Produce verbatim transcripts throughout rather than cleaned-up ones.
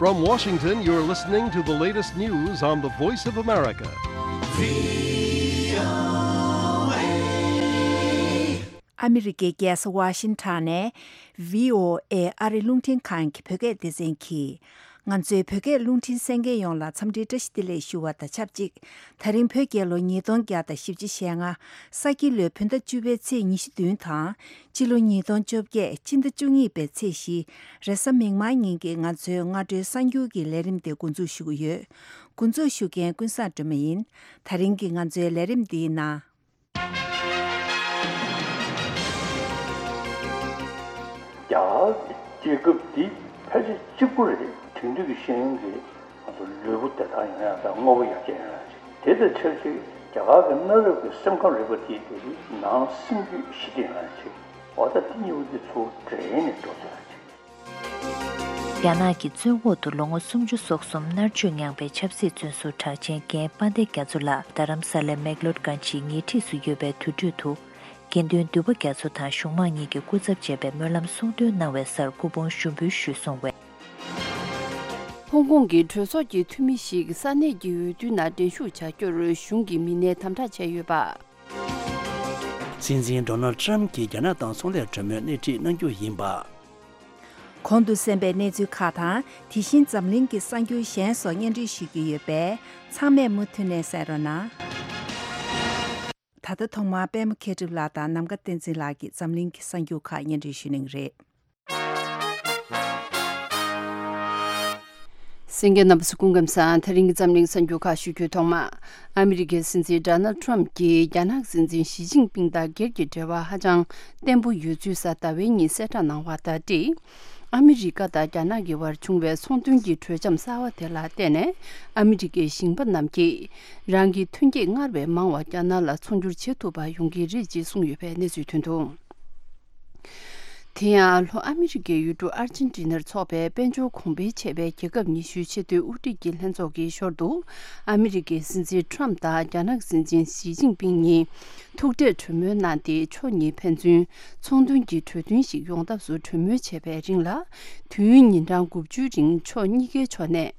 From Washington, you're listening to the latest news on the Voice of America. ཨ་མི་རི་ཀའི་རྒྱལ་ས་ཝ་ཤིང་ཊོན་ནས་བྷི་ཨོ་ཨེ་ཨ་རི་རླུང་འཕྲིན་ཁང་གི་བོད་སྐད་སྡེ་ཚན་གྱིས། ང་ཚོའི་བོད་སྐད་རླུང་འཕྲིན་གསན་མཁན་ཡོངས་ལ་འཚམས་འདྲིའི་བཀྲ་ཤིས་བདེ་ལེགས་ཞུ་བ་དང་ཆབས་ཅིག་དེ་རིང་བོད་རྒྱལ་ལོ་ཉིས་སྟོང་བརྒྱ་དང་བཞི་བཅུ་ཞེ་ལྔ། ས་ཁྱི་ལོའི་བོད་ཟླ་བཅུ་པའི་ཚེས་ཉི་ཤུ་བདུན་དང་། སྤྱི་ལོ་ཉིས་སྟོང་བཅོ་བརྒྱད་སྤྱི་ཟླ་བཅུ་གཉིས་པའི་ཚེས་བཞི། རེས་གཟའ་མིག་དམར་ཉིན་གྱི་ང་ཚོའི་སྔ་དྲོའི་གསར་འགྱུར་གྱི་ལས་རིམ་དེ་འགོ་འཛུགས་ཞུ་གི་ཡོད། འགོ་འཛུགས་ཞུ་མཁན་ཀུན་བཟང་སྒྲོལ་མ་ཡིན། དེ་རིང་གི་ང་ཚོའི་ལས་རིམ་འདིའི་ནང་། རྒྱ་གར་གྱི་རྒྱལ་ཁབ་འདི་ཕལ་ཆེར་གཅིག་པུ་རེད། དེང་དུས་ཀྱི་ཤེས་ཡོན་གྱི་ང་ཚོ་ལུས་པོ་བདེ་ཐང་ཡོང་ཡག་དང་དངོས་པོ་ཡར་རྒྱས་ཡོང་ཡག་ཅིག་དེ་དང་ཆབས་ཅིག་རྒྱ་གར་གྱི་གནའ་རབས་ཀྱི་སེམས་ཁམས་རིག་པ་དེའི་དེ་རིགས་ནང་སེམས་རྒྱུད་ཞི་བདེ་ཡོང་ཡག་ཅིག་འོ་ད་དེ་གཉིས་པོ་དེ་ཚུར་འདྲེས་ནས་འགྲོ་ཐུབ་ཡག་ཅིག་རྒྱ་ནག་གི་བཙོན་འོག་ཏུ་ལོ་ངོ་སུམ་ཅུ་སོ་གསུམ་མནར་གཅོད་མྱངས་པའི་ཆབ་སྲིད་བཙོན་ཟུར་གྲགས་ཅན་རྒན་དཔལ་ལྡན་རྒྱ་མཚོ་ལགས་རྡ་རམ་ས་ལའི་མེག་ལོར་གྷན་ཇིའི་ཉེ་འཁྲིས་སུ་ཡོད་པའི་དུར་ཁྲོད་དུ། དགེ་འདུན་འདུས་པ་རྒྱ་མཚོ་དང་གཞུང་མང་གཉིས་ཀྱི་སྐུ་ཚབ་བཅས་པའི་སྨོན་ལམ་གསུང་འདོན་གནང་བའི་སར་སྐུ་ཕུང་ཞུགས་འབུལ་ཞུས་སོང་བས། ཧོང་ཀོང་གི་གྲོས་ཚོགས་ཀྱི་འཐུས་མི་ཞིག་ས་གནས་ཀྱི་འོས་བསྡུའི་ནང་འགྲན་ཞུགས་བྱ་རྒྱུར་གཞུང་གི་མི་སྣས་དམ་དྲག་བྱས་ཡོད་པ། སྲིད་འཛིན་ཌོ་ནལ་ཊམ་གྱིས་རྒྱ་ནག་དང་ཚོང་ལས་གྲོས་མོལ་སྣེ་ཁྲིད་གནང་རྒྱུ་ཡིན་པ། གོང་དུ་གསན་པའི་གནས་ཚུལ་ཁག་དང་། དེ་བཞིན་འཛམ་གླིང་གི་གསར་འགྱུར་གཞན་སོགས་སྙན་སྒྲོན་ཞུ་རྒྱུ་ཡོད་པས། ཚང་མས་མུ་མཐུད་ནས་གསན་རོགས་གནང་། ད་ལྟ་ཐོག་མར་པད་མ་མཁས་གྲུབ་ལགས་དང་ནམ་མཁའ་བསྟན་འཛིན་ལགས་ཀྱིས་འཛམ་གླིང་གི་གསར་འགྱུར་ཁག་སྙན་སྒྲོན་ཞུ་གནང་གི་རེད། གསན་མཁན་རྣམ་པ་ཚོ་སྐུ་ཁམས་བཟང་། དེ་རིང་གི་འཛམ་གླིང་གསར་འགྱུར་ཁག་ཞུ་རྒྱུའི་ཐོག་མ། ཨ་མི་རི་ཀའི་སྲིད་འཛིན་ཌོ་ནལ་ཊམ་གྱིས་རྒྱ་ནག་སྲིད་འཛིན་ཞི་ཅིན་ཕིང་དང་སྒེར་གྱི་འབྲེལ་བ་ཧ་ཅང་བརྟན་པོ་ཡོད་ཚུལ་གཟའ་ཟླ་བའི་ཉིན་གསལ་བསྒྲགས་གནང་བ་དང་འབྲེལ། ཨ་མི་རི་ཀ་དང་རྒྱ་ནག་གི་བར་བྱུང་བའི་ཚོང་དོན་གྱི་གྲོས་འཆམ་གསར་བ་དེ་ལ་བརྟེན་ནས། ཨ་མི་རི་ཀའི་ཞིང་པ་རྣམས་ཀྱིས་རང་གི་ཐོན་སྐྱེད་སྔར་བས་མང་བ་རྒྱ་ནག་ལ་ཚོང་སྒྱུར་བྱེད་ཐུབ་པ་ཡོང་གི་རེད་ཅེས་གསུངས་ཡོད་པའི་གནས་ཚུལ་ཐོན་འདུག་དེ་ཡང་ལྷོ་ཨ་མི་རི་ཀའི་ཡུལ་གྲུ་ཨར་ཇེན་ཊི་ནར་འཚོགས་པའི་དཔལ་འབྱོར་གོང་འཕེལ་ཆེ་བའི་རྒྱལ་ཁབ་ཉི་ཤུའི་ཆེས་མཐོའི་དབུ་ཁྲིད་ཀྱི་ལྷན་ཚོགས་ཀྱི་ཞོར་དུ། ཨ་མི་རི་ཀའི་སྲིད་འཛིན་ཊམ་དང་རྒྱ་ནག་སྲིད་འཛིན་ཞི་ཅིན་ཕིང་གཉིས་ཐུག་འཕྲད་གྲོས་མོལ་གནང་སྟེ། ཕྱོགས་གཉིས་ཕན་ཚུན་ཚོང་དོན་གྱི་གྲོས་མཐུན་ཞིག་ཡོང་ཐབས་སུ་གྲོས་མོལ་བྱས་པའི་རིང་ལ། དུས་ཡུན་ཉིན་གྲངས་དགུ་བཅུའི་རིང་ཕྱོགས་གཉིས་ཀའི་ཕྱོགས་ནས།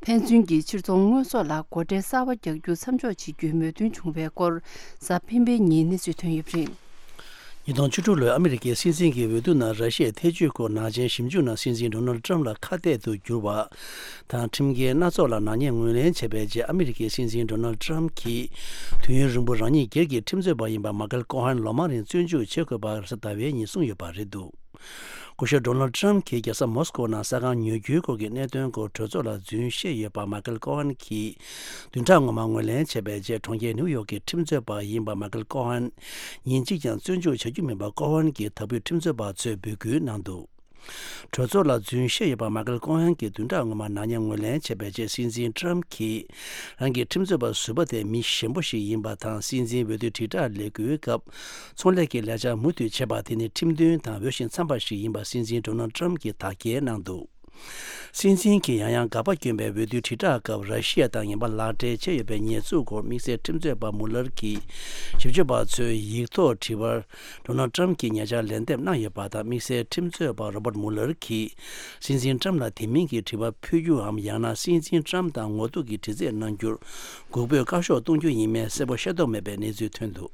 ཕན་ཚུན་གྱི་ཕྱིར་ཚོང་དངོས་ཟོག་ལ་སྒོ་ཁྲལ་གསར་པ་རྒྱག་རྒྱུ་མཚམས་འཇོག་བྱེད་རྒྱུའི་མོས་མཐུན་བྱུང་བའི་སྐོར། གཟའ་སྤེན་པའི་ཉིན་གནས་ཚུལ་ཐོན་ཡོད་པ་རེད། ཉིས་སྟོང་བཅུ་དྲུག་ལོའི་ཨ་མི་རི་ཀའི་སྲིད་འཛིན་གྱི་འོས་བསྡུ་ནང་ར་ཤི་ཡའི་ཐེ་བྱུས་སྐོར་ནག་ཅན་ཞིབ་འཇུག་ནང་སྲིད་འཛིན་ཌོ་ནལ་ཊམ་ལ་ཁ་གཏད་དུ་གྱུར་བ་དང་། ཁྲིམས་འགལ་སྣ་ཚོགས་ལ་ནག་ཉེས་ངོས་ལེན་བྱས་པའི་རྗེས། ཨ་མི་རི་ཀའི་སྲིད་འཛིན་ཌོ་ནལ་ཊམ་གྱིས་དུས་ཡུན་རིང་པོ་རང་ཉིད་སྒེར་གྱི་ཁྲིམས་རྩོད་པ་ཡིན་པ་མ་ཀལ་ཀོ་ཧན་ལོ་མང་རིང་བཙོན་འཇུག་བྱེད་དགོས་པ་རེས་གཟའ་ཟླ་བའི་ཉིན་གསུངས་ཡོད་པ་རེད་འདུག་སྐུ་ཞབས་ཌོ་ནལ་ཊམ་གྱིས་རྒྱལ་ས་མོ་སི་ཀོ་ནང་ས་ཁང་ཉོ་རྒྱུའི་སྐོར་གྱི་གནད་དོན་སྐོར་གྲོས་ཚོགས་ལ་རྫུན་བཤད་ཡོད་པ་མ་ཀལ་ཀོ་ཧན་གྱིས་བདུན་ཕྲག་སྔོན་མ་ངོས་ལེན་བྱས་པའི་རྗེས། གྲོང་ཁྱེར་ནིའུ་ཡོག་གི་ཁྲིམས་རྩོད་པ་ཡིན་པ་མ་ཀལ་ཀོ་ཧན་ཉིན་གཅིག་ཀྱང་བཙོན་འཇུག་བྱ་རྒྱུ་མིན་པ་ཀོ་ཧན་གྱིས་དྭགས་པོའི་ཁྲིམས་རྩོད་པ་ཚོས་འབོད་སྐུལ་གནང་འདུག་གྲོས་ཚོགས་ལ་རྫུན་བཤད་ཡོད་པ་མ་ཀལ་ཀོ་ཧན་གྱིས་བདུན་ཕྲག་སྔོན་མ་ནག་ཉེས་ངོས་ལེན་བྱས་པའི་རྗེས། སྲིད་འཛིན་ཊམ་གྱིས་རང་གི་ཁྲིམས་རྩོད་པ་ཟུར་པ་དེ་མི་ཞན་པོ་ཞིག་ཡིན་པ་དང་། སྲིད་འཛིན་འོས་བསྡུ་དྲིལ་བསྒྲགས་ལས་འགུལ་སྐབས་ཚོང་ལས་ཀྱི་ལས་འཆར་མུ་མཐུད་བྱས་པ་དེ་ནི་ཁྲིམས་མཐུན་དང་འོས་ཤིང་འཚམ་པ་ཞིག་ཡིན་པ་སྲིད་འཛིན་ཌོ་ནལ་ཊམ་གྱིས་དག་སྐྱེལ་གནང་འདུག་སྲིད་འཛིན་གྱིས་ཡང་ཡང་དགག་པ་བསྐྱོན་པའི་འོས་བསྡུའི་དྲིལ་བསྒྲགས་སྐབས། ར་ཤི་ཡ་དང་ངན་པ་ལག་སྦྲེལ་བྱས་ཡོད་པའི་ཉེས་འཛུགས་སྐོར་དམིགས་བསལ་ཁྲིམས་རྩོད་པ་མུ་ལར་གྱིས་ཞིབ་དཔྱོད་པ་ཚོའི་ཡིག་ཐོག་དྲི་བར། ཌོ་ནལ་ཊམ་གྱིས་ཉེ་ཆར་ལན་འདེབས་གནང་ཡོད་པ་དང་། དམིགས་བསལ་ཁྲིམས་རྩོད་པ་རོ་བརྟ་མུ་ལར་གྱིས་སྲིད་འཛིན་ཊམ་ལ་དེ་མིན་གྱི་དྲི་བ་ཕུལ་རྒྱུའམ། ཡང་ན་སྲིད་འཛིན་ཊམ་དང་ངོ་ཐུག་གི་དྲི་རྩད་གནང་རྒྱུར་འགུག་སྤོས་བཀའ་ཤོག་གཏོང་རྒྱུ་ཡིན་མིན་གསལ་པོ་ཤེས་རྟོགས་མེད་པའི་གནས་ཚུལ་ཐོན་འདུག་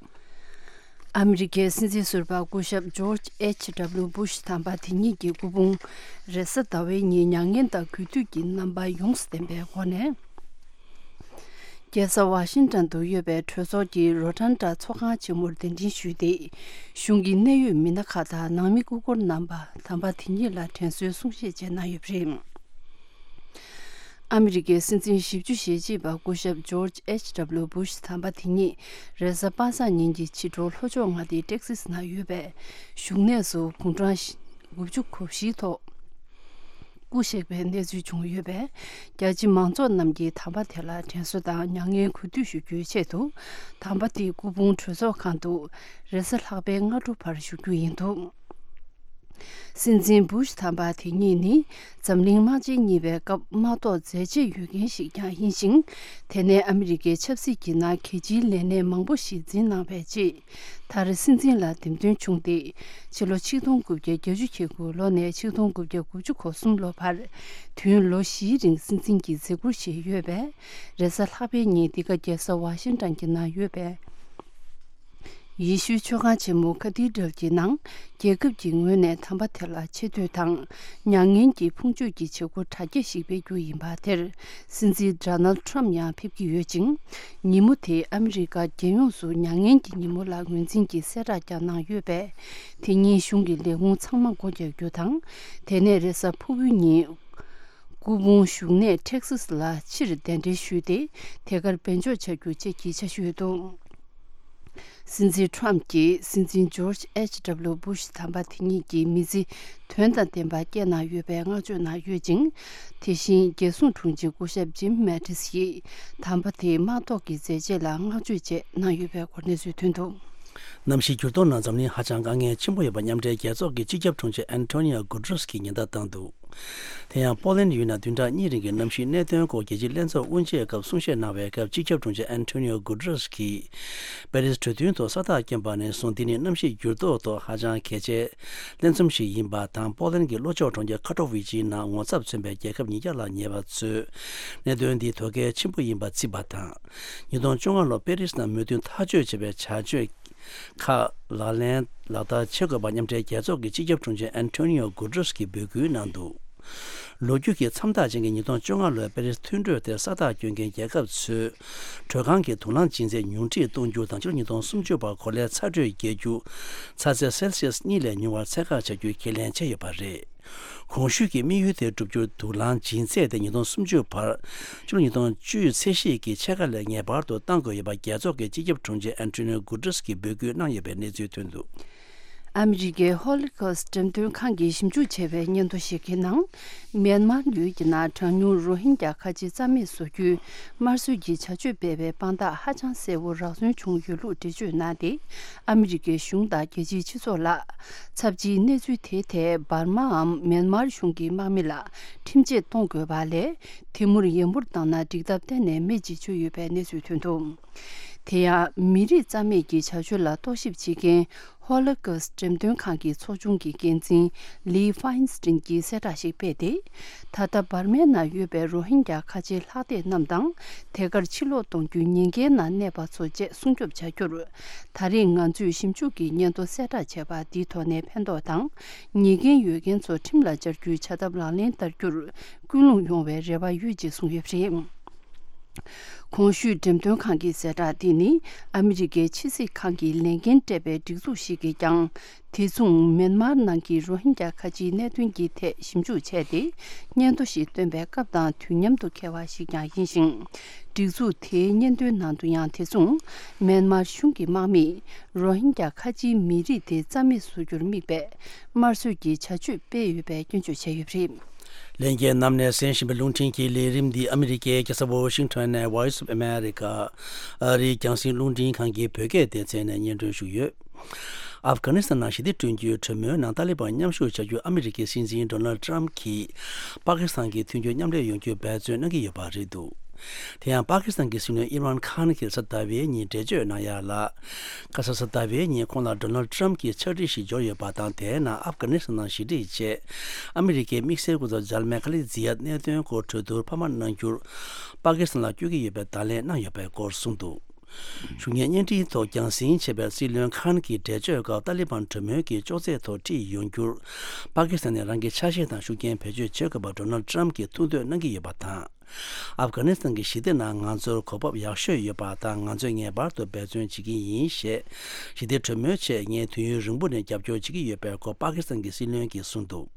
ཨ་མི་རི་ཀའི་སྲིད་འཛིན་ཟུར་པ་སྐུ་ཞབས་ཇོརྗ་ཨེཆ་ཌབ་ལུ་སྦུ་ཤ་དམ་པ་དེ་ཉིད་ཀྱི་སྐུ་ཕུང་རེས་གཟའ་ཟླ་བའི་ཉིན་མྱ་ངན་དང་གུས་འདུད་ཀྱི་རྣམ་པ་ཡོངས་སུ་ལྡན་པའི་སྒོ་ནས། རྒྱལ་ས་ཝ་ཤིང་ཊོན་དུ་ཡོད་པའི་གྲོས་ཚོགས་ཀྱི་རོ་ཊན་ཌ་ཚོགས་ཁང་ཆེན་མོར་གདན་འདྲེན་ཞུས་ཏེ། གཞུང་གི་གནད་ཡོད་མི་སྣ་ཁག་དང་ནང་མི་སྐུ་འཁོར་རྣམ་པ་དམ་པ་དེ་ཉིད་ལ་དྲན་གསོའི་གསུང་བཤད་བཅས་གནང་ཡོད་པ་རེད། ཨ་མི་རི་ཀའི་སྲིད་འཛིན་ཞེ་གཅིག་པ་སྐུ་ཞབས་ཇོརྗ་ཨེཆ་ཌབ་ལུ་སྦུ་ཤ་དམ་པ་དེ་ཉིད་རེས་གཟའ་པ་སངས་ཉིན་གྱི་ཕྱི་དྲོ་ལྷོ་ཕྱོགས་མངའ་སྡེ་ཊེག་སིས་ནང་ཡོད་པའི་བཞུགས་གནས་སུ་དགུང་གྲངས་དགུ་བཅུ་གོ་བཞིའི་ཐོག་སྐུ་གཤེགས་པའི་གནས་ཚུལ་བྱུང་ཡོད་པས། རྒྱ་ཆེ་མང་ཚོགས་རྣམས་ཀྱིས་དམ་པ་དེ་ལ་དྲན་གསོ་དང་མྱ་ངན་གུས་འདུད་ཞུ་རྒྱུའི་ཆེད་དུ། དམ་པ་དེའི་སྐུ་ཕུང་གྲོས་ཚོགས་ཁང་དུ་རེས་གཟའ་ལྷག་པའི་སྔ་དྲོ་བར་བཞུགས་རྒྱུ་ཡིན་འདུག་སྲིད་འཛིན་བུ་ཤ་དམ་པ་དེ་ཉིད་ནི་འཛམ་གླིང་དམག་ཆེན་གཉིས་པའི་སྐབས་དམག་ཐོག་མཛད་རྗེས་ཡོད་མཁན་ཞིག་ཀྱང་ཡིན་ཞིང་། དེ་ནས་ཨ་མི་རི་ཀའི་ཆབ་སྲིད་ཀྱི་ནང་གལ་ཆེའི་ལས་གནས་མང་པོ་ཞིག་འཛིན་གནང་བའི་རྗེས། མཐར་སྲིད་འཛིན་ལ་འདེམས་ཐོན་བྱུང་སྟེ། ཕྱི་ལོ་ཆིག་སྟོང་དགུ་བརྒྱ་བརྒྱད་ཅུ་གྱ་དགུ་ལོ་ནས་ཆིག་སྟོང་དགུ་བརྒྱ་དགུ་བཅུ་གོ་གསུམ་ལོ་བར། དུས་ཡུན་ལོ་བཞིའི་རིང་སྲིད་འཛིན་གྱི་མཛད་ཁུར་བཞེས་ཡོད་པས། རེས་གཟའ་ལྷག་པའི་ཉིན་འདི་ག་རྒྱལ་ས་ཝ་ཤིང་ཊོན་གྱི་ནང་ཡོད་པའི་ཡེ་ཤུའི་མཆོད་ཁང་ཆེན་མོ་ཁ་ཐི་ཌལ་གྱི་ནང་རྒྱལ་ཁབ་ཀྱི་ངོས་ནས་དམ་པ་དེ་ལ་ཆེ་བསྟོད་དང་མྱ་ངན་གྱི་ཕུང་མཆོད་ཀྱི་བྱེད་སྒོ་གྲ་རྒྱས་ཤིག་སྤེལ་རྒྱུ་ཡིན་པ་དེར། སྲིད་འཛིན་ཌོ་ནལ་ཌི་ཊརམ་ཡང་ཕེབས་ཀྱི་ཡོད་ཅིང་། ཉིན་མོ་དེ་ཨ་མི་རི་ཀ་རྒྱལ་ཡོངས་སུ་མྱ་ངན་གྱི་ཉིན་མོ་ལ་ངོས་འཛིན་གྱིས་གསལ་བསྒྲགས་ཀྱང་གནང་ཡོད་པས། དེ་ཉིན་གཞུང་གི་ལས་ཁུངས་ཚང་མ་སྒོ་རྒྱག་རྒྱུ་དང་། དེ་ནས་རེས་གཟའ་ཕུར་བུའི་ཉིན། སྐུ་ཕུང་བཞུགས་གནས་ཊེག་སཱ་ལ་ཕྱིར་གདན་འདྲེན་ཞུས་ཏེ། དེ་གར་སྦས་འཇོག་བྱ་རྒྱུ་བཅས་ཀྱི་འཆར་གཞི་ཡོད་འདུག་སྲིད་འཛིན་ཊརམ་གྱིས་སྲིད་འཛིན་ཇོརྗ་ཨེཆ་ཌབ་ལུ་བུ་ཤ་དམ་པ་དེ་ཉིད་ཀྱི་མི་ཚེ་དོན་དང་ལྡན་པ་བསྐྱལ་གནང་ཡོད་པའི་བསྔགས་བརྗོད་གནང་ཡོད་ཅིང་། དེ་བཞིན་རྒྱལ་སྲུང་དྲུང་ཆེ་སྐུ་ཞབས་ཇིམ་མེ་ཏིས་ཡིས་དམ་པ་དེའི་དམག་ཐོག་གི་མཛད་རྗེས་ལ་བསྔགས་བརྗོད་བཅས་གནང་ཡོད་པའི་སྐོར་གནས་ཚུལ་ཐོན་འདུག་གནམ་གཤིས་འགྱུར་ལྡོག་ནང་འཛམ་གླིང་ཧ་ཅང་དཀའ་ངལ་ཆེན་པོ་ཡོད་པ་མཉམ་འབྲེལ་རྒྱལ་ཚོགས་ཀྱི་སྤྱི་ཁྱབ་དྲུང་ཆེ་ཨན་ཐོ་ནི་ཡོ་གུ་ཏྲེས་ཀྱིས་ཉེན་བརྡ་བཏང་འདུག་དེ་ཡང་པོ་ལན་ཡུལ་ནང་བདུན་ཕྲག་གཉིས་རིང་གི་གནམ་གཤིས་གནད་དོན་སྐོར་རྒྱལ་སྤྱིའི་ལྷན་ཚོགས་དབུ་འབྱེད་སྐབས་གསུང་བཤད་གནང་བའི་སྐབས། སྤྱི་ཁྱབ་དྲུང་ཆེ་ཨན་ཐོ་ནི་ཡོ་གུ་ཏྲེས་ཀྱིས་པེ་རིས་གྲོས་མཐུན་ཐོག་ས་རྟགས་བསྐྱོན་པ་ནས་བཟུང་། འདི་ནི་གནམ་གཤིས་འགྱུར་ལྡོག་ཐོག་ཧ་ཅང་གལ་ཆེའི་ལྷན་འཛོམས་ཤིག་ཡིན་པ་དང་། པོ་ལན་གྱི་ལྷོ་ཕྱོགས་གྲོང་ཁྱེར་ཁ་ཏོ་ཝི་ཅིའི་ནང་ངོ་ཚབ་མཚོན་པའི་རྒྱལ་ཁབ་ཉིས་བརྒྱ་ལ་ཉེ་བ་ཚོས་གནད་དོན་འདི་དོ་གལ་ཆེན་པོ་ཡིན་པ་བརྩིས་པ་དང་། ཉིས་སྟོང་བཅོ་ལྔ་ལོར་པེ་རིས་ནང་མོས་མཐུན་ཐག་གཅོད་བྱས་པའི་བྱ་སྤྱོད་ཁག་ལག་ལེན་ལག་བསྟར་བྱེད་དགོས་པ་མཉམ་འབྲེལ་རྒྱལ་ཚོགས་ཀྱི་སྤྱི་ཁྱབ་དྲུང་ཆེ་ཨན་ཐོ་ནི་ཡོ་གུ་ཏྲེས་ཀྱིས་འབོད་སྐུལ་གནང་འདུག་ལོ་རྒྱུས་ཀྱི་མཚམས་རྟགས་ཅན་གྱི་ཉིས་སྟོང་བཅོ་ལྔ་ལོའི་པེ་རིས་མཐུན་གྲོས་དེར་ས་རྟགས་བསྐྱོན་མཁན་རྒྱལ་ཁབ་ཚོས་དྲོད་ཁང་གི་དུག་རླངས་ལྗིད་ཚད་ཉུང་འཕྲི་གཏོང་རྒྱུ་དང་། ཕྱི་ལོ་ཉིས་སྟོང་སུམ་ཅུ་བར་གོ་ལའི་ཚ་དྲོད་རྒྱས་རྒྱུ་ཚ་ཚད་སེལ་སི་ཡས་གཉིས་ལས་ཉུང་བར་ཚད་བཀག་བྱ་རྒྱུའི་ཁས་ལེན་བྱས་ཡོད་པ་རེད། གོང་ཞུས་ཀྱི་དམིགས་ཡུལ་དེ་བསྒྲུབ་རྒྱུར་དུག་རླངས་ལྗིད་ཚད་དེ་ཉིས་སྟོང་སུམ་ཅུ་བར་ཕྱི་ལོ་ཉིས་སྟོང་བཅུའི་ཚད་གཞི་གི་ཕྱེད་ཀ་ལས་ངེས་པར་དུ་གཏང་དགོས་ཡོད་པ་རྒྱལ་ཚོགས་ཀྱི་སྤྱི་ཁྱབ་དྲུང་ཆེ་ཨན་ཐོ་ནིའོ་གུ་ཏྲེས་ཀྱིས་འབོད་སྐུལ་གནང་ཡོད་པའི་གནས་ཚུལ་ཐོན་འདུག་ཨ་མི་རི་ཀའི་ཧོ་ལི་ཀོ་སི་འགྲེམས་སྟོན་ཁང་གིས་ཞིབ་འཇུག་བྱས་པའི་སྙན་ཐོ་ཞིག་གི་ནང་། མེན་མར་ཡུལ་གྱི་ནང་གྲངས་ཉུང་རོ་ཧིན་རྒྱ་ཁ་ཆེ་རྩ་མེད་བཟོ་རྒྱུའི་དམར་གསོད་ཀྱི་བྱ་སྤྱོད་སྤེལ་བའི་དཔང་རྟགས་ཧ་ཅང་གསལ་བོ་རག་སོན་བྱུང་ཡོད་ལུགས་འགྲེལ་བརྗོད་གནང་སྟེ། ཨ་མི་རི་ཀའི་གཞུང་དང་རྒྱལ་སྤྱིའི་སྤྱི་ཚོགས་ལ། ཚབས་ཆེའི་གནས་ཚུལ་དེའི་ཐད་འབར་མའམ་མེན་མར་གཞུང་གི་དམག་མི་ལ་ཁྲིམས་ཆད་གཏོང་དགོས་པ་ལས། དེ་མུར་ཡན་པོར་བཏང་ན་འགྲིག་ཐབས་གཏན་ནས་མེད་ཅེས་བརྗོད་ཡོད་པའི་གནས་ཚུལ་ཐོན་འདུག་དེ་ཡང་མི་རིགས་རྩ་མེད་ཀྱི་བྱ་སྤྱོད་ལ་རྟོག་ཞིབ་བྱེད་མཁན་ཧོ་ལོ་ཀོ་སི་འགྲེམས་སྟོན་ཁང་གི་ཚོགས་ཆུང་གི་འགན་འཛིན་ལི་ཧྥ་ཡིན་སི་ཏིན་གྱིས་གསལ་བསྒྲགས་ཤིག་སྤེལ་ཏེ། ད་ལྟ་འབར་མའི་ནང་ཡོད་པའི་རོ་ཧིན་རྒྱ་ཁ་ཆེ་ལྷག་བསྡད་རྣམས་དང་། དེ་གར་ཕྱིར་ལོག་གཏོང་རྒྱུའི་ཉེན་ཁའི་ནང་གནས་པ་ཚོ་བཅས་སྲུང་སྐྱོབ་བྱ་རྒྱུར། ད་རེས་ང་ཚོས་ཞིབ་འཇུག་གི་སྙན་ཐོ་གསལ་བསྒྲགས་བྱས་པ་འདིའི་ཐོག་ནས་ཕན་ཐོགས་དང་། ཉེས་འགན་ཡོད་མཁན་ཚོ་ཁྲིམས་ལ་སྦྱར་རྒྱུའི་བྱ་ཐབས་ལག་ལེན་བསྟར་རྒྱུར། ཀུན་སློང་ཡོང་བའི་རེ་བ་ཡོད་ཅེས་གསུངས་ཡོད་པ་རེད། གོང་ཞུས་འགྲེམས་སྟོན་ཁང་གི་གསལ་བསྒྲགས་འདི་ནི་ཨ་མི་རི་ཀའི་ཕྱི་སྲིད་ཁང་གིས་ལས་འགན་སྤྲད་པའི་སྒྲིག་འཛུགས་ཤིག་གིས་ཀྱང་། དེ་མཚུངས་མེན་མར་ནང་གི་རོ་ཧིན་རྒྱ་ཁ་ཆེའི་གནད་དོན་གྱི་ཐད་ཞིབ་འཇུག་བྱས་ཏེ། སྙན་ཐོ་ཞིག་བཏོན་པའི་སྐབས་དང་དུས་མཉམ་དུ་འཁེལ་བ་ཞིག་ཀྱང་ཡིན་ཞིང་། སྒྲིག་འཛུགས་དེའི་སྙན་ཐོའི་ནང་དུ་ཡང་དེ་མཚུངས་མེན་མར་གཞུང་གི་དམག་མིས་རོ་ཧིན་རྒྱ་ཁ་ཆེའི་མི་རིགས་དེ་རྩ་མེད་བཟོ་རྒྱུར་དམིགས་པའི་དམར་གསོད་ཀྱི་བྱ་སྤྱོད་སྤེལ་ཡོད་པའི་སྐྱོན་བརྗོད་བྱས་ཡོད་པ་རེད། ལྷན་རྒྱས་རྣམས་ནས་གསན་བཞིན་པའི་རླུང་འཕྲིན་གྱི་ལས་རིམ་འདི་ཨ་མི་རི་ཀའི་རྒྱལ་ས་ཝོ་ཤིང་ཊོན་ནས་Voice of America ཨ་རིའི་རྒྱང་སྲིང་རླུང་འཕྲིན་ཁང་གི་བོད་སྐད་སྡེ་ཚན་ནས་སྙན་སྒྲོན་ཞུས་ཡོད། ཨབ་གྷ་ནི་སི་ཐན་ནང་ཞི་བདེ་བསྐྲུན་རྒྱུའི་གྲོས་མོལ་ནང་ཏཱ་ལི་བན་མཉམ་ཞུགས་བྱ་རྒྱུར་ཨ་མི་རི་ཀའི་སྲིད་འཛིན་ཌོ་ནལ་ཌི་ཊརམ་གྱིས་པ་ཀི་སི་ཐན་གྱི་མཐུན་འགྱུར་མཉམ་ལས་ཡོང་རྒྱུར་འབད་བརྩོན་གནང་གི་ཡོད་པ་རེད་འདུག་དེ་ཡང་པ་ཀི་སི་ཐན་གྱི་སྲིད་བློན་ཨིམ་རཱན་ཁཱན་གྱིས་གཟའ་ཟླ་བའི་ཉིན་འགྲེལ་བརྗོད་གནང་ཡ་ལ། ཁ་སང་གཟའ་ཟླ་བའི་ཉིན་ཁོང་ལ་ཌོ་ནལ་ཌི་ཊརམ་གྱིས་ཕྱག་བྲིས་ཤིག་འབྱོར་ཡོད་པ་དང་། དེའི་ནང་ཨབ་གྷ་ནི་སི་ཐན་ནང་ཞི་འགྲིག་ཆེད་ཨ་མི་རི་ཀའི་དམིགས་བསལ་སྐུ་ཚབ་ཇལ་མེ་ཁ་ལི་ཛི་ཡ་གནད་དོན་སྐོར་གྲོས་བསྡུར་འཕར་མ་གནང་རྒྱུར་པ་ཀི་སི་ཐན་ལ་བསྐྱོད་ཀྱི་ཡོད་པའི་བརྡ་ལན་གནང་ཡོད་པའི་སྐོར་གསུངས་འདུག་ཞུ་སྙན་སྙན་སྒྲོན་ཐོག་རྒྱང་སྲིང་བྱས་པའི་སྲིད་བློན་ཁཱན་གྱི་འགྲེལ་བརྗོད་སྐབས། ཏཱ་ལི་བན་གྲོས་མོལ་གྱི་ཅོག་ཙེའི་ཐོག་ཁྲིད་ཡོང་རྒྱུར་པ་ཀི་སི་ཐན་ནས་རང་གི་ཆ་ཤས་དང་ཤུགས་རྐྱེན་བེད་སྤྱོད་བྱེད་དགོས་པར་ཌོ་ནལ་ཌི་ཊརམ་གྱིས་ཐུགས་འདོད་གནང་གི་ཡོད་པ་དང་། ཨབ་གྷ་ནི་སི་ཐན་གྱི་ཞི་བདེ་ནང་ང་ཚོར་གོ་བབ་ཡག་ཤོས་ཡོད་པ་དང་། ང་ཚོས་ངེས་པར་དུ་འབད་བརྩོན་བྱེད་ཀྱི་ཡིན་ཞེས། ཞི་བདེ་གྲོས་མོལ་ཆེད་ངས་དུས་ཡུན་རིང་པོ་ནས་རྒྱབ་སྐྱོར་བྱེད་ཀྱི་ཡོད་པའི་སྐོར་པ་ཀི་སི་ཐན་གྱི་སྲིད་བློན་གྱིས་གསུངས་འདུག་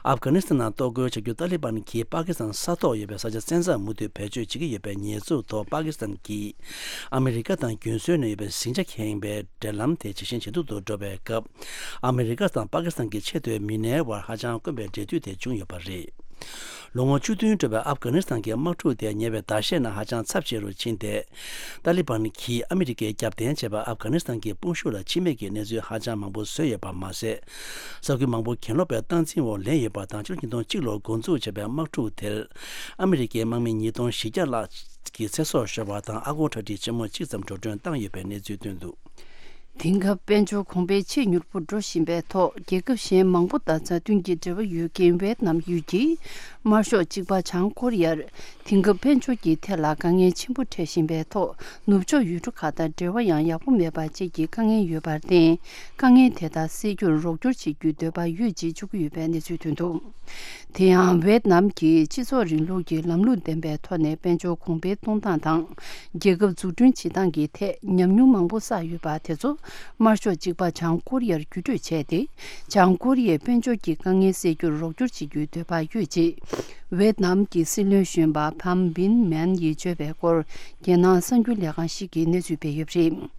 ཨབ་གྷ་ནི་སི་ཐན་ནང་གཏོར་རྒོལ་བྱ་རྒྱུར་ཏཱ་ལི་བན་གྱིས་པ་ཀི་སི་ཐན་ས་ཐོག་ཡོད་པའི་ས་ཆ་བཙན་འཛུལ་མུ་མཐུད་བེད་སྤྱོད་བྱེད་ཀྱི་ཡོད་པའི་ཉེས་འཛུགས་ཐོག་པ་ཀི་སི་ཐན་གྱིས་ཨ་མི་རི་ཀ་དང་རྒྱུན་སྲོལ་ནས་ཡོད་པའི་ཟིང་ཆ་ཁེངས་པའི་འབྲེལ་ལམ་དེ་ཇེ་ཞན་ཇེ་སྡུག་ཏུ་འགྲོ་བའི་སྐབས། ཨ་མི་རི་ཀ་དང་པ་ཀི་སི་ཐན་གྱི་ཆེས་མཐོའི་མི་སྣའི་དབར་ཧ་ཅང་དཀོན་པའི་འབྲེལ་མཐུད་དེ་བྱུང་ཡོད་པ་རེད། ལོ་ངོ་བཅུ་བདུན་འགྲོ་བའི་ཨབ་གྷ་ནི་སི་ཐན་གྱི་དམག་འཁྲུག་དེ་ཉེ་བའི་ཟླ་ཤས་ནང་ཧ་ཅང་ཚབས་ཆེ་རུ་ཕྱིན་ཏེ། ཏཱ་ལི་བན་གྱིས་ཨ་མི་རི་ཀའི་རྒྱབ་རྟེན་བྱས་པ་ཨབ་གྷ་ནི་སི་ཐན་གྱི་དཔུང་ཤུགས་ལ་འཆི་རྨས་ཀྱི་གནས་ཚུལ་ཧ་ཅང་མང་པོ་བཟོས་ཡོད་པ་མ་ཟད། ས་ཁུལ་མང་པོ་གྱེན་ལོག་པའི་སྟངས་འཛིན་འོག་ལེན་ཡོད་པ་དང་། ཕྱི་ལོ་ཉིས་སྟོང་གཅིག་ལོར་འགོ་འཛུགས་བྱས་པའི་དམག་འཁྲུག་དེར་ཨ་མི་རི་ཀའི་དམག་མི་ཉིས་སྟོང་བཞི་བརྒྱ་ལྷག་གི་ཚེ་སྲོག་ཤོར་བ་དང་། ཨ་སྒོར་གྲ་སྒྲིག་ཆེན་མོ་གཅིག་ཙམ་འགྲོ་གྲོན་བཏང་ཡོད་པའི་གནས་ཚུལ་ཐོན་འདུག། དེང་སྐབས་དཔལ་འབྱོར་གོང་འཕེལ་ཆེས་མྱུར་པོ་འགྲོ་བཞིན་པའི་ཐོག་རྒྱལ་ཁབ་གཞན་མང་པོ་དང་མཛའ་མཐུན་གྱི་འབྲེལ་བ་ཡོད་མཁན་ཝེད་ནམ་ཡུལ་གྱིས་དམར་ཤོག་གཅིག་པ་བྱང་ཀོ་རི་ཡར་དེང་སྐབས་དཔལ་འབྱོར་གྱི་ཐད་ལ་དཀའ་ངལ་ཆེན་པོ་འཕྲད་བཞིན་པའི་ཐོག་ནུབ་ཕྱོགས་ཡུལ་གྲུ་ཁག་དང་འབྲེལ་བ་ཡང་ཡག་པོ་མེད་པ་བཅས་ཀྱི་དཀའ་ངལ་ཡོད་པར་བརྟེན། དཀའ་ངལ་དེ་དག་སེལ་རྒྱུར་རོགས་སྐྱོར་བྱེད་རྒྱུའི་འདོད་པ་ཡོད་ཅེས་བརྗོད་ཀྱི་ཡོད་པའི་གནས་ཚུལ་ཐོན་འདུག། དེ་ཡང་ཝེད་ནམ་གྱིས་སྤྱི་ཚོགས་རིང་ལུགས་ཀྱི་ལམ་ལུགས་ལྡན་པའི་ཐོག་ནས་དཔལ་འབྱོར་གོང་འཕེལ་གཏོང་སྟངས་དང་། རྒྱལ་ཁབ་འཛུགས་སྐྲུན་བྱེད་སྟངས་ཀྱི་ཐད་ཉམས་མྱོང་མང་པོ་བསགས་ཡོད་པ་དེ་ཚོ་དམར་ཤོག་གཅིག་པ་བྱང་ཀོ་རི་ཡར་བརྒྱུད་སྤྲོད་བྱས་ཏེ། བྱང་ཀོ་རི་ཡའི་དཔལ་འབྱོར་གྱི་དཀའ་ངལ་སེལ་རྒྱུར་རོགས་སྐྱོར་བྱེད་རྒྱུའི་འདོད་པ་ཡོད་ཅེས་ཝེད་ནམ་གྱི་སྲིད་བློན་གཞོན་པ་ཕམ་བིན་མན་ཡིས་བརྗོད་པའི་སྐོར། རྒྱལ་ནང་གསར་འགྱུར་ལས་ཁང་ཞིག་གིས་གནས་ཚུལ་སྤེལ་ཡོད་པ་རེད།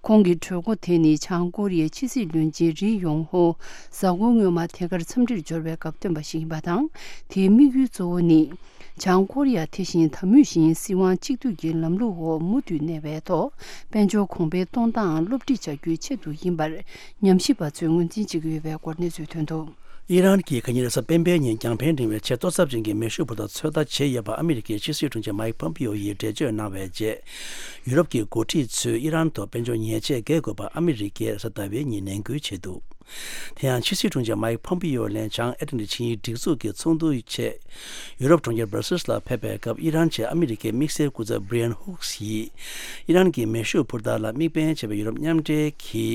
ཁོང་གི་གྲོས་འགོ་དེ་ནི་བྱང་ཀོ་རི་ཡའི་ཕྱི་སྲིད་བློན་ཆེན་རི་ཡོང་ཧོ་གཟའ་འཁོར་སྔོན་མ་ཐད་ཀར་འཚམས་འདྲིར་འབྱོར་བའི་སྐབས་བཏོན་པ་ཞིག་ཡིན་པ་དང་། དེའི་དམིགས་ཡུལ་གཙོ་བོ་ནི། བྱང་ཀོ་རི་ཡ་དེ་བཞིན་ད་མུས་བཞིན་སྲིད་དབང་གཅིག་སྡུད་ཀྱི་ལམ་ལུགས་འོག་མུ་མཐུད་གནས་པའི་ཐོག་དཔལ་འབྱོར་གོང་འཕེལ་གཏོང་སྟངས་སློབ་ཁྲིད་བྱ་རྒྱུའི་ཆེད་དུ་ཡིན་པར་ཉམས་ཞིབ་པ་ཚོས་ངོས་འཛིན་བྱེད་ཀྱི་ཡོད་པའི་སྐོར་གནས་ཚུལ་ཐོན་འདུག། ཨི་རན་གྱིས་ཁ་ཉིན་རེས་གཟའ་སྤེན་པའི་ཉིན་རྒྱང་འཕེན་འབྲིང་བའི་ཆེས་གཏོར་ཚབས་ཅན་གྱི་མེ་ཤུགས་འཕུར་མདའ་ཚོད་ལྟ་བྱས་ཡོད་པ་ཨ་མི་རི་ཀའི་ཕྱི་སྲིད་དྲུང་ཆེ་མའིག་ཕོམ་པིའོ་ཡིས་འགྲེལ་བརྗོད་གནང་བའི་རྗེས། ཡུ་རོབ་ཀྱི་འགོ་ཁྲིད་ཚོས་ཨི་རན་དུ་དཔལ་འབྱོར་ཉེས་ཆད་འགེལ་དགོས་པར་ཨ་མི་རི་ཀས་གཟའ་ཟླ་བའི་ཉིན་ནན་སྐུལ་བྱས་འདུག། དེ་ཡང་ཕྱི་སྲིད་དྲུང་ཆེ་མའིག་ཕོམ་པིའོ་ལན་བྱང་ཨེ་ཊ་ལན་ཊ་ཆིངས་ཡིག་སྒྲིག་འཛུགས་ཀྱི་ཚོགས་འདུའི་ཆེད་ཡུ་རོབ་གྲོང་ཁྱེར་སྦར་སིལ་ལ་ཕེབས་པའི་སྐབས། ཨི་རན་གྱི་ཨ་མི་རི་ཀའི་དམིགས་བསལ་སྐུ་ཚབ་བྷི་རི་ཡན་ཧུག་ཡིས་ཨི་རན་གྱི་མེ་ཤུགས་འཕུར་མདའ་ལ་དམིགས་འབེན་བྱས་པའི་ཡུ་རོབ་མཉམ་འབྲེལ་གྱི་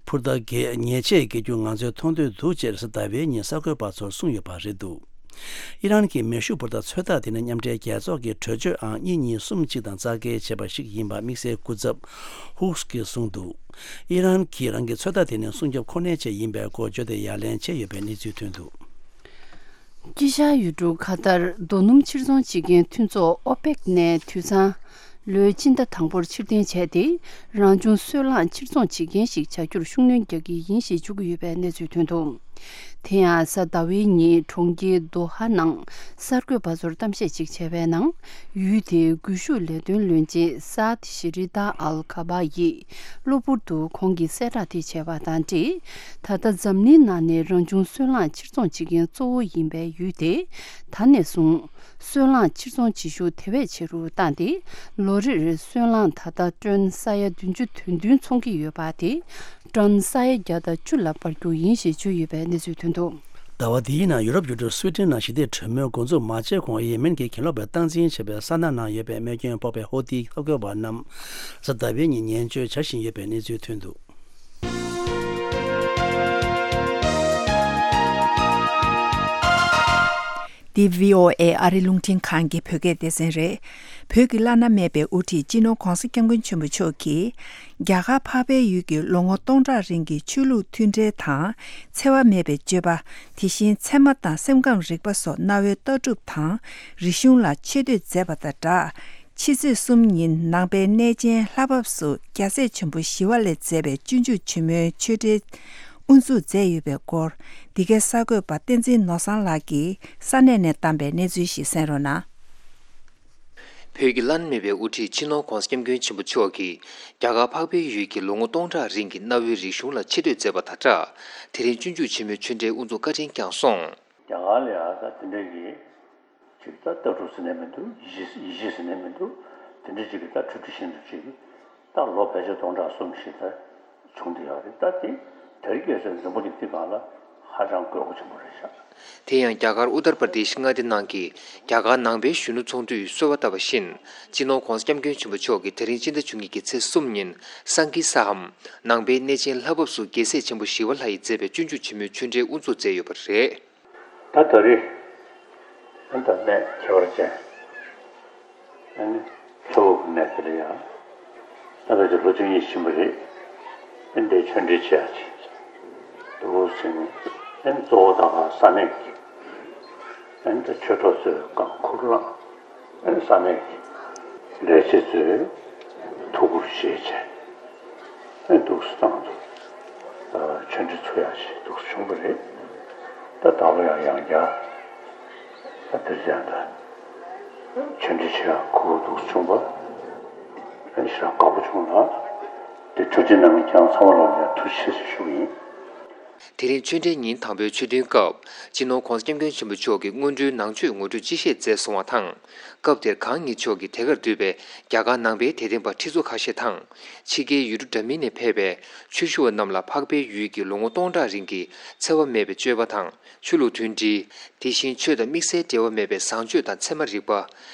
འཕུར་མདའ་གྱི་ཉེས་ཆད་འགེལ་རྒྱུ་ང་ཚོས་མཐོང་འདོད་འདུག་ཅེས་གཟའ་ཟླ་བའི་ཉིན་གསར་འགོད་པ་ཚོར་གསུངས་ཡོད་པ་རེད་འདུག། ཨི་རན་གྱི་མེ་ཤུགས་འཕུར་མདའ་ཚོད་ལྟ་དེ་ནི་མཉམ་འབྲེལ་རྒྱལ་ཚོགས་ཀྱི་གྲོས་ཆོད་ཨང་གཉིས་གཉིས་གསུམ་གཅིག་དང་རྩ་འགལ་བྱས་པ་ཞིག་ཡིན་པ་དམིགས་བསལ་སྐུ་ཚབ་ཧུག་གིས་གསུངས་འདུག། ཨི་རན་གྱིས་རང་གི་ཚོད་ལྟ་དེ་ནི་སྲུང་སྐྱོབ་ཁོ་ནའི་ཆེད་ཡིན་པའི་སྐོར་བརྗོད་དེ་ཡ་ལན་བྱས་ཡོད་པའི་གནས་ཚུལ་ཐོན་འདུག། དཀྱིལ་ཤར་ཡུལ་གྲུ་ཁ་ཏར་རྡོ་སྣུམ་ཕྱིར་ཚོང་བྱེད་མཁན་མཐུན་ཚོགས་ཨོ་པེག་ནས་དུད་ཚང་ལོའི་སྤྱི་ཟླ་དང་པོར་ཕྱིར་འཐེན་བྱས་ཏེ། རང་བྱུང་སོལ་རླངས་ཕྱིར་ཚོང་བྱེད་མཁན་ཞིག་བྱ་རྒྱུར་ཤུགས་སྣོན་རྒྱག་གི་ཡིན་ཞེས་བརྗོད་ཀྱི་ཡོད་པའི་གནས་ཚུལ་ཐོན་འདུག། དེ་ཡང་གཟའ་ཟླ་བའི་ཉིན་གྲོང་ཁྱེར་དོ་ཧ་ནང་གསར་འགོད་པ་ཚོར་གཏམ་བཤད་ཅིག་བྱས་པའི་ནང་། ཡུལ་དེའི་སྒུལ་ཤུགས་ལས་དོན་བློན་ཆེན་སཱད་ཤེ་རི་ཏཱ་ཨལ་ཁ་བ་ཡིས་གློ་བུར་དུ་ཁོང་གིས་གསལ་བསྒྲགས་དེ་བྱས་པ་དང་འབྲེལ། ད་ལྟ་འཛམ་གླིང་ནང་ནས་རང་བྱུང་སོལ་རླངས་ཕྱིར་ཚོང་བྱེད་མཁན་གཙོ་བོ་ཡིན་པའི་ཡུལ་དེ། ད་ནས་བཟུང་སོལ་རླངས་ཕྱིར་ཚོང་བྱེད་ཤུགས་དེ་བས་ཆེ་རུ་བཏང་སྟེ། ལོ་རེར་སོལ་རླངས་ད་ལྟ་ཊོན་ས་ཡ་བདུན་ཅུ་དོན་བདུན་ཚོང་གི་ཡོད་པ་དེ་ཊོན་ས་ཡ་བརྒྱ་དང་བཅུ་ལ་སྤར་རྒྱུ་ཡིན་ཞེས་བརྗོད་ཡོད་པའི་གནས་ཚུལ་ཐོན་འདུག། ཟླ་བ་འདིའི་ནང་ཡུ་རོབ་ཡུལ་གྲུ་སུའེ་ཏེན་ནང་ཞི་བདེའི་གྲོས་མོལ་འགོ་འཛུགས་མ་བྱས་གོང་ཡེ་མེན་གྱི་གྱེན་ལོག་པའི་སྟངས་འཛིན་བྱེད་པའི་ས་ན་ནང་ཡོད་པའི་རྨས་སྐྱོན་ཕོག་པའི་ཧོ་ཏིའི་འཐབ་རྒོལ་བ་རྣམས་གཟའ་ཟླ་བའི་ཉིན་ཉེན་བཅོལ་བྱ་བཞིན་ཡོད་པའི་གནས་ཚུལ་ཐོན་འདུག། འདི་བྷི་ཨོ་ཨེ་ཨ་རི་རླུང་འཕྲིན་ཁང་གི་བོད་སྐད་སྡེ་ཚན་རེད། བོད་ཀྱི་བླ་ན་མེད་པའི་དབུ་ཁྲིད་སྤྱི་ནོར་༧གོང་ས་༧སྐྱབས་མགོན་ཆེན་པོ་མཆོག་གིས། རྒྱ་གར་འཕགས་པའི་ཡུལ་གྱི་ལོ་ངོ་སྟོང་ཕྲག་རིང་གི་ཆོས་ལུགས་མཐུན་འབྲེལ་དང་། འཚེ་བ་མེད་པའི་སྤྱོད་པ། དེ་བཞིན་ཚད་མ་དང་སེམས་ཁམས་རིག་པ་སོགས་གནའ་བོའི་ལྟ་གྲུབ་དང་རིག་གཞུང་ལ་ཆེ་བསྟོད་མཛད་པ་དང་སྦྲགས། ཕྱི་ཚེས་གསུམ་ཉིན་ནང་པའི་གནས་ཆེན་ལྷ་བབས་སུ་རྒྱལ་སྲས་ཆེན་པོ་ཞི་བ་ལྷས་མཛད་པའི་སྤྱོད་འཇུག་ཆེན་མོའི་ཆོས་འབྲེལ་དབུ་འཛུགས་མཛད་ཡོད་པའི་སྐོར། འདི་གའི་གསར་འགོད་པ་བསྟན་འཛིན་ནོར་བཟང་ལགས་ཀྱིས་ས་གནས་ནས་བཏང་པའི་གནས་ཚུལ་ཞིག་གསན་རོགས་གནང་། བོད་ཀྱི་བླ་ན་མེད་པའི་དབུ་ཁྲིད་སྤྱི་ནོར་༧གོང་ས་༧སྐྱབས་མགོན་ཆེན་པོ་མཆོག་གིས་རྒྱ་གར་འཕགས་པའི་ཡུལ་གྱི་ལོ་ངོ་སྟོང་ཕྲག་རིང་གི་གནའ་བོའི་རིག་གཞུང་ལ་ཆེ་བསྟོད་མཛད་པ་དང་སྦྲགས། དེ་རིང་སྤྱོད་འཇུག་ཆེན་མོའི་ཆོས་འབྲེལ་དབུ་འཛུགས་བཀའ་དྲིན་བསྐྱངས་སོང་། རྒྱ་གར་ལ་ཡང་ད་དེ་འདྲ་གི་ཅིག་ད་ལྟ་གྲུབ་ཟེར་ནས་མི་འདུག། ཡེ་ཤེས་ཟེར་ནས་མི་འདུག། དེ་འདྲ་ཅིག་གི་ད་འཁྲུལ་འཁྲུལ་ཤིན་ཏུ་ཅིག་ད་ལོ་ཕལ་ཆེར་སྟོང་ཕྲག་གསུམ་ཞིག་ད་བྱུང་བསྡད་ཡོད་རེད། ད་དེ་དེ་རིང་ཁ་སང་འཛམ་བུ་གླིང་འདི་སྒང་ལ་ཧ་ཅང་དགོས་མཁོ་ཆེན་པོ་རེད་ཤག། དེ་ཡང་རྒྱ་གར་ཨུ་ཏར་པར་དེཤ་མངའ་སྡེ་ནང་གི་རྒྱ་གར་ནང་པའི་གཞོན་ནུ་ཚོགས་འདུས་གསོལ་བ་བཏབ་པ་བཞིན། སྤྱི་ནོར་༧གོང་ས་༧སྐྱབས་མགོན་ཆེན་པོ་མཆོག་གིས་དེ་རིང་སྤྱི་ཟླ་བཅུ་གཉིས་ཀྱི་ཚེས་གསུམ་ཉིན་སང་ཀི་སྷ་ཧམ་ནང་པའི་གནས་ཆེན་ལྷ་བབས་སུ་རྒྱལ་སྲས་ཆེན་པོ་ཞི་བ་ལྷ་ཡིས་མཛད་པའི་སྤྱོད་འཇུག་ཆེན་མོའི་ཆོས་འབྲེལ་དབུ་འཛུགས་མཛད་ཡོད་པ་རེད། ད་ད་རེས་ཨ་ནི་ད་གནས་ཁྱད་པར་ཅན། ཨ་ནི་ལྷ་བབས་ཀྱི་གནས་དེ་ལ་ཡང་ད་ཕལ་ཆེར་ལོ་བཅུ་གཉིས་ཕྱིན་པ་རེད། ཨ་ནི་འདིར་ཆོས་འབྲེལ་བྱེད་ཡག་ཅིག་འདུག་ཟེར་ནས། ཨ་ནི་གཙོ་བོ་ད་ག་ས་གནས་ཀྱི་ཨ་ནི་ད་ཆོས་གྲོགས་ཚོས་གང་ཁུར་བླངས། ཨ་ནི་ས་གནས་ཀྱི་ལས་བྱེད་ཚོས་ཐུགས་ཁུར་བཞེས་བྱས། ཨ་ནི་འདུག་སེ་བཏང་འདུག། ཆོས་འབྲེལ་ཚུགས་ཡག་ཅིག་འདུག་སེ་བྱུང་བ་རེད། ད་ད་ལོ་ཡང་ཡང་བསྐྱར་ ད་དེར་ཡང་ད་ཆོས་འབྲེལ་ཆེ་ཡང་ཁུ་བོ་འདུག་བྱུང་བ། ཨ་ནི་ཞེ་དྲག་དགའ་པོ་བྱུང་ལ། དེ་འཕྲོད་བསྟེན་གནང་མཁན་ཚང་མ་ལ་ཡང་ཐུགས་རྗེ་ཆེ་ཞུ་གི་ཡིན། དེ་རིང་ཆོས་འབྲེལ་ཉིན་དང་པོའི་ཆོས་ཐུན་སྐབས། སྤྱི་ནོར་༧གོང་ས་༧སྐྱབས་མགོན་ཆེན་པོ་མཆོག་གིས་སྔོན་འགྲོའི་ནང་ཆོས་ངོ་སྤྲོད་ཅི་བྱེད་མཛད་སོང་བ་དང་། སྐབས་དེར་གང་ཉིད་མཆོག་གིས་དེ་གར་འདུས་པའི་རྒྱ་གར་ནང་པའི་དད་ལྡན་པ་ཁྲི་ཚོ་ཁ་ཤས་དང་། ཕྱི་རྒྱལ་ཡུལ་གྲུ་འདྲ་མིན་ནས་ཕེབས་པའི་ཆོས་ཞུ་བ་རྣམས་ལ་འཕགས་པའི་ཡུལ་གྱི་ལོ་ངོ་སྟོང་ཕྲག་རིང་གི་འཚེ་བ་མེད་པའི་སྤྱོད་པ་དང་ཆོས་ལུགས་མཐུན་སྒྲིལ། དེ་བཞིན་ཆོས་དང་དམིགས་བསལ་འབྲེལ་བ་མེད་པའི་བཟང་སྤྱོད་དང་ཚད་མ་རིག་པ།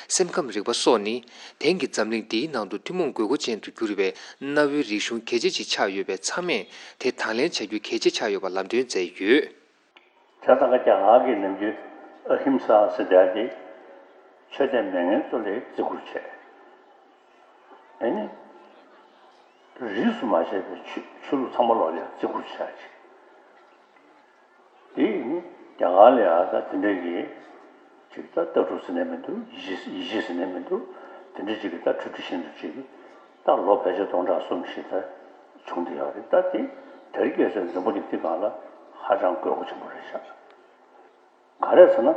སེམས་ཁམས་རིག་པ་སོགས་ནི། དེང་གི་འཛམ་གླིང་འདིའི་ནང་དུ་ཐུན་མོང་དགོས་མཁོ་ཅན་དུ་གྱུར་བའི་གནའ་བོའི་རིག་གཞུང་གལ་ཆེ་ཅིག་ཆགས་ཡོད་པས། ཚང་མས་དེ་དང་ལེན་བྱ་རྒྱུ་གལ་ཆེ་ཆགས་ཡོད་པ་ལམ་སྟོན་མཛད་ཡོད། བྱས་ཙང་ཀ་རྒྱ་གར་གྱི་ནམ་རྒྱུན་ཨ་ཧིམ་ས་ཟེར་བསྡད་དེ། ཆོས་དད་མེད་མཁན་ཚོ་ལ་བརྩི་བཀུར་བྱས། ཨེ་ནི། རིས་སུ་མ་ཆད་པའི་ཆོས་ཆོས་ལུགས་ཚང་མ་ལོག་ལ་བརྩི་བཀུར་བྱས་ཅིག་དེ་ཡིན་རྒྱ་གར་ལ་ཡང་ད་དེ་འདྲ་གི་ཅིག་ད་ལྟ་གྲུབ་ཟེར་ནས་མི་འདུག་ཡེ་ཤེས་ཡེ་ཤེས་ཟེར་ནས་མི་འདུག་དེ་འདྲ་ཅིག་གི་ད་འཕྲོ་མཐུད་བཞིན་དུ་ཅིག་ད་ལོ་ཕལ་ཆེར་སྟོང་ཕྲག་གསུམ་ཞིག་ད་བྱུང་བསྡད་ཡོད་རེད། ད་དེ་དེར་སྐྱེས་སའི་འཛམ་བུ་གླིང་འདི་སྒང་ལ་ཧ་ཅང་དགོས་མཁོ་ཆེན་པོ་རེད་ཤག་ག་རེ་ཟེར་ན་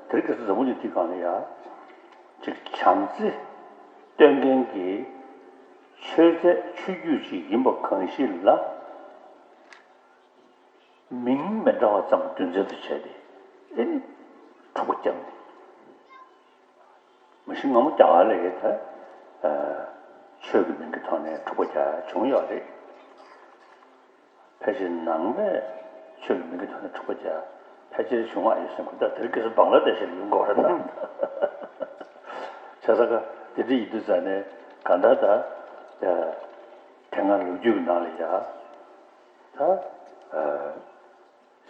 དེར་སྐྱེས་སའི་འཛམ་བུ་གླིང་འདི་སྒང་ལ་ཡ་ཅིག་བྱམས་བརྩེ་སྟོན་མཁན་གྱི་ཆོས་མཛད་ཆོས་བརྒྱུད་ཅིག་ཡིན་པ་གང་ཞིག་ལ། མིང་མི་འདྲ་བ་ཙམ་རྒྱུ་མཚན་དུ་བྱས་ཏེ་ཨེ་ནི་འཁྲུག་པ་བརྒྱབ་ནས། མ་གཞི་སྔ་མོ་རྒྱ་གར་ལ་ཡོད་ད། ཆོས་ཀྱི་མིང་གི་ཐོག་ནས་འཁྲུག་པ་རྒྱག་བྱུང་ཡོད་རེད། ཕལ་ཆེར་ནང་པས་ཆོས་ཀྱི་མིང་གི་ཐོག་ནས་འཁྲུག་པ་རྒྱག་ཕལ་ཆེར་བྱུང་བ་ཡོད་སེམས་ཁུར་ད་དེར་སྐྱེས་སུ་བང་ལ་དེ་ཤེས་ཡོང་གོ་རེད་ད། བྱས་ཙང་ཀ་དེ་འདྲ་ཡིན་དུས་ཙང་ནས་གང་ལྟར་ད། དེ་སྔ་ལོ་རྒྱུས་ཀྱི་ནང་ལ་ཡ། ད།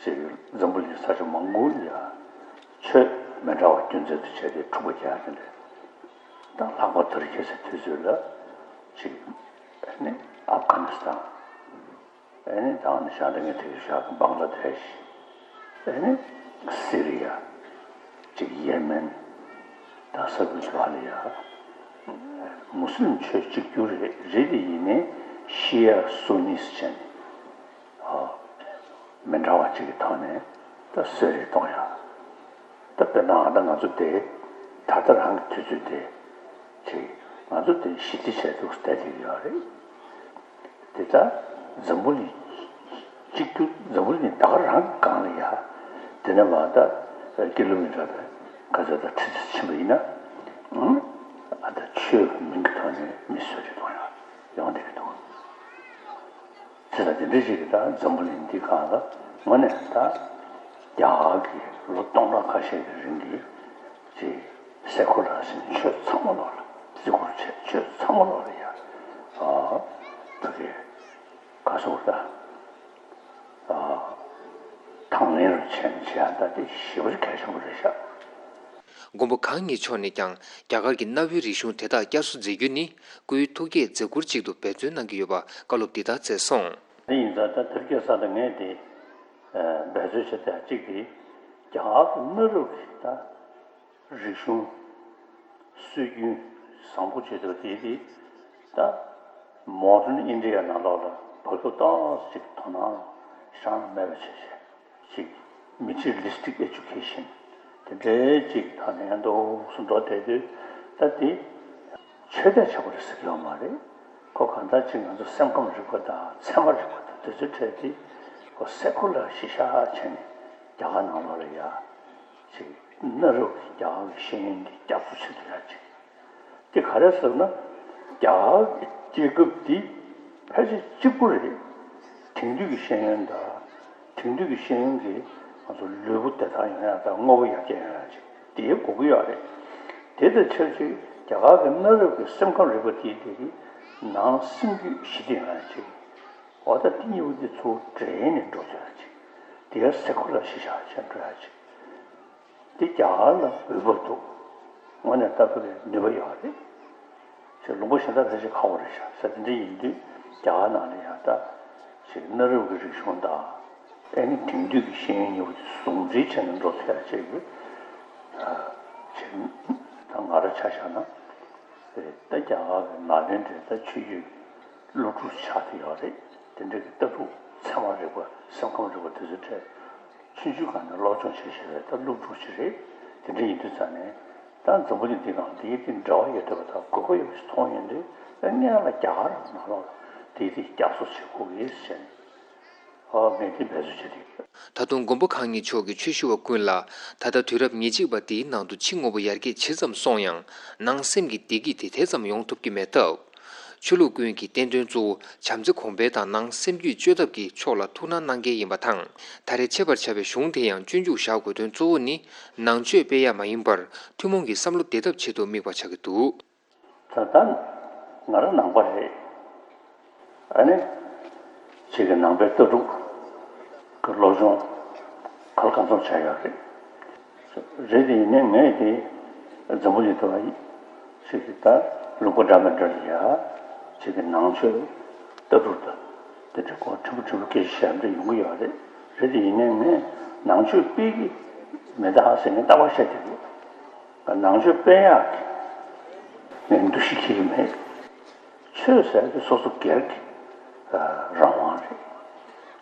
ཞེས་འཛམ་བུ་གླིང་ས་ཕྱོགས་མང་པོ་ལ་ཡ་ཆོས་མི་འདྲ་བ་རྒྱུ་མཚན་དུ་བྱས་ཏེ་འཁྲུག་པ་རྒྱག་ནི་རེད། ད་ལྷག་པར་དུ་རྒྱལ་སའི་དུས་ཚོད་ལ་ཅིག་ཨ་ནི་ཨབ་གྷ་ནི་སི་ཐན། ཨ་ནི་ད་ནི་ཤང་ད་ངས་དེ་ཤག་བང་ལ་དེ་ཤི། ཨ་ནི་སི་རི་ཡ། ཅིག་ཡེ་མེན། ད་ས་ཁུལ་དུ་ལ་ཡ། མུ་སི་ལིམ་ཆོས་གཅིག་གྱུར་རེད་རེད་དེ་ཡིན་ནའི་ཤི་ཡ་སུ་ནི་སི་བྱས་ནས། མི་འདྲ་བ་ཅིག་གི་ཐོག་ནས་ད་གསོད་རེས་གཏོང་ཡ། ད་དཔེར་ན་ཨ་ད་ང་ཚོ་དེ་ད་ལྟ་རང་གི་དུས་ཚོད་དེ་ཅིག་ང་ཚོ་དེ་ཞི་བདེ་བྱས་འདུག་བསྡད་ཀྱི་ཡོད་རེད། དེ་ད་འཛམ་བུ་གླིང་གཅིག་གྱུར་འཛམ་བུ་གླིང་ད་ག་རང་གི་སྒང་ལ་ཡ། དེ་ནས་མ་ད་ཀི་ལོ་མི་ཊར་ག་ཚོད་ད་ཁྲི་ཚོད་ཕྱིན་པ་ཡིན་ན། ཨ་ད་ཆོས་ཀྱི་མིང་གི་ཐོག་ནས་མི་གསོད་རེས་གཏོང་ཡ་ཡོང་བསྡད་ཀྱི་འདུག་བྱས་ཙང་དེ་འདྲ་ཞིག་གིས་ད་འཛམ་བུ་གླིང་འདི་སྒང་ལ་དངོས་གནས་ད་རྒྱ་གར་གྱི་ལོ་སྟོང་ཕྲག་ཁ་ཤས་ཀྱི་རིང་གི་ཅིག་སེ་ཁུ་ལར་ཟེར་ནས་ཆོས་ཚང་མ་ལོག་ལ་བརྩི་བཀུར་བྱས། ཆོས་ཚང་མ་ལོག་ལ་ཡ་ཨ་ཕ་གི་ག་སོགས་ད་ཨ་དང་ལེན་རུ་བྱས་ནས་བྱས་ཡ་ད་དེ་ཞེ་པོ་ཅིག་གལ་ཆེན་པོ་རེད་ཤག་མགོན་པོ་གང་ཉིད་མཆོག་ནས་ཀྱང་རྒྱ་གར་གྱི་གནའ་བོའི་རིག་གཞུང་དེ་དག་བསྐྱར་གསོ་མཛད་རྒྱུ་ནི་སྐུའི་ཐུགས་བསྐྱེད་མཛད་ཁུར་ཅིག་ཏུ་འབད་བརྩོན་གནང་གི་ཡོད་པ་བཀའ་སློབ་འདི་ལྟར་སྩལ་སོང་། དེ་ཡིན་ཙང་ད་དེར་སྐྱེས་ས་དང་ངས་དེ་འབད་རྩོལ་བྱེད་ཐབས་གཅིག་དེ་རྒྱ་གར་གྱི་གནའ་རབས་ཀྱི་ད་རིག་གཞུང་སྲོལ་རྒྱུན་བཟང་པོ་བྱེད་ཐུབ་དེ་དེ་ད་མོ་ཌན་ཨིན་ཌི་ཡ་ནང་ལོགས་ལ་བབ་ཐུབ་ཏོག་ཙམ་ཅིག་དོ་སྣང་བཞག་མེད་པ་བྱས་བྱས། ཅིག་materialistic education་དེ་འདྲའི་ཅིག་ཐོག་ནས་ཡང་འདུག་སུ་འགྲོ་བསྡད་དུས་ད་དེ་ཆོས་དད་བྱེད་པ་རེད་ཟེར་གྱི་ཡོད་མ་རེད། ཁོ་གང་ལྟར་ཅིག་ང་ཚོ་སེམས་ཁམས་རིག་པ་དང་ཚད་མ་རིག་པ་དང་དེ་ཚོའི་གྲས་དེ་ཁོ་སེ་ཁུ་ལར་གཞི་བཞག་བྱས་ནས་རྒྱ་གར་ནང་ལོགས་ལ་ཡ་ཅིག་གནའ་རབས་ཀྱི་རྒྱ་གར་གྱི་ཤེས་ཡོན་འདི་བསྐྱར་གསོ་བྱེད་ཐུབ་ཡ་ཅིག་དེ་ག་རེ་ཟེར་ན། རྒྱ་གར་གྱི་རྒྱལ་ཁབ་འདི་ཕལ་ཆེར་གཅིག་པུ་རེད། དེང་དུས་ཀྱི་ཤེས་ཡོན་དང་། དེང་དུས་ཀྱི་ཤེས་ཡོན་གྱིས་ང་ཚོ་ལུས་པོ་བདེ་ཐང་ཡོང་ཡ་དང་དངོས་པོ་ཡར་རྒྱས་ཡོང་ཡ་ཅིག་དེའི་དགོས་ཀྱི་ཡོད་རེད། དེ་དང་ཆབས་ཅིག་རྒྱ་གར་གྱི་གནའ་རབས་ཀྱི་སེམས་ཁམས་རིག་པ་དེའི་དེ་གི་ནང་སེམས་རྒྱུད་ཞི་བདེ་ཡོང་ཡ་ཅིག་འོ་ད་དེ་གཉིས་པོ་དེ་ཚུར་འདྲེས་ནས་འགྲོ་ཐུབ་ཡ་ཅིག་དེ་ཡང་སེ་ཁུ་ལར་གཞི་བཞག་བྱས་འགྲོ་ཡ་ཅིག་དེ་རྒྱ་གར་ལ་འོས་བབ་འདུག་དངོས་གནས་ལྟ་བུ་རེད། ནུས་པ་ཡོད་རེད། ཅེས་ལུང་པ་གཞན་དག་ཕལ་ཆེར་ཁག་པོ་རེད་ཤག་ས་དེ་འདྲ་ཡིན་དུས་རྒྱ་གར་ནང་ལ་ཡང་ད་ཅིག་གནའ་རབས་ཀྱི་རིག་གཞུང་དང་ཨེ་ནི་དེང་དུས་ཀྱི་ཤེས་ཡོན་གཉིས་པོ་དེ་ཟུང་འབྲེལ་བྱས་ནས་འགྲོ་ཐུབ་ཡ་ཅིག་གི་ཅིག་ད་ང་རང་ཆ་བཞག་ན་ད་རྒྱ་གར་གྱི་ནཱ་ལེནྡྲའི་ད་ཆོས་བརྒྱུད་སློབ་ཕྲུག་ཆགས་བསྡད་ཡོད་རེད། དེ་འདྲ་གི་ལྟ་གྲུབ་ཚད་མ་རིག་པ་སེམས་ཁམས་རིག་པ་དེ་ཚོའི་གྲས། ཆུང་ཆུང་སྒང་ནས་སློབ་སྦྱོང་བྱེད་བཞིན་པའི་ད་སློབ་ཕྲུག་ཅིག་རེད། དེ་འདྲ་ཡིན་དུས་ཙང་ནས་ད་འཛམ་བུ་གླིང་འདི་སྒང་དེའི་དེ་འབྲེལ་བ་ཡོད་བསྡད་པ་དང་དགོས་མཁོ་ཡོད་པ་ཞིག་མཐོང་ཡོང་དུས་ད་སྔོན་ལ་རྒྱ་གར་ནང་ལོགས་ལ་དེའི་དེ་བསྐྱར་གསོ་བྱེད་དགོས་ཀྱི་ཟེར་ནས་ཨོ་ངས་དེ་འབད་རྩོལ་བྱེད་དེ། ད་དུང་མགོན་པོ་གང་ཉིད་མཆོག་གིས་ཆོས་ཞུ་བ་ཀུན་ལ་ད་ལྟ་དུས་རབས་ཉེར་གཅིག་པ་འདིའི་ནང་དུ་ཕྱི་དངོས་པོ་ཡར་རྒྱས་ཇི་ཙམ་སོང་ཡང་ནང་སེམས་ཀྱི་བདེ་སྐྱིད་དེ་དེ་ཙམ་ཡོང་ཐུབ་ཀྱི་མེད་སྟབས། ཆོས་ལུགས་ཀུན་གྱི་བསྟན་དོན་གཙོ་བོ་བྱམས་བརྩེ་གོང་འཕེལ་དང་ནང་སེམས་རྒྱུད་བཅོས་ཐབས་ཀྱི་ཕྱོགས་ལ་ཐུགས་སྣང་གནང་གལ་ཡིན་པ་དང་། ད་རེས་འཆད་པར་བྱ་བའི་གཞུང་དེ་ཡང་སྤྱོད་འཇུག་བཞག་དགོས་དོན་གཙོ་བོ་ནི་ནང་ཆོས་སྤེལ་ཡ་མ་ཡིན་པར་ཐུན་མོང་གི་བསམ་བློ་བདེ་ཐབས་ཆེད་དུ་དམིགས་པ་ཆགས་ཀྱི་འདུག། ད་ལྟ་ང་རང་ནང་པ་རེད། ཨ་ནི། ཅིག་གི་ནང་པའི་ལྟ་གྲུབ་ཀྱི་སློབ་སྦྱོང་ག་ལ་གང་འཚམ་བྱས་ཡོད་རེད། རེད་དེ་ཡིན་ནའི་ངས་དེ་འཛམ་བུ་གླིང་དུ་ཅིག་གི་ད་ལུང་པ་འདྲ་མི་འདྲ་ལ་ཡ་ཅིག་གི་ནང་ཆོས་ལྟ་གྲུབ་དང་དེ་འདྲ་སྐོར་ཕྲན་བུ་ཕྲན་བུ་སྐད་ཆ་བཤད་འདྲ་ཡོང་གི་ཡོད་རེད། རེད་དེ་ཡིན་ནའི་ངས་ནང་ཆོས་སྤེལ་གི་མི་འདུག་ཟེར་ནས་རྟག་པར་བཤད་བསྡད་ཀྱི་ཡོད། ནང་ཆོས་སྤེལ་ཡག་གི་ངས་འདུ་ཤེས་འཁྱེར་གྱི་མེད། ཆོས་ཟེར་དེ་སོ་སོ་སྒེར་གྱི་རང་དབང་རེད།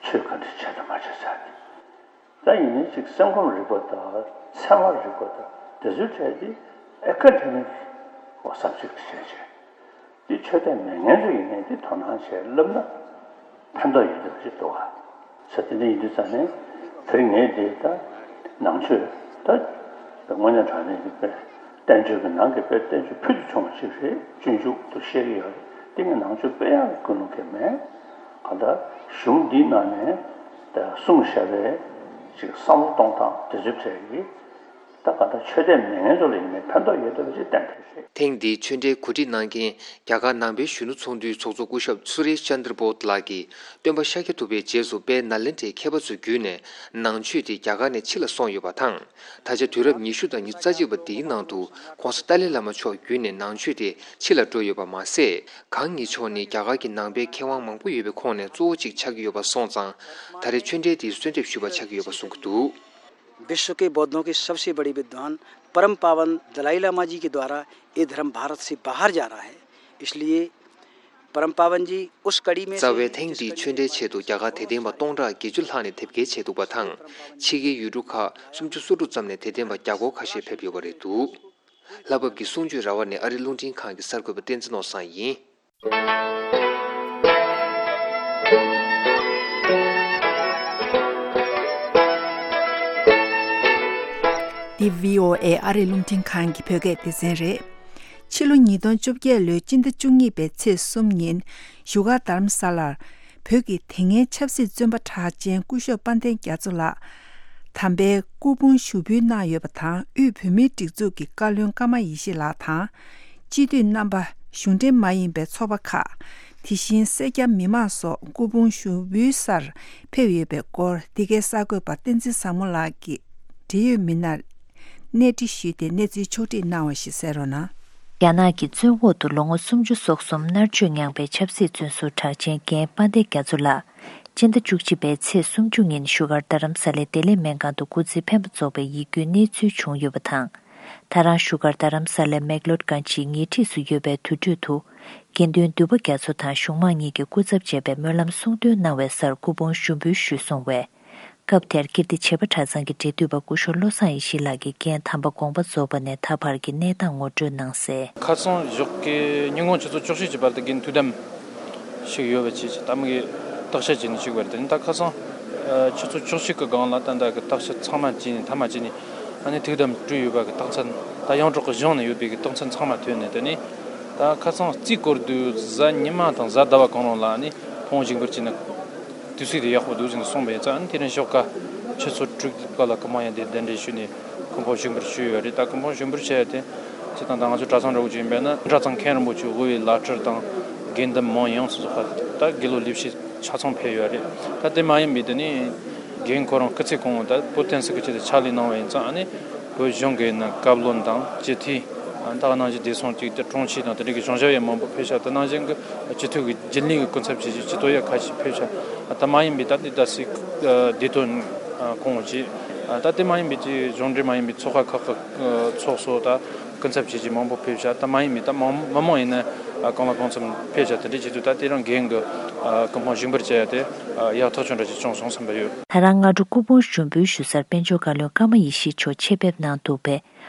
ཆོས་ག་འདྲ་བྱས་དང་མ་བྱས་ཟེར་དེ། ད་ཡིན་ནའི་ཅིག་སེམས་ཁམས་རིག་པ་དང་ཚད་མ་རིག་པ་དང་དེ་ཚོའི་གྲས་དེ་ཨེ་ཀ་ཌེ་མིག་སབ་ཇེག་བྱས་བྱས། དེ་ཆོས་དད་མེད་མཁན་ཚོ་ཡིན་ནའི་དེ་དོ་སྣང་བྱས་བསླབ་ན་ཕན་ཐོགས་ཡོད་འདོད་ཅིག་འདུག་ག་ས་དེ་འདྲ་ཡིན་དུས་ཙང་ནས་དེ་རིང་ངས་དེ་ད་ནང་ཆོས་ད་དངོས་གནས་དྲང་གནས་ཀྱི་དཔེ་བསྟན་བཅོས་ཀྱི་ནང་གི་དཔེ་བསྟན་བཅོས་ཕུལ་དུ་བྱུང་བ་ཞིག་རེད། སྤྱོད་འཇུག་ཏུ་བཤད་ཀྱི་ཡོད་རེད། དེ་ངས་ནང་ཆོས་སྤེལ་ཡག་གི་ཀུན་སློང་གང་མེད། གང་ལྟར་གཞུང་འདིའི་ནང་ནས་ད་གསུངས་བཞག་པའི་ཅིག་བསམ་བློ་གཏོང་སྟངས་དེ་ཚོའི་གྲས་ཀྱི། ད་ག་ད་ཆོས་དད་མེད་མཁན་ཚོ་ལ་ཡིན་ནའི་ཕན་ཐོགས་ཡོད་བསྡད་པ་ཞིག་གཏན་འཁེལ་རེད། ཐེངས་འདིའི་ཆོས་འབྲེལ་གོ་སྒྲིག་གནང་མཁན་རྒྱ་གར་ནང་པའི་གཞོན་ནུ་ཚོགས་འདུའི་ཚོགས་གཙོ་སྐུ་ཞབས་སུ་རེཤ་ཅན་དར་བྷོད་ལགས་ཀྱིས་སྟོན་པ་ཤཱཀྱ་ཐུབ་པའི་རྗེས་སུ་དཔལ་ནཱ་ལེནྡྲའི་མཁས་པ་ཚོའི་བརྒྱུད་ནས་ནང་ཆོས་དེ་རྒྱ་གར་ནས་ཕྱི་ལ་སོང་ཡོད་པ་དང་། ད་ཆ་དུས་རབས་ཉི་ཤུ་དང་ཉི་ཤུ་རྩ་གཅིག་པ་འདིའི་ནང་དུ་༸གོང་ས་ཏཱ་ལའི་བླ་མ་མཆོག་བརྒྱུད་ནས་ནང་ཆོས་དེ་ཕྱི་ལ་འགྲོ་ཡོད་པ་མ་ཟད། གང་ཉིད་མཆོག་ནི་རྒྱ་གར་གྱི་ནང་པའི་མཁས་དབང་མང་པོ་ཡོད་པའི་ཁོངས་ནས་གཙོ་བོ་གཅིག་ཆགས་ཀྱི་ཡོད་པ་སོང་ཙང་། ད་རེས་ཆོས་འབྲེལ་དེའི་གསོལ་འདེབས་ཞུས་པ་ཆགས་ཀྱི་ཡོད་པ་གསུང་གི་འདུག། विश्व के बौद्धों के सबसे बड़े विद्वान परम पावन दलाई लामा जी के द्वारा ये धर्म भारत से बाहर जा रहा है, इसलिए परम पावन जी उस कड़ी में རྩ་བའི་ཐེངས་འདིའི་ཆོས་འབྲེལ་ཆེད་དུ་རྒྱ་གར་དད་ལྡན་པ་སྟོང་ཕྲག་བརྒྱད་ཅུ་ལྷག་ནས་དེབ་སྐྱེལ་བྱས་འདུག་པ་དང་། ཕྱི་རྒྱལ་ཡུལ་གྲུ་ཁག་སུམ་ཅུ་སོ་དྲུག་ཙམ་ནས་དད་ལྡན་པ་བརྒྱ་སྐོར་ཁ་ཤས་ཕེབས་ཡོད་པ་རེད་འདུག། ལྷ་བབས་ཀྱི་གསུང་ཆོས་ར་བ་ནས་ཨ་རི་རླུང་འཕྲིན་ཁང་གི་གསར་འགོད་པ་བསྟན་འཛིན་ནོར་བཟང་ཡིན། འདི་བྷི་ཨོ་ཨེ་ཨ་རི་རླུང་འཕྲིན་ཁང་གི་བོད་སྐད་སྡེ་ཚན་རེད། ཕྱི་ལོ་ཉིས་སྟོང་བཅོ་བརྒྱད་ལོའི་སྤྱི་ཟླ་བཅུ་གཉིས་པའི་ཚེས་གསུམ་ཉིན་བཞུགས་སྒར་རྡ་རམ་ས་ལར་བོད་ཀྱི་དེ་སྔའི་ཆབ་སྲིད་བཙོན་པ་གྲགས་ཅན་སྐུ་ཞབས་དཔལ་ལྡན་རྒྱ་མཚོ་ལགས་དམ་པའི་སྐུ་ཕུང་ཞུགས་འབུལ་གནང་ཡོད་པ་དང་། དབུས་བོད་མིའི་སྒྲིག་འཛུགས་ཀྱི་བཀའ་བློན་ཀརྨ་ཡེ་ཤེས་ལགས་དང་། སྤྱི་འཐུས་རྣམ་པ། གཞུང་འབྲེལ་མ་ཡིན་པའི་ཚོགས་པ་ཁག་དེ་བཞིན་སེར་སྐྱ་མི་མང་སོགས་སྐུ་ཕུང་ཞུགས་འབུལ་སར་ཕེབས་ཡོད་པའི་སྐོར་འདི་གའི་གསར་འགོད་པ་བསྟན་འཛིན་བཟང་མོ་ལགས་ཀྱིས་འབྲེལ་ཡོད་མི་སྣར་གནས་འདྲི་ཞུས་ཏེ་གནས་ཚུལ་ཕྱོགས་བསྒྲིགས་གནང་བ་ཞིག་གསན་རོགས་གནང་། རྒྱ་ནག་གི་བཙོན་འོག་ཏུ་ལོ་ངོ་སུམ་ཅུ་སོ་གསུམ་མནར་གཅོད་མྱངས་པའི་ཆབ་སྲིད་བཙོན་ཟུར་གྲགས་ཅན་རྒན་དཔལ་ལྡན་རྒྱ་མཚོ་ལགས་སྤྱི་ཟླ་བཅུ་གཅིག་པའི་ཚེས་སུམ་ཅུ་ཉིན་བཞུགས་སྒར་རྡ་རམ་ས་ལའི་བདེ་ལེགས་སྨན་ཁང་དུ་སྐུ་ཚེ་འཕེན་པ་རྫོགས་པའི་ཡིད་སྐྱོའི་གནས་ཚུལ་བྱུང་ཡོད་པ་དང་། ད་རང་བཞུགས་སྒར་རྡ་རམ་ས་ལའི་མེག་ལོར་གྷན་ཇིའི་ཉེ་འཁྲིས་སུ་ཡོད་པའི་དུར་ཁྲོད་དུ། དགེ་འདུན་འདུས་པ་རྒྱ་མཚོ་དང་གཞུང་མང་གཉིས་ཀྱི་སྐུ་ཚབ་བྱས་པའི་སྨོན་ལམ་གསུང་འདོན་གནང་བའི་སར་སྐུ་ཕུང་ཞུགས་འབུལ་ཞུས་སོང་བས། སྐབས་དེར་ཀིརྟི་བྱེས་པ་གྲྭ་ཚང་གི་འབྲེལ་མཐུད་པ་སྐུ་ཞབས་བློ་བཟང་ཡེ་ཤེས་ལགས་ཀྱིས་རྒན་དམ་པ་དགོངས་པ་རྫོགས་པ་ནས་ད་བར་གྱི་གནས་སྟངས་ངོ་སྤྲོད་གནང་གསལ། ཁ་སང་ཞོགས་ཀའི་ཉིན་གུང་ཆུ་ཚོད་བཅུ་གཅིག་གི་བར་དུ་རྒན་ཐུགས་དམ་ཞིག་ཡོད་པ་བཅས་ཀྱི་ད་མི་གི་བརྟག་དཔྱད་བྱས་ནས་ཞུགས་པ་རེད། ད་ནི་ད་ཁ་སང་ཆུ་ཚོད་བཅུ་གཅིག་གི་སྒང་ལ་ད་ལྟ་གི་བརྟག་དཔྱད་ཚང་མ་བྱས་ནས་མཐའ་མ་བྱས་ནས་ཨ་ནི་ཐུགས་དམ་སྤྲོད་ཡོད་པ་གི་རྟགས་མཚན་ད་ཡོངས་གྲགས་ཀྱི་གཞུང་ནས་ཡོད་པའི་གི་རྟགས་མཚན་ཚང་མ་ཐོན་ནས། དེ་ནས་ད་ཁ་སང་རྩིས་སྐོར་དུས་གཟའ་ཉི་མ་དང་གཟའ་ཟླ་བ་གང་རུང་ལ་ཨ་ནི་ཕུང་བོ་ཞུགས་འབུལ་བྱས་ན་དུས་ཚོད་དེ་ཡག་པོ་འདུག་ཟེར་ནས་གསུངས་པ་ཡིན་ཙང་། ཨ་ནི་དེ་རིང་ཞོགས་ཀ་ཆུ་ཚོད་དྲུག་པ་ལ་སྐུ་མང་ཡང་དེ་གདན་འདྲེན་ཞུས་ནས་སྐུ་ཕུང་ཞུགས་འབུལ་ཞུས་ཡོད་རེད། ད་སྐུ་ཕུང་ཞུགས་འབུལ་བྱས་ཏེ་སྤྱིར་བཏང་ད་ང་ཚོ་གྲྭ་ཚང་འདྲ་བོ་ཅིག་ཡིན་པས་ན་གྲྭ་ཚང་མཁན་རིན་པོ་ཆེ་དབུ་བའི་བླ་སྤྲུལ་དང་དགེ་འདུན་མང་ཡོངས་སུ་རྫོགས་པ་ད་དགེ་སློབ་ལས་བྱེད་ཆ་ཚང་ཕེབས་ཡོད་རེད། ད་དེ་མ་ཡིན་པའི་དེ་ནི་རྒན་ཁོ་རང་སྐུ་ཚེ་གང་བོ་ད་བོད་བསྟན་སྲིད་ཀྱི་ཆེད་དུ་ཕྱག་ལས་གནང་བ་ཡིན་ཙང་། ཨ་ནི་བོད་གཞུང་གི་ནང་བཀའ་བློན་དང་སྤྱི་འཐུས། ད་ག་ནང་བཞིན་བདེ་སྲུང་ཅིག་ད་དྲུང་ཆེ་དང་དེ་འདྲ་གི་གཞུང་ཞབས་ཡང་མང་པོ་ཕེབས་ཤག་ད་ནང་བཞིན་གྱི་སྤྱི་འཐུས་ཀྱི་རྒྱུན་ལས་ཀྱི་སྐུ་ཚབ་བྱས་ཤིང་སྤྱི་འཐུས་ཡང་ཁ་ཤས་ཕེབས་ཤག་ད་མ་ཡིན་པའི་ད་ལྟའི་ད་སྲིད་བདེ་དོན་སྐོང་བ་བཅས། ད་དེ་མ་ཡིན་པའི་ཅིག་གཞུང་འབྲེལ་མ་ཡིན་པའི་ཚོགས་ཁག་ཁག་གི་ཚོགས་གཙོ་ད་ སྐུ་ཚབ་བྱས་རྗེས་མང་པོ་ཕེབས་བཞག་ད་མ་ཡིན་མིན་ད་མང་མི་མང་ཡིན་ན་གང་ལ་གང་འཚམ་ཕེབས་བཞག་དེ་འདྲ་བྱེད་དུས་ད་དེ་རང་རྒན་གྱི་སྐུ་ཕུང་བཞེངས་པར་བྱ་ཡ་དེ་ཡག་ཐག་ཆོད་འདྲ་ཅིག་བྱུང་སོང་བསམ་པ་ཡོད། ད་རང་སྔ་དྲོ་སྐུ་ཕུང་ཞུགས་འབུལ་ཞུ་སར་དཔལ་འབྱོར་བཀའ་བློན་ཀརྨ་ཡེ་ཤེས་མཆོག་ཆེད་ཕེབས་གནང་འདུག་པས།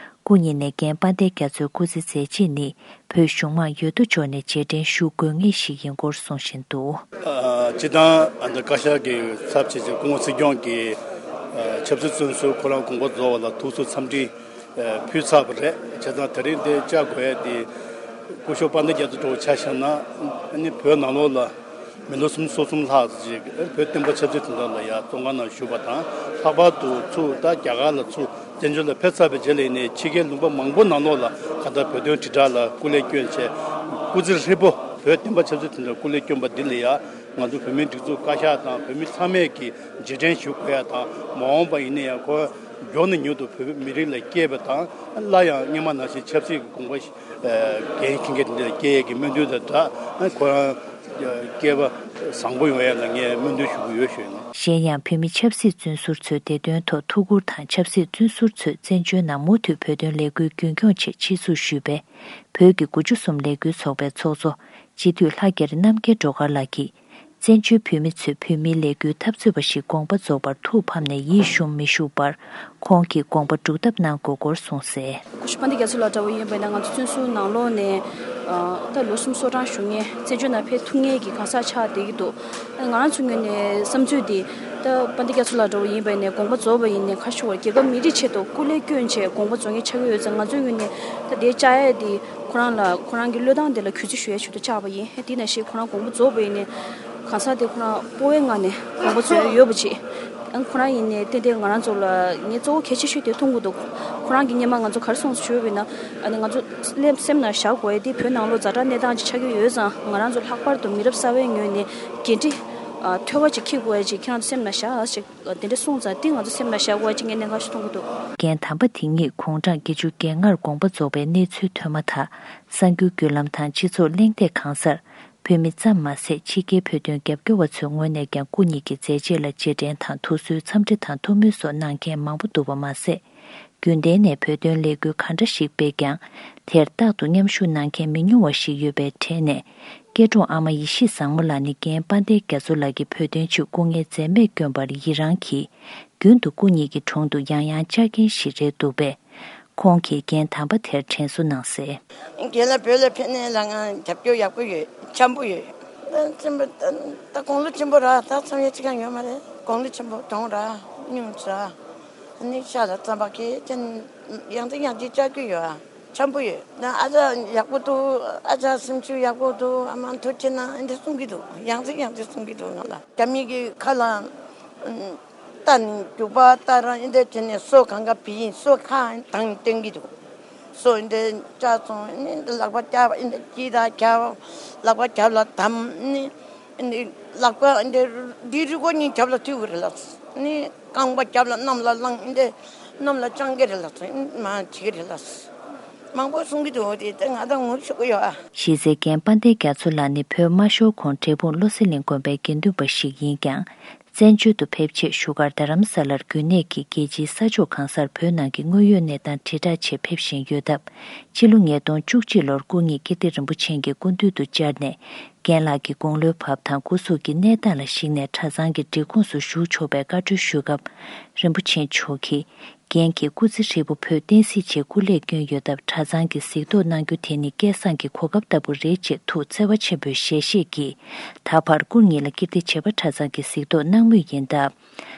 སྐུ་ཉིད་ནས་རྒན་དཔལ་ལྡན་རྒྱ་མཚོའི་སྐུ་ཚེ་མཛད་རྗེས་ནི་བོད་གཞུང་མང་ཡོད་དོ་ཅོག་ནས་རྗེས་དྲན་ཞུ་དགོས་ངེས་ཤིག་ཡིན་སྐོར་གསུང་བཞིན་འདུག། སྤྱི་བཏང་ཨ་ནི་བཀའ་ཤག་གི་ཚབ་བྱས་ཏེ་སྐུ་ངོ་སྲིད་སྐྱོང་གིས་ཆབ་སྲིད་བཙོན་ཟུར་ཁོ་རང་དགོངས་པ་རྫོགས་པ་ལ་ཐུགས་གསོ་འཚམས་འདྲི་ཕུལ་ཚར་བ་རེད། བྱས་ཙང་དེ་རིང་འདིར་བཅར་དགོས་ཡ་དེ་སྐུ་ཞབས་དཔལ་ལྡན་རྒྱ་མཚོ་འདྲ་བོ་ཆ་བཞག་ན་ཨ་ནི་བོད་ནང་ལོགས་ལ། མི་ལོ་སུམ་ཅུ་སོ་གསུམ་ལྷག་ཙམ་ཅིག་བོད་བསྟན་པ་ཆབ་སྲིད་དོན་དག་ལ་ཡང་བཙོན་ཁང་ནང་བཞུགས་པ་དང་། ལྷག་པར་དུ་ཚུར་ད་རྒྱ་གར་ལ་ཚུར་བཙན་བྱོལ་ལ་ཕེབས་ཚར་བའི་རྗེས་ལ་ཡིན་ནའི་ཕྱི་རྒྱལ་ལུང་པ་མང་པོ་ནང་ལོགས་ལ་གང་ལྟར་བོད་དོན་དྲིལ་བསྒྲགས་ལ་སྐུ་ལས་བསྐྱོན་བྱས། སྐུ་ཚེ་ཧྲིལ་པོ་བོད་བསྟན་པ་ཆབ་སྲིད་དོན་དུ་སྐུ་ལས་བསྐྱོན་པ་འདི་ལ་ཡང་ང་ཚོ་བོད་མིའི་སྒྲིག་འཛུགས་བཀའ་ཤག་དང་བོད་མི་ཚང་མས་ཀྱིས་རྗེས་དྲན་ཞུ་དགོས་ཡ་དང་། མ་འོངས་པ་ཡིན་ན་ཡང་ཁོ་མགྱོགས་ནས་མྱུར་དུ་བོད་མི་རིགས་ལ་སྐྱེས་པ་དང་། སླར་ཡང་སྔོན་མ་ནང་བཞིན་ཆབ་སྲིད་ཀྱི་དགོངས་པ་འགན་འཁྱེར་མཁན་དེ་འདྲ་སྐྱེ་ཡས་ཀྱི་སྨོན་འདུན་དང་སྦྲགས། ཁོ་རང་སྐལ་བ་བཟང་པོ་ཡོང་ཡ་ལ་ངས་སྨོན་འདུན་ཞུ་གི་ཡོད་ཞུ་ཡིན། གཞན་ཡང་བོད་མི་ཆབ་སྲིད་བཙོན་ཟུར་ཚོའི་བདེ་དོན་ཐོག་ཐུགས་ཁུར་དང་། ཆབ་སྲིད་བཙོན་ཟུར་ཚོས་བཙན་བྱོལ་ནང་མུ་མཐུད་བོད་དོན་ལས་འགུལ་རྒྱུན་འཁྱོངས་ཆེད་ཆེད་འཛུགས་ཞུས་པའི་བོད་ཀྱི་དགུ་བཅུ་གསུམ་ལས་འགུལ་ཚོགས་པའི་ཚོགས་གཙོ་སྤྱི་འཐུས་ལྷ་རྒྱལ་རྣམ་རྒྱལ་སྒྲོལ་དཀར་ལགས་ཀྱིས། བཙན་བྱོལ་བོད་མི་ཚོས་བོད་མིའི་ལས་འགུལ་འཐབ་རྩོད་པ་ཞིག་དགོངས་པ་རྫོགས་པར་ཐུགས་ཕམ་ནས་ཡིད་ཞུམ་མི་བཞུགས་པར་ཁོང་གིས་དགོངས་པ་སྒྲུབ་ཐབས་གནང་དགོས་སྐོར་གསུངས་གསལ། སྐུ་ཞབས་དཔལ་ལྡན་རྒྱ་མཚོ་ལགས་འདྲ་བོ་ཡིན་པ་ཡིན་ན་ང་ཚོ་བཙོན་ཟུར་ནང་ལོགས་ནས་ད་ལོ་གསུམ་སོ་གྲངས་བཞུགས་མཁན་བཙན་བྱོལ་ནང་ཕེབས་ཐུབ་མཁན་གྱི་གང་ཟག་ཆགས་བསྡད་ཀྱི་འདུག། ང་རང་ཚོའི་ངོས་ནས་བསམ་ཚུལ་འདི་ད་དཔལ་ལྡན་རྒྱ་མཚོ་ལགས་འདྲ་བོ་ཡིན་པ་ཡིན་ནས་དགོངས་པ་རྫོགས་པ་ཡིན་ནས་ག་ཞུ་བར་རྒྱལ་ཁབ་མི་རིགས་ཆེད་དུ་སྐུ་ལས་བསྐྱོན་བྱས་དགོངས་པ་རྫོགས་མཁན་ཆགས་ཀྱི་ཡོད་ཙང་། ང་ཚོའི་ངོས་ནས་ད་དེ་བཅར་ཡས་འདི་ཁོ་རང་ལ་ཁོ་རང་གི་བློས་བཏང་དེ་ལ་གུས་བརྩི་ཞུ་ཡས་ཆེད་དུ་བཅར་བ་ཡིན། དེ་ནང་བཞིན་ཁོ་རང་དགོངས་པ་རྫོགས་པ་ཡིན་ནས་གང་ཟག་དེ་ཁོ་རང་སྤོབས་པའི་ངང་ནས་དགོངས་པ་རྫོགས་ཡོད་པ་ཅིག། ཨང་ཁོ་རང་ཡིན་ནས་ཏན་ཏན་ང་རང་ཚོ་ལ་ངས་གཙོ་བོ་གལ་ཆེ་ཤོས་དེ་མཐོང་གི་འདུག། ཁོ་རང་གིས་སྔོན་མ་ང་ཚོ་ག་རེ་གསུངས་སོང་ཞུས་པ་ཡིན་ན། ཨ་ནི་ང་ཚོ་སེམས་ནང་བཞག་དགོས་ཡ་དེ་བོད་ནང་ལོགས་ཛ་དྲག་གནས་སྟངས་ཅིག་ཆགས་ཀྱི་ཡོད་ཙང་། ང་རང་ཚོ་ལྷག་པར་དུ་མི་རབས་གསར་བའི་ངོས་ནས་འགན་འཁྲི་ཨ་མཐོ་བ་ཅིག་འཁྱེར་དགོས་ཡ་ཅིག་ཁྱེད་རང་ཚོ་སེམས་ནང་བཞག་ཅིག། དེ་འདྲ་གསུངས་ཙང་དེ་ང་ཚོ་སེམས་ནང་བཞག་དགོས་ཅིག་ངས་གནད་འགག་ཞིག་མཐོང་གི་འདུག། རྒན་དམ་པ་དེ་ཉིད་དགུང་གྲངས་བརྒྱད་ཅུ་གྱ་ལྔར་དགོངས་པ་རྫོགས་པའི་གནས་ཚུལ་ཐོན་མ་ཐག་གསར་འགྱུར་བརྒྱུད་ལམ་དང་སྤྱི་ཚོགས་གླེང་སྟེགས་གང་སར་བོད་མི་ཙམ་མ་ཟད་ཕྱི་རྒྱལ་བོད་དོན་རྒྱབ་སྐྱོར་བ་ཚོའི་ངོས་ནས་ཀྱང་སྐུ་ཉིད་ཀྱི་མཛད་རྗེས་ལ་རྗེས་དྲན་དང་ཐུགས་གསོའི་འཚམས་འདྲི་དང་ཐུགས་སྨོན་སོགས་གནང་མཁན་མང་པོ་འདུག་པ་མ་ཟད། རྒྱུན་ལྡན་ནས་བོད་དོན་ལས་འགུལ་ག་འདྲ་ཞིག་སྤེལ་ཀྱང་། དེར་རྟག་ཏུ་མཉམ་ཞུགས་གནང་མཁན་མི་ཉུང་བ་ཞིག་ཡོད་པའི་གྲས་ནས། སྐྱེ་དྲུང་ཨ་མ་ཡེ་ཤེས་བཟང་མོ་ལགས་ནི་རྒན་དཔལ་ལྡན་རྒྱ་མཚོ་ལགས་ཀྱིས་བོད་དོན་ཆེད་སྐུ་ངལ་འཛེམས་མེད་བསྐྱོན་པར་ཡི་རངས་ཀྱིས། རྒྱུན་དུ་སྐུ་ཉིད་ཀྱི་དྲུང་དུ་ཡང་ཡང་བཅར་མཁན་ཞིག་རེད་འདུག་པས། ཁོང་གིས་རྒན་དམ་པ་དེར་དྲན་གསོ་གནང་གསལ། རྒན་ལགས་བོད་ལ་ཕེབས་ནས་ལ་ང་རྒྱབ་སྐྱོར་ཡག་པོ་ཡོད། འཆམ་པོ་ཡོད། ད་དགུང་ལོ་ཆེན་པོ་ར་ད་འཚམས་ཡས་ཅི་གང་ཡོད་མ་རེད། དགུང་ལོ་ཆེན་པོ་གྲོངས་ར་སྙུང་ཚ། ནི་ཤ་ལ་རྩམ་པ་ཁེ་ཅན་ཡང་ཏི་ཡང་ཏི་བཅར་རྒྱུ་ཡོད་ཨ། འཆམ་པོ་ཡོད། ད་ཨ་ཅག་ཡག་པོ་འདུག། ཨ་ཅག་སེམས་ཤུགས་ཡག་པོ་འདུག། ཨ་མ་ཐུགས་རྗེ་གནང་། ཨ་འདྲ་གསུང་གི་འདུག། ཡང་ཏི་ཡང་ཏི་གསུང་གི་འདུག། ང་ལ་རྒྱ་མི་གི་ཁ་ལ་རྟ་ནི་རྒྱུག་པ་ལྟར་ཨ་འདྲ་བྱས་ནས་སོ་གང་ག་བི་ཡིན། སོ་ཁ་དང་སྟོན་གི་འདུག། སོ་ཨ་འདྲ་བཅག་སོང་། ཨ་ནི་ལག་པ་རྒྱབ། ཨ་འདྲ་དཀྱིལ་དང་རྒྱབ། ལག་པ་རྒྱབ་ལ་བསྡམས། ཨ་ནི་ཨ་ནི་ལག་པ་ཨ་འདྲ་འདི་རུས་ཁོག་གཉིས་རྒྱབ་ལ་མཐུད་དགོས་རེད་ལགས། ཨ་ནི་རྐང་པ་རྒྱབ་ལ་གནམ་ལ་བསླངས། ཨ་འདྲ་གནམ་ལ་བཅང་གི་རེད་ལགས། མར་བྱེད་ཀྱི་རེད་ལགས། མང་པོ་གསུང་གི་འདུག། དེ་ད་ང་ད་ངུ་ཤོག་གི་ཡོད་ཨ། གཞི་རྩའི་རྒན་དཔལ་ལྡན་རྒྱ་མཚོ་ལགས་ནི་བོད་དམར་ཤོག་ཁོངས་འབྲས་སྤུངས་བློ་གསལ་གླིང་དགོན་པའི་དགེ་འདུན་པ་ཞིག་ཡིན་ཀྱང་། བཙན་བྱོལ་དུ་ཕེབས་ཆེད་བཞུགས་སྒར་རྡ་རམ་ས་ལར་རྒྱུན་གནས་ཀྱི་རྒྱལ་སྤྱིའི་ས་ཕྱོགས་གང་སར་བོད་ནང་གི་དངོས་ཡོད་གནས་སྟངས་དྲིལ་བསྒྲགས་ཆེད་ཕེབས་བཞིན་ཡོད་སྟབས། ཕྱི་ལོ་ཉིས་སྟོང་བཅུ་གཅིག་ལོར་སྐུ་ཉིད་ཀིརྟི་རིན་པོ་ཆེ་གི་སྐུ་མདུན་དུ་བཅར་ནས། རྒན་ལགས་ཀྱི་དགུང་ལོའི་བབ་དང་སྐུ་གཟུགས་ཀྱི་གནས་སྟངས་ལ་གཞིགས་ནས་གྲྭ་ཚང་གི་སྒྲིག་ཁོངས་སུ་ཞུགས་ཆོག་པའི་བཀའ་འཁྲོལ་ཞུས་སྐབས། རིན་པོ་ཆེ་མཆོག་གིས། རྒན་གྱིས་སྐུ་ཚེ་ཧྲིལ་པོ་བོད་བསྟན་སྲིད་ཆེད་སྐུ་ལས་བསྐྱོན་ཡོད་སྟབས། གྲྭ་ཚང་གི་གཟིགས་རྟོག་གནང་རྒྱུ་དེ་ནི་སྐལ་བཟང་གི་གོ་སྐབས་ལྟ་བུ་རེད་ཅེས་ཐུགས་བརྩེ་བ་ཆེན་པོས་ཞལ་བཞེས་ཀྱིས། ད་བར་སྐུ་ཉིད་ལ་ཀིརྟི་བྱེས་པ་གྲྭ་ཚང་གི་གཟིགས་རྟོག་གནང་མུས་ཡིན་སྟབས།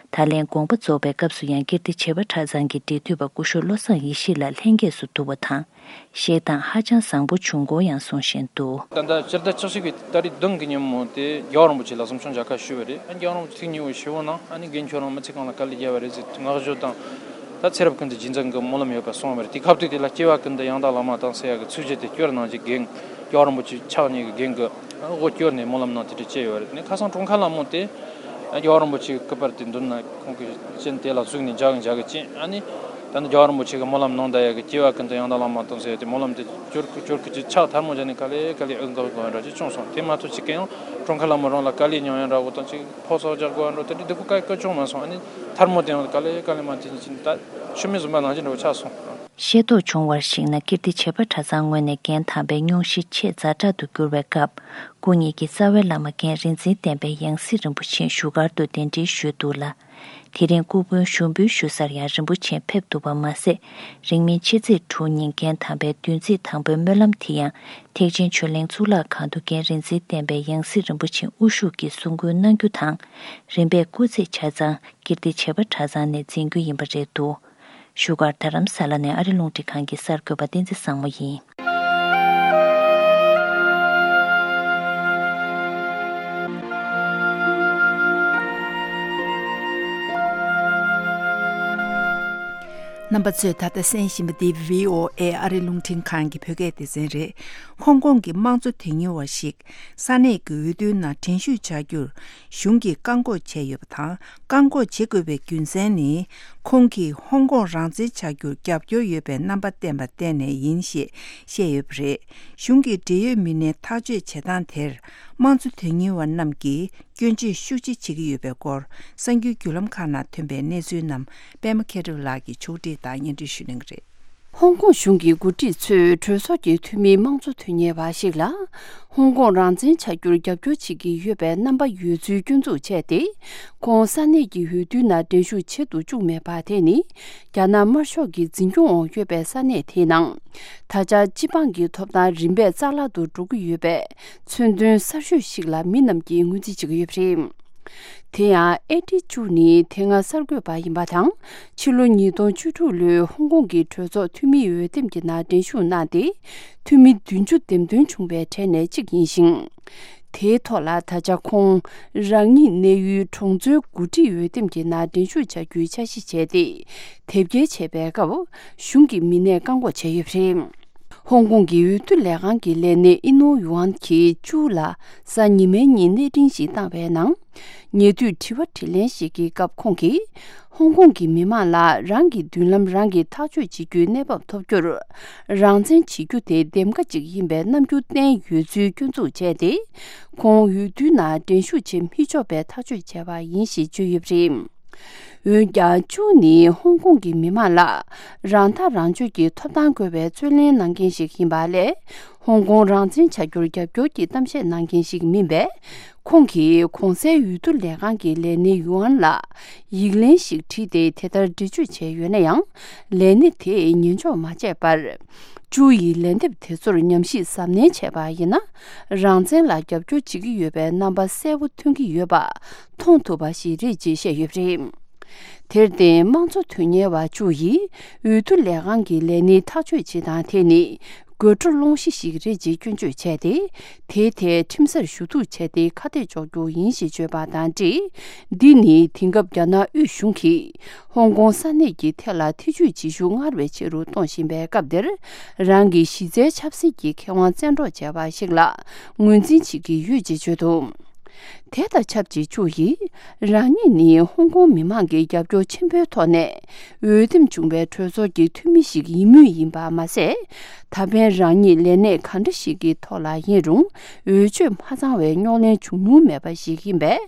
ད་ལན་དགོངས་པ་རྫོགས་པའི་སྐབས་སུ་ཡང་ཀིརྟི་བྱེས་པ་གྲྭ་ཚང་གི་འབྲེལ་མཐུད་པ་སྐུ་ཞབས་བློ་བཟང་ཡེ་ཤེས་ལགས་ལྷན་རྒྱས་སུ་འདུ་བ་དང་། བཞེས་སྟངས་ཧ་ཅང་བཟང་པོ་བྱུང་སྐོར་ཡང་གསུང་བཞིན་འདུག། ད་ལྟ་སྤྱིར་བཏང་ཆགས་ཞུགས་ཀྱི་ཏ་རིག་བདུན་གྱི་ཉིན་མོ་དེ་རྒྱལ་བ་རིན་པོ་ཆེ་ལ་གསུང་ཆོས་མཇལ་ཁ་ཞུས་པ་རེད། རྒྱལ་བ་རིན་པོ་ཆེ་ཐེངས་གཉིས་པ་ཞུ་བ་ན་ཨ་ནི་རྒན་ཁྱོད་རང་མི་ཚེ་གང་ལ་དཀའ་ལས་བརྒྱབ་པ་རེད་ཟེར་བསྔགས་བརྗོད་དང་། ད་ཚེ་རབས་ཀུན་ཏུ་རྗེས་འཛིན་གྱི་སྨོན་ལམ་ཡོད་པ་གསུངས་པ་རེད། དེ་སྐབས་དུས་དེ་ལ་སྐྱེ་བ་ཀུན་ཏུ་ཡང་དག་བླ་མ་དང་ཟེར་ཡག་གི་ཚིགས་བཅད་དེ་སྐྱོར་གནང་རྗེས་རྒན་རྒྱལ་བ་རིན་པོ་ཆེ་ཕྱག་གཉིས་ཀྱི་རྒན་གྱི་དབུ་སྐྱོར་ནས་སྨོན་ལམ་གནང་དེ་འདྲ་བྱས་ཡོད་རེད། ནས་ཁ་སང་གྲོངས་ཁ་ལ་མོ་དེ་རྒྱལ་བ་རིན་པོ་ཆེའི་སྐུ་པར་དེ་མདུན་ན་ཁོང་གི་སྤྱན་དེ་ལ་གཟིགས་ནས་མཇལ་གི་མཇལ་གི་ཅིང་། ཨ་ནི་ད་ནི་རྒྱལ་བ་རིན་པོ་ཆེ་གི་སྨོན་ལམ་གནང་ད་ཡག་གི་སྐྱེ་བ་ཀུན་ཏུ་ཡང་དག་བླ་མ་དང་ཟེར་ཏེ་སྨོན་ལམ་དེ་སྐྱོར་གི་སྐྱོར་གི་ཅིག་ཕྱག་ཐལ་མོ་སྦྱར་ནས་དཀའ་ལས་དཀའ་ལས་ཨེ་འགག་དགོས་འདྲ་ཅིག་བྱུང་སོང་། དེ་མ་གཏོགས་ཅིག་གི་ཡང་གྲོངས་ཁ་ལ་མོ་རང་ལ་དཀའ་ལས་མྱོང་ཡ་འདྲ་བོ་དང་ཅིག་ཕོགས་ཚོགས་རྒྱག་དགོས་འདྲ་དེ་འདྲ་སྡུག་པོ་དཀའ་དཀའ་བྱུང་མ་སོང་། ཨ་ནི་ཐལ་མོ་དེ་ཡང་དཀའ་ལས་དཀའ་ལས་མ་དེ་ཅིག་ད་ཤི་མི་བཟུང་པ་ནང་བཞིན་འདྲ་བོ་ཆགས་སོང་། ཤེས་རྟོགས་བྱུང་བར་གཞིགས་ན། ཀིརྟི་བྱེས་པ་གྲྭ་ཚང་ངོས་ནས་རྒན་དམ་པའི་སྙུང་གཞི་ཆེས་ཛ་དྲག་ཏུ་གྱུར་བའི་སྐབས། སྐུ་ཉིད་ཀྱིས་རྩ་བའི་བླ་མ་རྒན་རིག་འཛིན་བསྟན་པའི་ཡང་སྲིད་རིན་པོ་ཆེ་བཞུགས་སྒར་དུ་གདན་འདྲེན་ཞུས་འདུག་ལ། དེ་རིང་སྐུ་མགྲོན་ཞུགས་འབུལ་ཞུ་སར་ཡང་རིན་པོ་ཆེ་ཕེབས་འདུག་པ་མ་ཟད། རིང་མིན་ཕྱི་ཚེས་དྲུག་ཉིན་རྒན་དམ་པའི་བདུན་ཚིགས་དང་པོའི་སྨོན་ལམ་དེ་ཡང་ཐེག་ཆེན་ཆོས་གླིང་གཙུག་ལག་ཁང་དུ་རྒན་རིག་འཛིན་བསྟན་པའི་ཡང་སྲིད་རིན་པོ་ཆེ་དབུ་བཞུགས་ཀྱིས་གསུང་མགུར་གནང་རྒྱུ་དང་། རིམ་པས་སྐུ་ཚེ་ཆ་ཚང་ཀིརྟི་བྱེས་པ་གྲྭ་ཚང་ནས་འཛིན་རྒྱུ་ཡིན་པ་རེད་འདུག་བཞུགས་སྒར་རྡ་རམ་ས་ལ་ནས་ཨ་རི་རླུང་འཕྲིན་ཁང་གི་གསར་འགོད་པ་བསྟན་འཛིན་བཟང་མོ་ཡིན། རྣམ་པ་ཚོས་ད་ལྟ་གསན་བཞིན་པ་འདི་བྷི་ཨོ་ཨེ་ཨ་རི་རླུང་འཕྲིན་ཁང་གི་བོད་སྐད་སྡེ་ཚན་རེད། ཧོང་ཀོང་གི་དམངས་གཙོ་དོན་གཉེར་བ་ཞིག་ས་གནས་ཀྱི་འོས་བསྡུའི་ནང་འགྲན་ཞུགས་བྱ་རྒྱུར་གཞུང་གིས་བཀག་འགོག་བྱས་ཡོད་པ་དང་། བཀག་འགོག་བྱེད་དགོས་པའི་རྒྱུ་མཚན་ནི། ཁོང་གིས་ཧོང་ཀོང་རང་བཙན་བྱ་རྒྱུར་རྒྱབ་སྐྱོར་ཡོད་པའི་རྣམ་པ་བསྟན་པ་བརྟེན་ནས་ཡིན་ཞེས་བཤད་ཡོད་པ་རེད། གཞུང་གི་འབྲེལ་ཡོད་མི་སྣའི་ཐག་གཅོད་བྱེད་སྟངས་དེར། དམངས་གཙོ་དོན་གཉེར་བ་རྣམས་ཀྱིས་སྐྱོན་བརྗོད་ཤུགས་ཆེ་བྱེད་ཀྱི་ཡོད་པའི་སྐོར། གསར་འགྱུར་བརྒྱུད་ལམ་ཁག་ནང་ཐོན་པའི་གནས་ཚུལ་རྣམས་པད་མ་མཁས་གྲུབ་ལགས་ཀྱིས་ཕྱོགས་སྒྲིག་དང་སྙན་སྒྲོན་ཞུ་གནང་གི་རེད། ཧོང་ཀོང་གཞུང་གི་འགོ་ཁྲིད་ཚོས་གྲོས་ཚོགས་ཀྱི་འཐུས་མི་དམངས་གཙོ་དོན་གཉེར་བ་ཞིག་ལ། ཧོང་ཀོང་རང་བཙན་བྱ་རྒྱུར་རྒྱབ་སྐྱོར་བྱེད་ཀྱི་ཡོད་པའི་རྣམ་པ་ཡོད་ཚུལ་སྐྱོན་འཛུགས་བྱས་ཏེ། ཁོང་ས་གནས་ཀྱི་འོས་བསྡུ་ནང་འགྲན་ཞུགས་བྱེད་དུ་བཅུག་མེད་པ་དེ་ནི། རྒྱ་ནག་དམར་ཤོག་གི་འཛིན་སྐྱོང་འོག་ཡོད་པའི་ས་གནས་དེའི་ནང་། ད་ཆ་སྤྱི་འབངས་ཀྱི་ཐོབ་ཐང་རིམ་པས་རྩ་བརླག་ཏུ་འགྲོ་གི་ཡོད་པའི་མཚོན་དོན་གསར་ཤོས་ཤིག་ལ་མི་རྣམས་ཀྱིས་ངོས་འཛིན་བྱེད་ཀྱི་ཡོད་པ་རེད། དེ་ཡང་ཨེ་ཏི་ཅུ་ནི་དེ་སྔ་གསར་འགོད་པ་ཡིན་པ་དང་། ཕྱི་ལོ་ཉིས་སྟོང་བཅུ་དྲུག་ལོའི་ཧོང་ཀོང་གི་གྲོས་ཚོགས་འཐུས་མིའི་འོས་འདེམས་ཀྱི་ནང་འགྲན་ཞུགས་གནང་སྟེ། འཐུས་མི་བདུན་ཅུ་འདེམས་ཐོན་བྱུང་བའི་གྲས་ནས་གཅིག་ཡིན་ཞིང་། དེའི་ཐོག་ལ་ད་ཆ་ཁོང་རང་ཉིད་གནས་ཡུལ་གྲོང་ཚོའི་འགོ་ཁྲིད་འོས་འདེམས་ཀྱི་ནང་འགྲན་ཞུགས་བྱ་རྒྱུའི་འཆར་གཞི་བྱས་ཏེ། དེབ་སྐྱེལ་བྱས་པའི་སྐབས་གཞུང་གི་མི་སྣས་བཀག་འགོག་བྱས་ཡོད་པ་རེད། ཧོང་ཀོང་གི་འོས་བསྡུ་ལས་ཁང་གི་ལས་སྣེ་ཨི་ནོ་ཡུའན་གྱིས་ཅུའུ་ལ་གཟའ་ཉི་མའི་ཉིན་གནས་འཕྲིན་ཞིག་བཏང་བའི་ནང་། ཉེ་དུས་དྲི་བ་དྲིས་ལན་ཞིག་གི་སྐབས་ཁོང་གིས། ཧོང་ཀོང་གི་མི་མང་ལ་རང་གི་མདུན་ལམ་རང་གིས་ཐག་གཅོད་བྱེད་རྒྱུའི་གནས་བབ་ཐོབ་རྒྱུར། རང་བཙན་བྱེད་རྒྱུ་དེ་འདེམས་ཀ་ཅིག་ཡིན་པའི་རྣམ་འགྱུར་བསྟན་ཡོད་ཚུལ་སྐྱོན་འཛུགས་བྱས་ཏེ། ཁོང་འོས་བསྡུའི་ནང་འགྲན་ཞུགས་བྱེད་མི་ཆོག་པའི་ཐག་གཅོད་བྱས་པ་ཡིན་ཞེས་བརྗོད་ཡོད་པ་རེད། འོན་ཀྱང་ཅུའུ་ནི་ཧོང་ཀོང་གི་མི་མང་ལ་རང་ཐག་རང་གཅོད་ཀྱི་ཐོབ་ཐང་དགོས་པའི་རྩོད་ལེན་གནང་མཁན་ཞིག་ཡིན་པ་ལས། ཧོང་ཀོང་རང་བཙན་བྱ་རྒྱུར་རྒྱབ་སྐྱོར་གྱི་གཏམ་བཤད་གནང་མཁན་ཞིག་མིན་པས། ཁོང་གིས་གོང་གསལ་འོས་བསྡུ་ལས་ཁང་གི་ལས་སྣེ་ཡུའུ་ཨན་ལ་ཡིག་ལན་ཞིག་བྲིས་ཏེ་དེ་ལྟར་འགྲེལ་བརྗོད་བྱས་ཡོད་ན་ཡང་། ལས་སྣེ་དེས་ཉན་འཇོག་མ་བྱས་པར། ཅུའུ་ཡི་ལན་འདེབས་དེ་ཚོར་ཉམས་ཞིབ་གཟབ་ནན་བྱས་པ་ཡིན་ན། རང་བཙན་ལ་རྒྱབ་སྐྱོར་བྱེད་ཀྱི་ཡོད་པའི་རྣམ་པ་གསལ་པོ་ཐོན་གྱི་ཡོད་པ་མཐོང་ཐུབ་པ་ཞིག་རེད་ཅེས་བཤད་ཡོད་པ་རེད། དེར་བརྟེན་དམངས་གཙོ་དོན་གཉེར་བ་ཅུའུ་ཡིས་འོས་བསྡུ་ལས་ཁང་གི་ལས་སྣེའི་ཐག་གཅོད་བྱེད་སྟངས་དེ་ནི་དགོད་བྲོ་སློང་གཞི་ཞིག་རེད་ཅེས་སྐྱོན་བརྗོད་བྱས་ཏེ། དེའི་ཐད་ཁྲིམས་སར་ཞུ་གཏུག་བྱས་ཏེ་ཁ་གཏད་གཅོག་རྒྱུ་ཡིན་ཞེས་བརྗོད་པ་དང་འབྲེལ། འདི་ནི་དེང་སྐབས་རྒྱ་ནག་དབུས་གཞུང་གིས་ཧོང་ཀོང་ས་གནས་ཀྱི་ཐད་ལ་ཐེ་ཇུས་བྱེད་ཤུགས་སྔར་བས་ཆེ་རུ་གཏོང་བཞིན་པའི་སྐབས་འདིར། རང་གི་གཞི་རྩའི་ཆབ་སྲིད་ཀྱི་ཁེ་དབང་བཙན་འཕྲོག་བྱས་པ་ཞིག་ལ་ངོས་འཛིན་བྱེད་ཀྱི་ཡོད་ཅེས་བརྗོད་འདུག་དེ་དང་ཆབས་ཅིག་ཅུའུ་ཡིས། རང་ཉིད་ནི་ཧོང་ཀོང་མི་མང་གི་རྒྱབ་སྐྱོར་ཆེན་པོའི་ཐོག་ནས་འོས་འདེམས་བྱུང་བའི་གྲོས་ཚོགས་ཀྱི་འཐུས་མི་ཞིག་ཡིན་མུས་ཡིན་པ་མ་ཟད། ད་ཕན་རང་ཉིད་ལས་གནས་གང་འདྲ་ཞིག་གི་ཐོག་ལ་ཡིན་རུང་འོས་ཆོས་མ་ཚང་བའི་རྙོག་གླེང་བྱུང་མྱོང་མེད་པ་ཞིག་ཡིན་པས།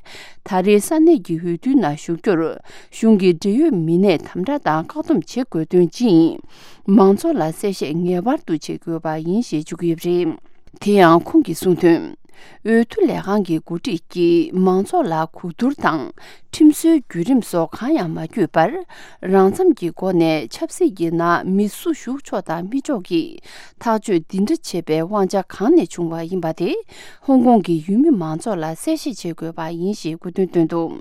ད་རེས་ས་གནས་ཀྱི་འོས་བསྡུ་ནང་ཞུགས་རྒྱུར་གཞུང་གི་འབྲེལ་ཡོད་མི་སྣས་དམ་དྲག་དང་བཀག་སྡོམ་བྱེད་དགོས་དོན་ཅི་ཡིན། མང་ཚོགས་ལ་གསལ་བཤད་ངེས་པར་དུ་བྱེད་དགོས་པ་ཡིན་ཞེས་བརྗོད་ཀྱི་ཡོད་པ་རེད། དེ་ཡང་ཁོང་གིས་གསུངས་དོན། འོས་བསྡུ་ལས་ཁང་གི་འགོ་ཁྲིད་ཀྱིས་མང་ཚོགས་ལ་གོ་བསྡུར་དང་ཁྲིམས་སྲོལ་བརྒྱུད་རིམ་སོགས་གང་ཡང་མ་བརྒྱུད་པར། རང་འཚམ་གྱི་སྒོ་ནས་ཆབ་སྲིད་ཀྱི་ནང་མི་སུ་ཞུགས་ཆོག་དང་མི་ཆོག་གི་ཐག་གཅོད་འདི་འདྲ་བྱེད་པའི་དབང་ཆ་གང་ནས་བྱུང་བ་ཡིན་པ་དེ་ཧོང་ཀོང་གི་ཡུལ་མི་མང་ཚོགས་ལ་གསལ་བཤད་བྱེད་དགོས་པ་ཡིན་ཞེས་དགོས་འདུན་བཏོན་འདུག་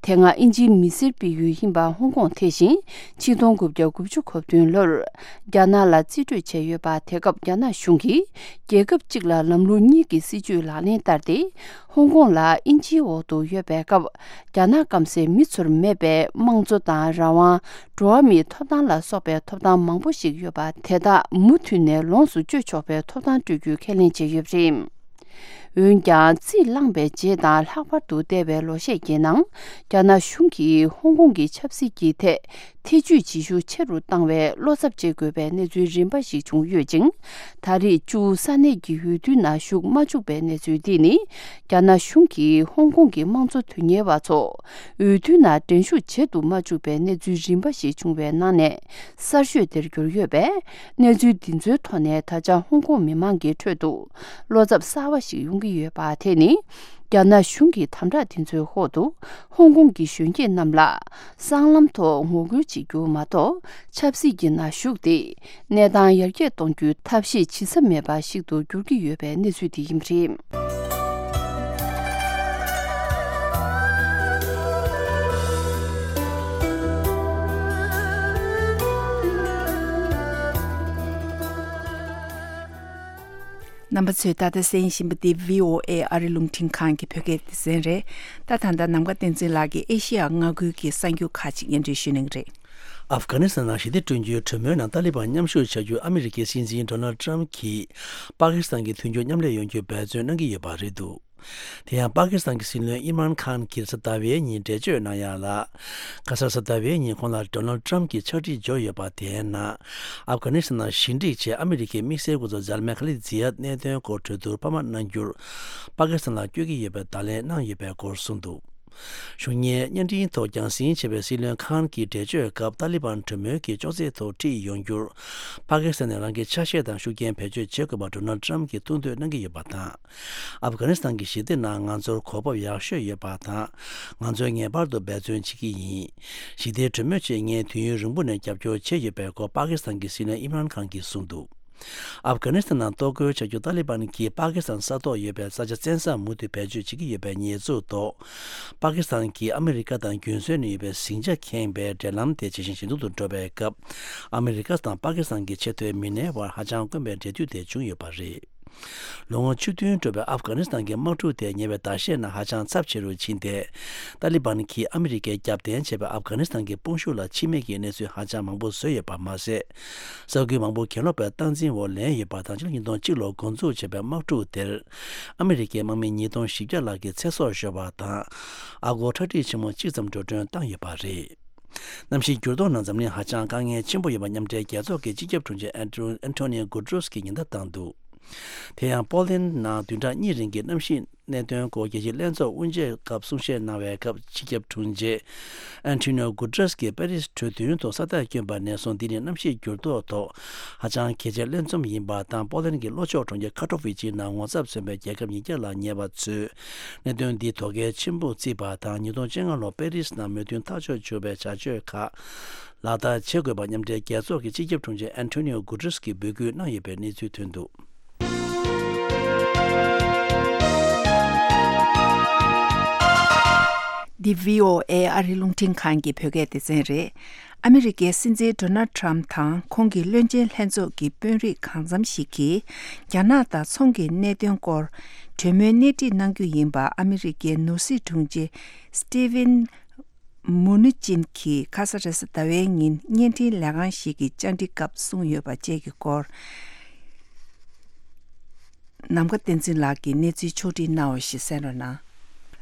དེ་སྔ་དབྱིན་ཇིའི་མི་སེར་སྤེལ་ཡུལ་ཡིན་པ་ཧོང་ཀོང་དེ་བཞིན་ཆིག་སྟོང་དགུ་བརྒྱ་དགུ་བཅུ་གོ་བདུན་ལོར་རྒྱ་ནག་ལ་རྩིས་སྤྲོད་བྱས་ཡོད་པ། དེ་སྐབས་རྒྱ་ནག་གཞུང་གིས་རྒྱལ་ཁབ་གཅིག་ལ་ལམ་ལུགས་གཉིས་ཀྱི་སྲིད་ཇུས་ལག་ལེན་བསྟར་ཏེ། ཧོང་ཀོང་ལ་དབྱིན་ཇིའི་འོག་ཏུ་ཡོད་པའི་སྐབས་རྒྱ་ནག་སྐམ་སའི་མི་ཚོར་མེད་པའི་དམངས་གཙོ་དང་རང་དབང་། འགྲོ་བ་མིའི་ཐོབ་ཐང་ལ་སོགས་པའི་ཐོབ་ཐང་མང་པོ་ཞིག་ཡོད་པ་དེ་དག་མུ་མཐུད་ནས་ལོངས་སུ་སྤྱོད་ཆོག་པའི་ཐོབ་ཐང་སྤྲོད་རྒྱུའི་ཁས་ལེན་བྱས་ཡོད་པ་རེད། འོན་ཀྱང་རྩིས་བླངས་པའི་རྗེས་དང་ལྷག་པར་དུ་འདས་པའི་ལོ་ཤས་ཀྱི་ནང་རྒྱ་ནག་གཞུང་གིས་ཧོང་ཀོང་གི་ཆབ་སྲིད་ཀྱི་ཐད་ཐེ་ཇུས་བྱེད་ཤུགས་ཆེ་རུ་བཏང་བས་བློ་འཚབ་བྱེད་དགོས་པའི་གནས་ཚུལ་རིམ་པ་ཞིག་བྱུང་ཡོད་ཅིང་། ད་རེས་ཅུའུ་ས་གནས་ཀྱི་འོས་བསྡུ་ནང་ཞུགས་མ་བཅུག་པའི་གནས་ཚུལ་འདི་ནི་རྒྱ་ནག་གཞུང་གིས་ཧོང་ཀོང་གི་དམངས་གཙོ་དོན་གཉེར་བ་ཚོ་འོས་བསྡུ་ནང་འགྲན་ཞུགས་བྱེད་དུ་མ་བཅུག་པའི་གནས་ཚུལ་རིམ་པ་ཞིག་བྱུང་བའི་ནང་ནས་གསར་ཤོས་དེར་གྱུར་ཡོད་པས། གནས་ཚུལ་འདི་ཚོའི་ཐོག་ནས་ད་ཆ་ཧོང་ཀོང་མི་མང་གི་ཁྲོད་དུ་བློ་འཚབ་གསར་བ་ཞིག་ཡོང་གི་ཡོད་པ་དེ་ནི། རྒྱ་ནག་གཞུང་གི་དམ་དྲག་དེ་ཚོའི་འོག་ཏུ་ཧོང་ཀོང་གི་གཞོན་སྐྱེས་རྣམས་ལ་སྲང་ལམ་ཐོག་ངོ་རྒོལ་བྱེད་རྒྱུ་མ་གཏོགས། ཆབ་སྲིད་ཀྱི་ནང་ཞུགས་ཏེ་གནས་སྟངས་ཡར་རྒྱས་གཏོང་རྒྱུའི་ཐབས་ཤེས་བྱེད་ས་མེད་པ་ཞིག་ཏུ་འགྱུར་གྱི་ཡོད་པའི་གནས་ཚུལ་དེ་ཡིན་པ་རེད། རྣམ་པ་ཚོས་ད་ལྟ་གསན་བཞིན་པ་འདི་བྷི་ཨོ་ཨེ་ཨ་རི་རླུང་འཕྲིན་ཁང་གི་བོད་སྐད་སྡེ་ཚན་རེད། ད་ད་ལྟ་ནམ་མཁའ་བསྟན་འཛིན་ལགས་ཀྱིས་ཨེ་ཤི་ཡ་མངའ་ཁུལ་གྱི་གསར་འགྱུར་ཁག་ཅིག་སྙན་སྒྲོན་ཞུ་གནང་གི་རེད། ཨབ་གྷ་ནི་སི་ཐན་ནང་ཞི་བདེ་བསྐྲུན་རྒྱུའི་གྲོས་མོལ་ནང་ཏཱ་ལི་བན་མཉམ་ཞུགས་བྱ་རྒྱུར་ཨ་མི་རི་ཀའི་སྲིད་འཛིན་ཌོ་ནལ་ཏྲམ་གྱིས་པ་ཀི་སི་ཐན་གྱི་མཐུན་འགྱུར་མཉམ་ལས་ཡོང་རྒྱུར་འབད་བརྩོན་གནང་གི་ཡོད་པ་རེད་འདུག་དེ་ཡང་པ་ཀི་སི་ཐན་གྱི་སྲིད་བློན་ཨིམ་རཱན་ཁཱན་གྱིས་རེས་གཟའ་ཟླ་བའི་ཉིན་འགྲེལ་བརྗོད་གནང་ཡག་ལ། ཁ་སང་རེས་གཟའ་ཟླ་བའི་ཉིན་ཁོང་ལ་ཌོ་ནལ་ཏྲམ་གྱིས་ཕྱག་བྲིས་འབྱོར་ཡོད་པ་དེའི་ནང་། ཨབ་གྷ་ནི་སི་ཐན་ནང་ཞི་འགྲིག་ཆེད་ཨ་མི་རི་ཀའི་དམིགས་བསལ་སྐུ་ཚབ་ཛལ་མེ་ཁ་ལི་ཛི་ཡད་གནད་དོན་སྐོར་གྲོས་བསྡུར་འཕར་མ་གནང་རྒྱུར་པ་ཀི་སི་ཐན་ལ་བསྐྱོད་ཀྱི་ཡོད་པའི་བརྡ་ལན་གནང་ཡོད་པའི་སྐོར་གསུངས་འདུག་གཞུང་གཉེར་བརྙན་འཕྲིན་ཐོག་རྒྱང་སྲིང་བྱས་པའི་སྲིད་བློན་ཁཱན་གྱིས་འགྲེལ་བརྗོད་སྐབས་ཏཱ་ལི་བན་གྲོས་མོལ་གྱི་ཅོག་ཙེའི་ཐོག་ཁྲིད་ཡོང་རྒྱུར་པ་ཀི་སི་ཐན་ནས་རང་གི་ཆ་ཤས་དང་ཤུགས་རྐྱེན་བེད་སྤྱོད་བྱེད་དགོས་པར་ཌོ་ནལ་ཏྲམ་གྱིས་ཐུགས་འདོད་གནང་གི་ཡོད་པ་དང་། ཨབ་གྷ་ནི་སི་ཐན་གྱི་ཞི་བདེ་ནང་ང་ཚོར་གོ་སྐབས་ཡག་ཤོས་ཡོད་པ་དང་། ང་ཚོས་ངེས་པར་དུ་འབད་བརྩོན་བྱེད་ཀྱི་ཡིན། ཞི་བདེའི་གྲོས་མོལ་ཆེད་ངས་དུས་ཡུན་རིང་པོ་ནས་རྒྱབ་སྐྱོར་བྱས་ཡོད་པའི་སྐོར་པ་ཀི་སི་ཐན་གྱི་སྲིད་བློན་ཨིམ་རཱན་ཁཱན་གྱིས་གསུངས་འདུག་ཨབ་གྷ་ནི་སི་ཐན་ནང་གཏོར་རྒོལ་བྱ་རྒྱུ་ཏཱ་ལི་བན་གྱིས་པ་ཀི་སི་ཐན་ས་ཐོག་ཡོད་པའི་ས་ཆ་བཙན་ས་མུ་མཐུད་བེད་སྤྱོད་བྱེད་ཀྱི་ཡོད་པའི་ཉེས་འཛུགས་ཐོག་པ་ཀི་སི་ཐན་གྱིས་ཨ་མི་རི་ཀ་དང་རྒྱུན་སྲོལ་ནས་ཡོད་པའི་ཟིང་ཆ་ཁེངས་པའི་འབྲེལ་ལམ་དེ་ཇེ་ཞན་ཇེ་སྡུག་ཏུ་འགྲོ་བའི་སྐབས། ཨ་མི་རི་ཀ་དང་པ་ཀི་སི་ཐན་གྱི་ཆེས་མཐོའི་མི་སྣའི་དབར་ཧ་ཅང་དཀོན་པའི་འབྲེལ་མཐུད་དེ་བྱུང་ཡོད་པ་རེད། ལོ་ངོ་བཅུ་བདུན་འགྲོ་བའི་ཨབ་གྷ་ནི་སི་ཐན་གྱི་དམག་འཁྲུག་དེ་ཉེ་བའི་ཟླ་ཤས་ནང་ཧ་ཅང་ཚབས་ཆེ་རུ་ཕྱིན་ཏེ། ཏཱ་ལི་བན་གྱིས་ཨ་མི་རི་ཀས་རྒྱབ་རྟེན་བྱས་པའི་ཨབ་གྷ་ནི་སི་ཐན་གྱི་དཔུང་ཤུགས་ལ་འཆི་རྨས་ཀྱི་གནས་ཚུལ་ཧ་ཅང་མང་པོ་བཟོས་ཡོད་པ་མ་ཟད། ས་ཁུལ་མང་པོ་གྱེན་ལོག་པའི་སྟངས་འཛིན་འོག་ལེན་ཡོད་པ་དང་། ཕྱི་ལོ་ཉིས་སྟོང་གཅིག་ལོར་འགོ་འཛུགས་བྱས་པའི་དམག་འཁྲུག་དེར་ཨ་མི་རི་ཀའི་དམག་མི་ཉིས་སྟོང་བཞི་བརྒྱ་ལྷག་གི་ཚེ་སྲོག་ཤོར་བ་དང་། ཨ་སྒོར་ཁྲག་ཁྲིག་ཆེན་མོ་གཅིག་ཙམ་འགྲོ་གྲོན་བཏང་ཡོད་པ་རེད། གནམ་གཤིས་འགྱུར་ལྡོག་ནང་འཛམ་གླིང་ཧ་ཅང་དཀའ་ངལ་ཆེན་པོ་ཡོད་པ་མཉམ་འབྲེལ་རྒྱལ་ཚོགས་ཀྱི་སྤྱི་ཁྱབ་དྲུང་ཆེ་ཨན་ཏོ་ཨན་ཏོ་ནིའོ་གུ་ཏྲོས་ཀྱིས་ཉེན་བརྡ་བཏང་འདུག་དེ་ཡང་པོ་ལན་ནང་བདུན་ཕྲག་གཉིས་རིང་གི་གནམ་གཤིས་གནད་དོན་སྐོར་རྒྱལ་སྤྱིའི་ལྷན་ཚོགས་དབུ་འབྱེད་སྐབས་གསུང་བཤད་གནང་བའི་སྐབས། སྤྱི་ཁྱབ་དྲུང་ཆེ་ཨན་ཏོ་ནིའོ་གུ་ཏྲོས་ཀྱིས་པེ་རིས་གྲོས་མཐུན་ཐོག་ས་རྟགས་བསྐྱོན་པ་ནས་བཟུང་འདི་ནི་གནམ་གཤིས་འགྱུར་ལྡོག་ཐོག་ཧ་ཅང་གལ་ཆེའི་ལྷན་འཛོམས་ཡིན་པ་དང་། པོ་ལན་གྱི་ལྷོ་ཕྱོགས་གྲོང་ཁྱེར་ཁ་ཏོ་ཝི་ཅི་ནང་ངོ་ཚབ་མཚོན་པའི་རྒྱལ་ཁབ་ཉིས་བརྒྱ་ལ་ཉེ་བ་ཚོས་གནད་དོན་འདི་དོ་གལ་ཆེན་པོ་བརྩིས་པ་དང་། ཉིས་སྟོང་བཅོ་ལྔ་ལོར་པེ་རིས་ནང་མོས་མཐུན་ཐག་གཅོད་བྱུང་བའི་བྱ་སྤྱོད་ཁག་ལག་བསྟར་བྱེད་དགོས་པ་མཉམ་འབྲེལ་རྒྱལ་ཚོགས་ཀྱི་སྤྱི་ཁྱབ་དྲུང་ཆེ་ཨན་ཏོ་ནིའོ་གུ་ཏྲོས་ཀྱིས་འབོད་སྐུལ་གནང་ཡོད་པའི་གནས་ཚུལ་ཐོན་འདུག་འདི་བྷི་ཨོ་ཨེ་ཨ་རི་རླུང་འཕྲིན་ཁང་གི་བོད་སྐད་སྡེ་ཚན་རེད། ཨ་མི་རི་ཀའི་སྲིད་འཛིན་ཌོ་ནལ་ཊམ་དང་ཁོང་གི་བློན་ཆེན་ལྷན་ཚོགས་ཀྱི་དཔོན་རིགས་གང་འཚམ་ཞིག་གིས་རྒྱ་ནག་དང་ཚོང་གི་གནད་དོན་སྐོར་གྲོས་མོལ་སྣེ་ཁྲིད་གནང་རྒྱུ་ཡིན་པ་ཨ་མི་རི་ཀའི་ནོར་སྲིད་དྲུང་ཆེ་སི་ཏི་ཝིན་མུ་ནུ་ཅིན་གྱིས་ཁ་ས་རེས་གཟའ་ཟླ་བའི་ཉིན་བརྙན་འཕྲིན་ལས་ཁང་ཞིག་གི་བཅར་འདྲི་སྐབས་གསུངས་ཡོད་པ་བཅས་ཀྱི་སྐོར། ནམ་མཁའ་བསྟན་འཛིན་ལགས་ཀྱིས་གནས་ཚུལ་ཕྱོགས་སྒྲིག་གནང་བ་ཞིག་གསན་རོགས་གནང་།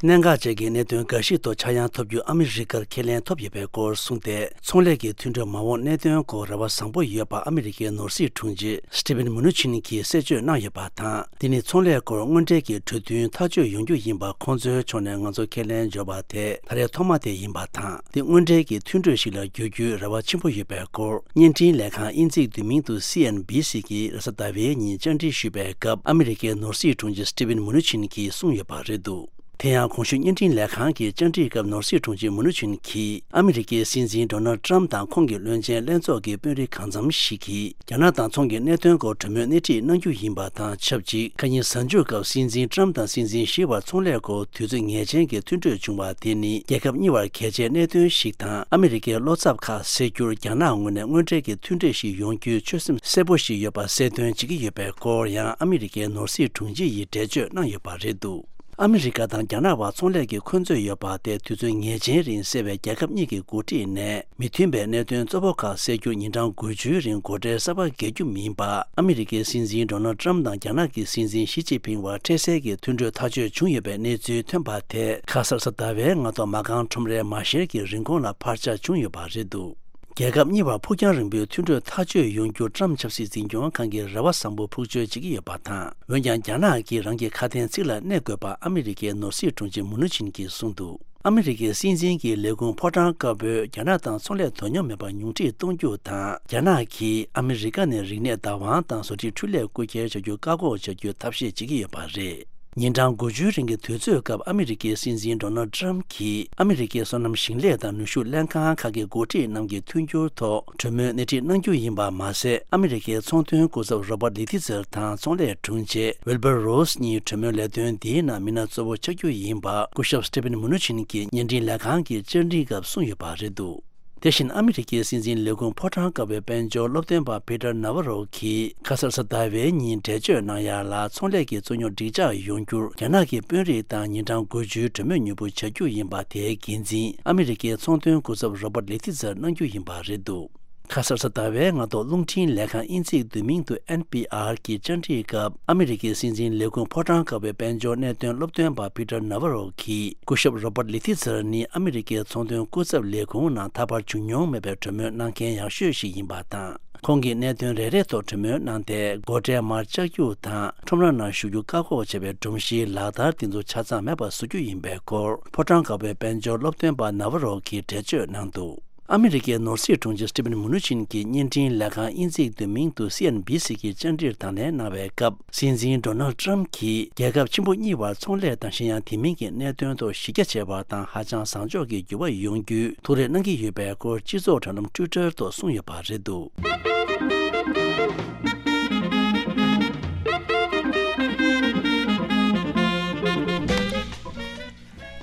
གནད་འགག་ཅན་གྱི་གནད་དོན་འགའ་ཞིག་ཐོག་ཆག་ཡང་ཐོབ་རྒྱུ་ཨ་མི་རི་ཀར་ཁས་ལེན་ཐོབ་ཡོད་པའི་སྐོར་གསུངས་ཏེ། ཚོང་ལས་ཀྱི་མཐུན་གྲོས་མ་འོངས་གནད་དོན་སྐོར་རེ་བ་བཟང་པོ་ཡོད་པ་ཨ་མི་རི་ཀའི་ནོར་སྲིད་དྲུང་ཆེ་སི་ཏི་ཝིན་མུ་ནུ་ཆིན་གྱིས་གསལ་བརྗོད་གནང་ཡོད་པ་དང་། འདི་ནི་ཚོང་ལས་སྐོར་དངོས་འབྲེལ་གྱི་གྲོས་མཐུན་ཐག་གཅོད་ཡོང་རྒྱུ་ཡིན་པ་ཁོང་ཚོའི་ཕྱོགས་ནས་ང་ཚོ་ཁས་ལེན་འབྱོར་བ་དེ་ད་རེས་ཐོག་མ་དེ་ཡིན་པ་དང་། འདི་དངོས་འབྲེལ་གྱི་མཐུན་གྲོས་ཤིག་ལ་འགྱུར་རྒྱུའི་རེ་བ་ཆེན་པོ་ཡོད་པའི་སྐོར། བརྙན་འཕྲིན་ལས་ཁང་དབྱིན་ཚིག་བསྡུས་མིང་དུ་སི་ཨེན་བྷི་སི་གིས་རེས་གཟའ་ཟླ་བའི་ཉིན་བཅར་འདྲི་ཞུས་པའི་སྐབས། ཨ་མི་རི་ཀའི་ནོར་སྲིད་དྲུང་ཆེ་སི་ཏི་ཝིན་མུ་ནུ་ཆིན་གྱིས་གསུངས་ཡོད་པ་རེད་འདུག་དེ་ཡང་གོང་ཞུས་བརྙན་འཕྲིན་ལས་ཁང་གི་བཅར་འདྲིའི་སྐབས་ནོར་སྲིད་དྲུང་ཆེ་མུ་ནུ་ཆིན་གྱིས་ཨ་མི་རི་ཀའི་སྲིད་འཛིན་ཌོ་ནལ་ཏྲམ་དང་ཁོང་གི་བློན་ཆེན་ལྷན་ཚོགས་ཀྱི་དཔོན་རིགས་གང་འཚམ་ཞིག་གིས་རྒྱ་ནག་དང་ཚོང་གི་གནད་དོན་སྐོར་གྲོས་མོལ་སྣེ་ཁྲིད་གནང་རྒྱུ་ཡིན་པ་དང་ཆབས་ཅིག་ཁ་ཉིན་གཟའ་མཇུག་སྐབས་སྲིད་འཛིན་ཏྲམ་དང་སྲིད་འཛིན་ཞི་བར་ཚོང་ལས་སྐོར་དུས་ཚོད་ངེས་ཅན་གྱི་མཐུན་གྲོས་བྱུང་བ་དེ་ནི་རྒྱལ་ཁབ་གཉིས་བར་གལ་ཆེའི་གནད་དོན་ཞིག་དང་། ཨ་མི་རི་ཀའི་བློ་འཚབ་ཁག་སེལ་རྒྱུར་རྒྱ་ནག་ངོས་ནས་དངོས་འབྲེལ་གྱི་མཐུན་གྲོས་ཤིག་ཡོང་རྒྱུའི་ཆོད་སེམས་གསལ་པོ་ཞིག་ཡོད་པ་གསལ་སྟོན་བྱེད་ཀྱི་ཡོད་པའི་སྐོར་ཡང་ཨ་མི་རི་ཀའི་ནོར་སྲིད་དྲུང་ཆེ་ཡིས་འགྲེལ་བརྗོད་གནང་ཡོད་པ་རེད་འདུག་ཨ་མི་རི་ཀ་དང་རྒྱ་ནག་བར་ཚོང་ལས་ཀྱི་འཁོན་རྩོད་ཡོད་པ་དེ་དུས་ཚོད་ངེས་ཅན་རིང་སེལ་བའི་རྒྱལ་ཁབ་གཉིས་ཀྱི་འགོ་ཁྲིད་ནས་མི་མཐུན་པའི་གནད་དོན་གཙོ་བོ་ཁག་སེལ་རྒྱུར་ཉིན་གྲངས་དགུ་བཅུའི་རིང་སྒོ་ཁྲལ་གསར་པ་འགེལ་རྒྱུ་མིན་པ། ཨ་མི་རི་ཀའི་སྲིད་འཛིན་ཌོ་ནལ་ཊམ་དང་རྒྱ་ནག་གི་སྲིད་འཛིན་ཞི་ཅིན་ཕིང་བར་འཕྲལ་སེལ་གྱི་མཐུན་གྲོས་ཐག་གཅོད་བྱུང་ཡོད་པའི་གནས་ཚུལ་ཐོན་པ་དེ་ཁ་སང་གཟའ་ཟླ་བའི་སྔ་དྲོ་མ་རྐང་ཁྲོམ་རའི་མ་ཤེར་གྱི་རིན་གོང་ལ་འཕར་ཆག་བྱུང་ཡོད་པ་རེད་འདུག་རྒྱལ་ཁབ་གཉིས་བར་ཕུགས་རྒྱང་རིང་པོའི་མཐུན་གྲོས་ཐག་གཅོད་ཡོང་རྒྱུར་ཊམ་ཆབ་སྲིད་འཛིན་སྐྱོང་ཁང་གིས་རེ་བ་བཟང་པོ་ཕུགས་བཅོལ་བྱེད་ཀྱི་ཡོད་པ་དང་། འོན་ཀྱང་རྒྱ་ནག་གིས་རང་གི་ཁ་དན་ཚིག་ལ་གནས་དགོས་པ་ཨ་མི་རི་ཀའི་ནོར་སྲིད་དྲུང་ཆེ་མུ་ནུ་ཆིན་གྱིས་གསུངས་འདུག་ཨ་མི་རི་ཀའི་སྲིད་འཛིན་གྱི་ལས་ཁུངས་ཕོ་བྲང་དཀར་པོས་རྒྱ་ནག་དང་ཚོང་ལས་དོ་སྙོམས་མེད་པར་ཉུང་འཕྲི་གཏོང་རྒྱུ་དང་། རྒྱ་ནག་གིས་ཨ་མི་རི་ཀ་ནས་རིག་གནས་བདག་དབང་དང་བཟོ་ཁྲིད་འཕྲུལ་ལས་རྐུ་འཁྱེར་བྱ་རྒྱུ་བཀག་འགོག་བྱ་རྒྱུའི་ཐབས་ཤེས་བྱེད་ཀྱི་ཡོད་པ་རེད། ཉིན་གྲངས་དགུ་བཅུའི་རིང་གི་དུས་ཚོད་སྐབས་ཨ་མི་རི་ཀའི་སྲིད་འཛིན་ཌོ་ནལ་ཊམ་གྱིས་ཨ་མི་རི་ཀའི་སོ་ནམ་ཞིང་ལས་དང་ནུས་ཤུགས་ལྷན་ཁང་ཁག་གི་འགོ་ཁྲིད་རྣམས་ཀྱི་མཐུན་འགྱུར་ཐོག་གྲོས་མོལ་སྣེ་ཁྲིད་གནང་རྒྱུ་ཡིན་པ་མ་ཟད། ཨ་མི་རི་ཀའི་ཚོང་དོན་སྐུ་ཚབ་རོ་བར་ལི་ཐི་ཛར་དང་ཚོང་ལས་དྲུང་ཆེ་ཝིལ་བར་རོ་སི་གཉིས་གྲོས་མོལ་ལས་དོན་འདིའི་ནང་མི་སྣ་གཙོ་བོ་ཆགས་རྒྱུ་ཡིན་པ་སྐུ་ཞབས་སི་ཏི་ཕིན་མུ་ནུ་ཆིན་གྱིས་བརྙན་འཕྲིན་ལས་ཁང་གི་བཅར་འདྲི་སྐབས་གསུངས་ཡོད་པ་རེད་འདུག་དེ་བཞིན་ཨ་མི་རི་ཀའི་སྲིད་འཛིན་ལས་ཁུངས་ཕོ་བྲང་དཀར་པོའི་དཔལ་འབྱོར་སློབ་སྟོན་པ་པི་ཏར་ནཱ་ཝ་རོ་གིས་ཁ་སང་གཟའ་ཟླ་བའི་ཉིན་འགྲེལ་བརྗོད་གནང་ཡ་ལ། ཚོང་ལས་ཀྱི་རྩོད་རྙོག་འགྲིག་འཇགས་ཡོང་རྒྱུར་རྒྱ་ནག་གི་དཔོན་རིགས་དང་ཉིན་གྲངས་དགུ་བཅུའི་གྲོས་མོལ་མྱུར་པོ་བྱ་རྒྱུ་ཡིན་པ་དེའི་འགན་འཛིན་ཨ་མི་རི་ཀའི་ཚོང་དོན་སྐུ་ཚབ་རོ་བར་ལི་ཐི་ཛར་གནང་རྒྱུ་ཡིན་པ་རེད་འདུག་ཁ་སང་གཟའ་ཟླ་བའི་སྔ་དྲོ་རླུང་འཕྲིན་ལས་ཁང་དབྱིན་ཚིག་བསྡུས་མིང་དུ་ཨེན་པི་ཨར་གྱི་བཅར་འདྲིའི་སྐབས། ཨ་མི་རི་ཀའི་སྲིད་འཛིན་ལས་ཁུངས་ཕོ་བྲང་དཀར་པོའི་དཔལ་འབྱོར་གནད་དོན་སློབ་སྟོན་པ་པི་ཏར་ནཱ་ཝ་རོ་གིས། སྐུ་ཞབས་རོ་བར་ལི་ཐི་ཛར་ནི་ཨ་མི་རི་ཀའི་ཚོང་དོན་སྐུ་ཚབ་ལས་ཁུངས་ནང་ད་བར་བྱུང་མྱོང་མེད་པའི་གྲོས་མོལ་གནང་མཁན་ཡག་ཤོས་ཤིག་ཡིན་པ་དང་། ཁོང་གིས་གནད་དོན་རེ་རེ་ཐོག་གྲོས་མོལ་གནང་སྟེ། སྒོ་ཁྲལ་མར་བཅག་རྒྱུ་དང་། ཁྲོམ་ར་ནང་ཞུགས་རྒྱུ་བཀག་འགོག་བྱས་པའི་སྒྲོམ་གཞིའི་ལག་བསྟར་དེ་ཚོ་ཆ་ཚང་མེད་པར་བཟོ་རྒྱུ་ཡིན་པའི་སྐོར། ཕོ་བྲང་དཀར་པོའི་དཔལ་འབྱོར་སློབ་སྟོན་པ་ནཱ་ཝ་རོ་གིས་འགྲེལ་བརྗོད་གནང་འདུག་ཨ་མི་རི་ཀའི་ནོར་སྲིད་དྲུང་ཆེ་སི་ཏི་ཕིན་མུ་ནུ་ཆིན་གྱིས་བརྙན་འཕྲིན་ལས་ཁང་དབྱིན་ཚིག་བསྡུས་མིང་དུ་སི་ཨེན་བྷི་སི་གི་བཅར་འདྲིར་དང་ལེན་གནང་བའི་སྐབས། སྲིད་འཛིན་ཌོ་ནལ་ཊམ་གྱིས་རྒྱལ་ཁབ་ཆེན་པོ་གཉིས་བར་ཚོང་ལས་དང་གཞན་ཡང་དེ་མིན་གྱི་གནད་དོན་ཐོག་གཞི་རྒྱ་ཆེ་བ་དང་ཧ་ཅང་བཟང་ཕྱོགས་ཀྱི་འགྱུར་བ་ཡོང་རྒྱུའི་ཐུགས་རེ་གནང་གི་ཡོད་པའི་སྐོར་སྤྱི་ཚོགས་དྲ་ལམ་ཊུའི་ཊར་ཐོག་གསུངས་ཡོད་པ་རེད་འདུག་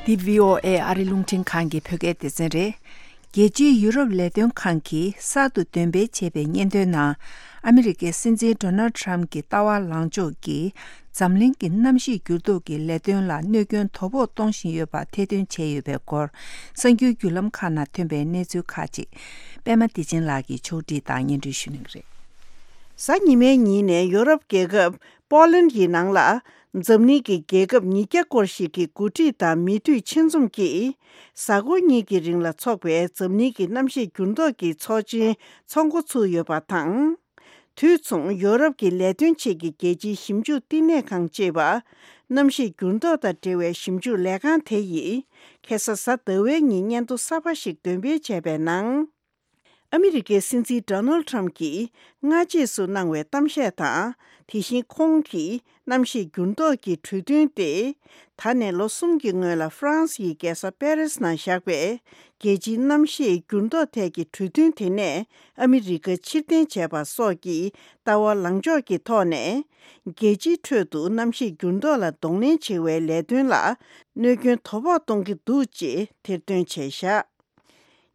འདི་བྷི་ཨོ་ཨེ་ཨ་རི་རླུང་འཕྲིན་ཁང་གི་བོད་སྐད་སྡེ་ཚན་རེད། རྒྱལ་སྤྱིའི་ཡུ་རོབ་ལས་དོན་ཁང་གིས་གསར་དུ་འདོན་སྤེལ་བྱས་པའི་སྙན་ཐོའི་ནང་། ཨ་མི་རི་ཀའི་སྲིད་འཛིན་ཌོ་ནལ་ཊམ་གྱི་ལྟ་བ་ལངས་ཕྱོགས་ཀྱིས་འཛམ་གླིང་གི་གནམ་གཤིས་འགྱུར་ལྡོག་གི་ལས་དོན་ལ་གནོད་སྐྱོན་དོ་ཕོག་གཏོང་བཞིན་ཡོད་པ་ཐེར་འདོན་བྱས་ཡོད་པའི་སྐོར། གསར་འགྱུར་བརྒྱུད་ལམ་ཁག་ནང་ཐོན་པའི་གནས་ཚུལ་ཁག་ཅིག་པད་མ་བདེ་ཆེན་ལགས་ཀྱིས་ཕྱོགས་སྒྲིག་དང་སྙན་སྒྲོན་ཞུ་གནང་གི་རེད། གཟའ་ཉི་མའི་ཉིན་ནས་ཡོ་རོབ་རྒྱལ་ཁབ་པོ་ལན་གྱི་ནང་ལ། འཛམ་གླིང་གི་རྒྱལ་ཁབ་ཉིས་བརྒྱ་སྐོར་ཞིག་གི་འགོ་ཁྲིད་དང་མི་འཐུས་ཆེད་འཛོམས་ཀྱིས། གཟའ་འཁོར་གཉིས་ཀྱི་རིང་ལ་འཚོགས་པའི་འཛམ་གླིང་གི་གནམ་གཤིས་འགྱུར་ལྡོག་གི་ཚོགས་ཆེན་ཚོགས་འགོ་ཚུགས་ཡོད་པ་དང་། དུས་མཚུངས་ཡོ་རོབ་ཀྱི་ལས་དོན་ཆེད་ཀྱི་རྒྱལ་སྤྱིའི་ཞིབ་འཇུག་བསྟི་གནས་ཁང་ཅེས་པ། གནམ་གཤིས་འགྱུར་ལྡོག་དང་འབྲེལ་བའི་ཞིབ་འཇུག་ལས་ཁང་དེ་ཡིས། ཁ་སང་གཟའ་ཟླ་བའི་ཉིན་སྙན་ཐོ་གསར་པ་ཞིག་འདོན་སྤེལ་བྱས་པའི་ནང་། ཨ་མི་རི་ཀའི་སྲིད་འཛིན་ཌོ་ནལ་ཊམ་གྱིས་སྔ་རྗེས་སུ་གནང་བའི་གཏམ་བཤད་དང་། དེ་བཞིན་ཁོང་གིས་གནམ་གཤིས་འགྱུར་ལྡོག་གི་གྲོས་མཐུན་ཏེ། ད་ནས་ལོ་གསུམ་གྱི་སྔོན་ལ་ཧྥ་རན་སིའི་རྒྱལ་ས་པེ་རིས་ནང་བཞག་པའི་རྒྱལ་སྤྱིའི་གནམ་གཤིས་འགྱུར་ལྡོག་ཐད་ཀྱི་གྲོས་མཐུན་དེ་ནས་ཨ་མི་རི་ཀ་ཕྱིར་འཐེན་བྱས་པ་སོགས་ཀྱི་ལྟ་བ་ལངས་ཕྱོགས་ཀྱི་ཐོག་ནས། རྒྱལ་སྤྱིའི་ཁྲོད་དུ་གནམ་གཤིས་འགྱུར་ལྡོག་ལ་གདོང་ལེན་བྱེད་པའི་ལས་དོན་ལ་གནོད་སྐྱོན་དོ་ཕོག་གཏོང་གི་འདུག་ཅེས་ཐེར་འདོན་བྱས་བཞག་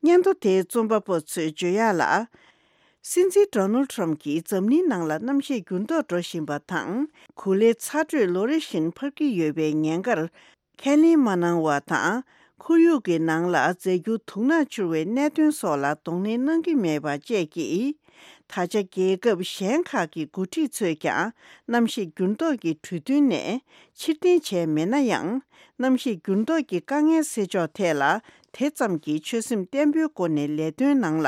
སྙན་ཐོ་དེའི་རྩོམ་པ་པོ་ཚོས་བརྗོད་ཡག་ལ། སྲིད་འཛིན་ཌོ་ནལ་ཊམ་གྱིས་འཛམ་གླིང་ནང་ལ་གནམ་གཤིས་འགྱུར་ལྡོག་འགྲོ་བཞིན་པ་དང་། གོ་ལའི་ཚ་དྲོད་ལོ་རེ་བཞིན་འཕར་གྱི་ཡོད་པའི་ཉེན་ཁར་ཁས་ལེན་མ་གནང་བ་དང་། ཁོར་ཡུག་གི་ནང་ལ་རྫས་འགྱུར་དུག་སྣ་འཕྱུར་བའི་གནད་དོན་སོགས་ལ་གདོང་ལེན་གནང་གི་མེད་པ་བཅས་ཀྱིས། ད་ཆ་རྒྱལ་ཁབ་གཞན་ཁག་གི་འགོ་ཁྲིད་ཚོས་ཀྱང་གནམ་གཤིས་འགྱུར་ལྡོག་གི་གྲོས་མཐུན་ནས་ཕྱིར་འཐེན་བྱས་མེད་ན་ཡང་། གནམ་གཤིས་འགྱུར་ལྡོག་གི་དཀའ་ངལ་སེལ་ཕྱོགས་ཐད་ལ་དེ་ཙམ་གྱིས་ཆོད་སེམས་བརྟན་པོའི་སྒོ་ནས་ལས་དོན་ནང་ལ་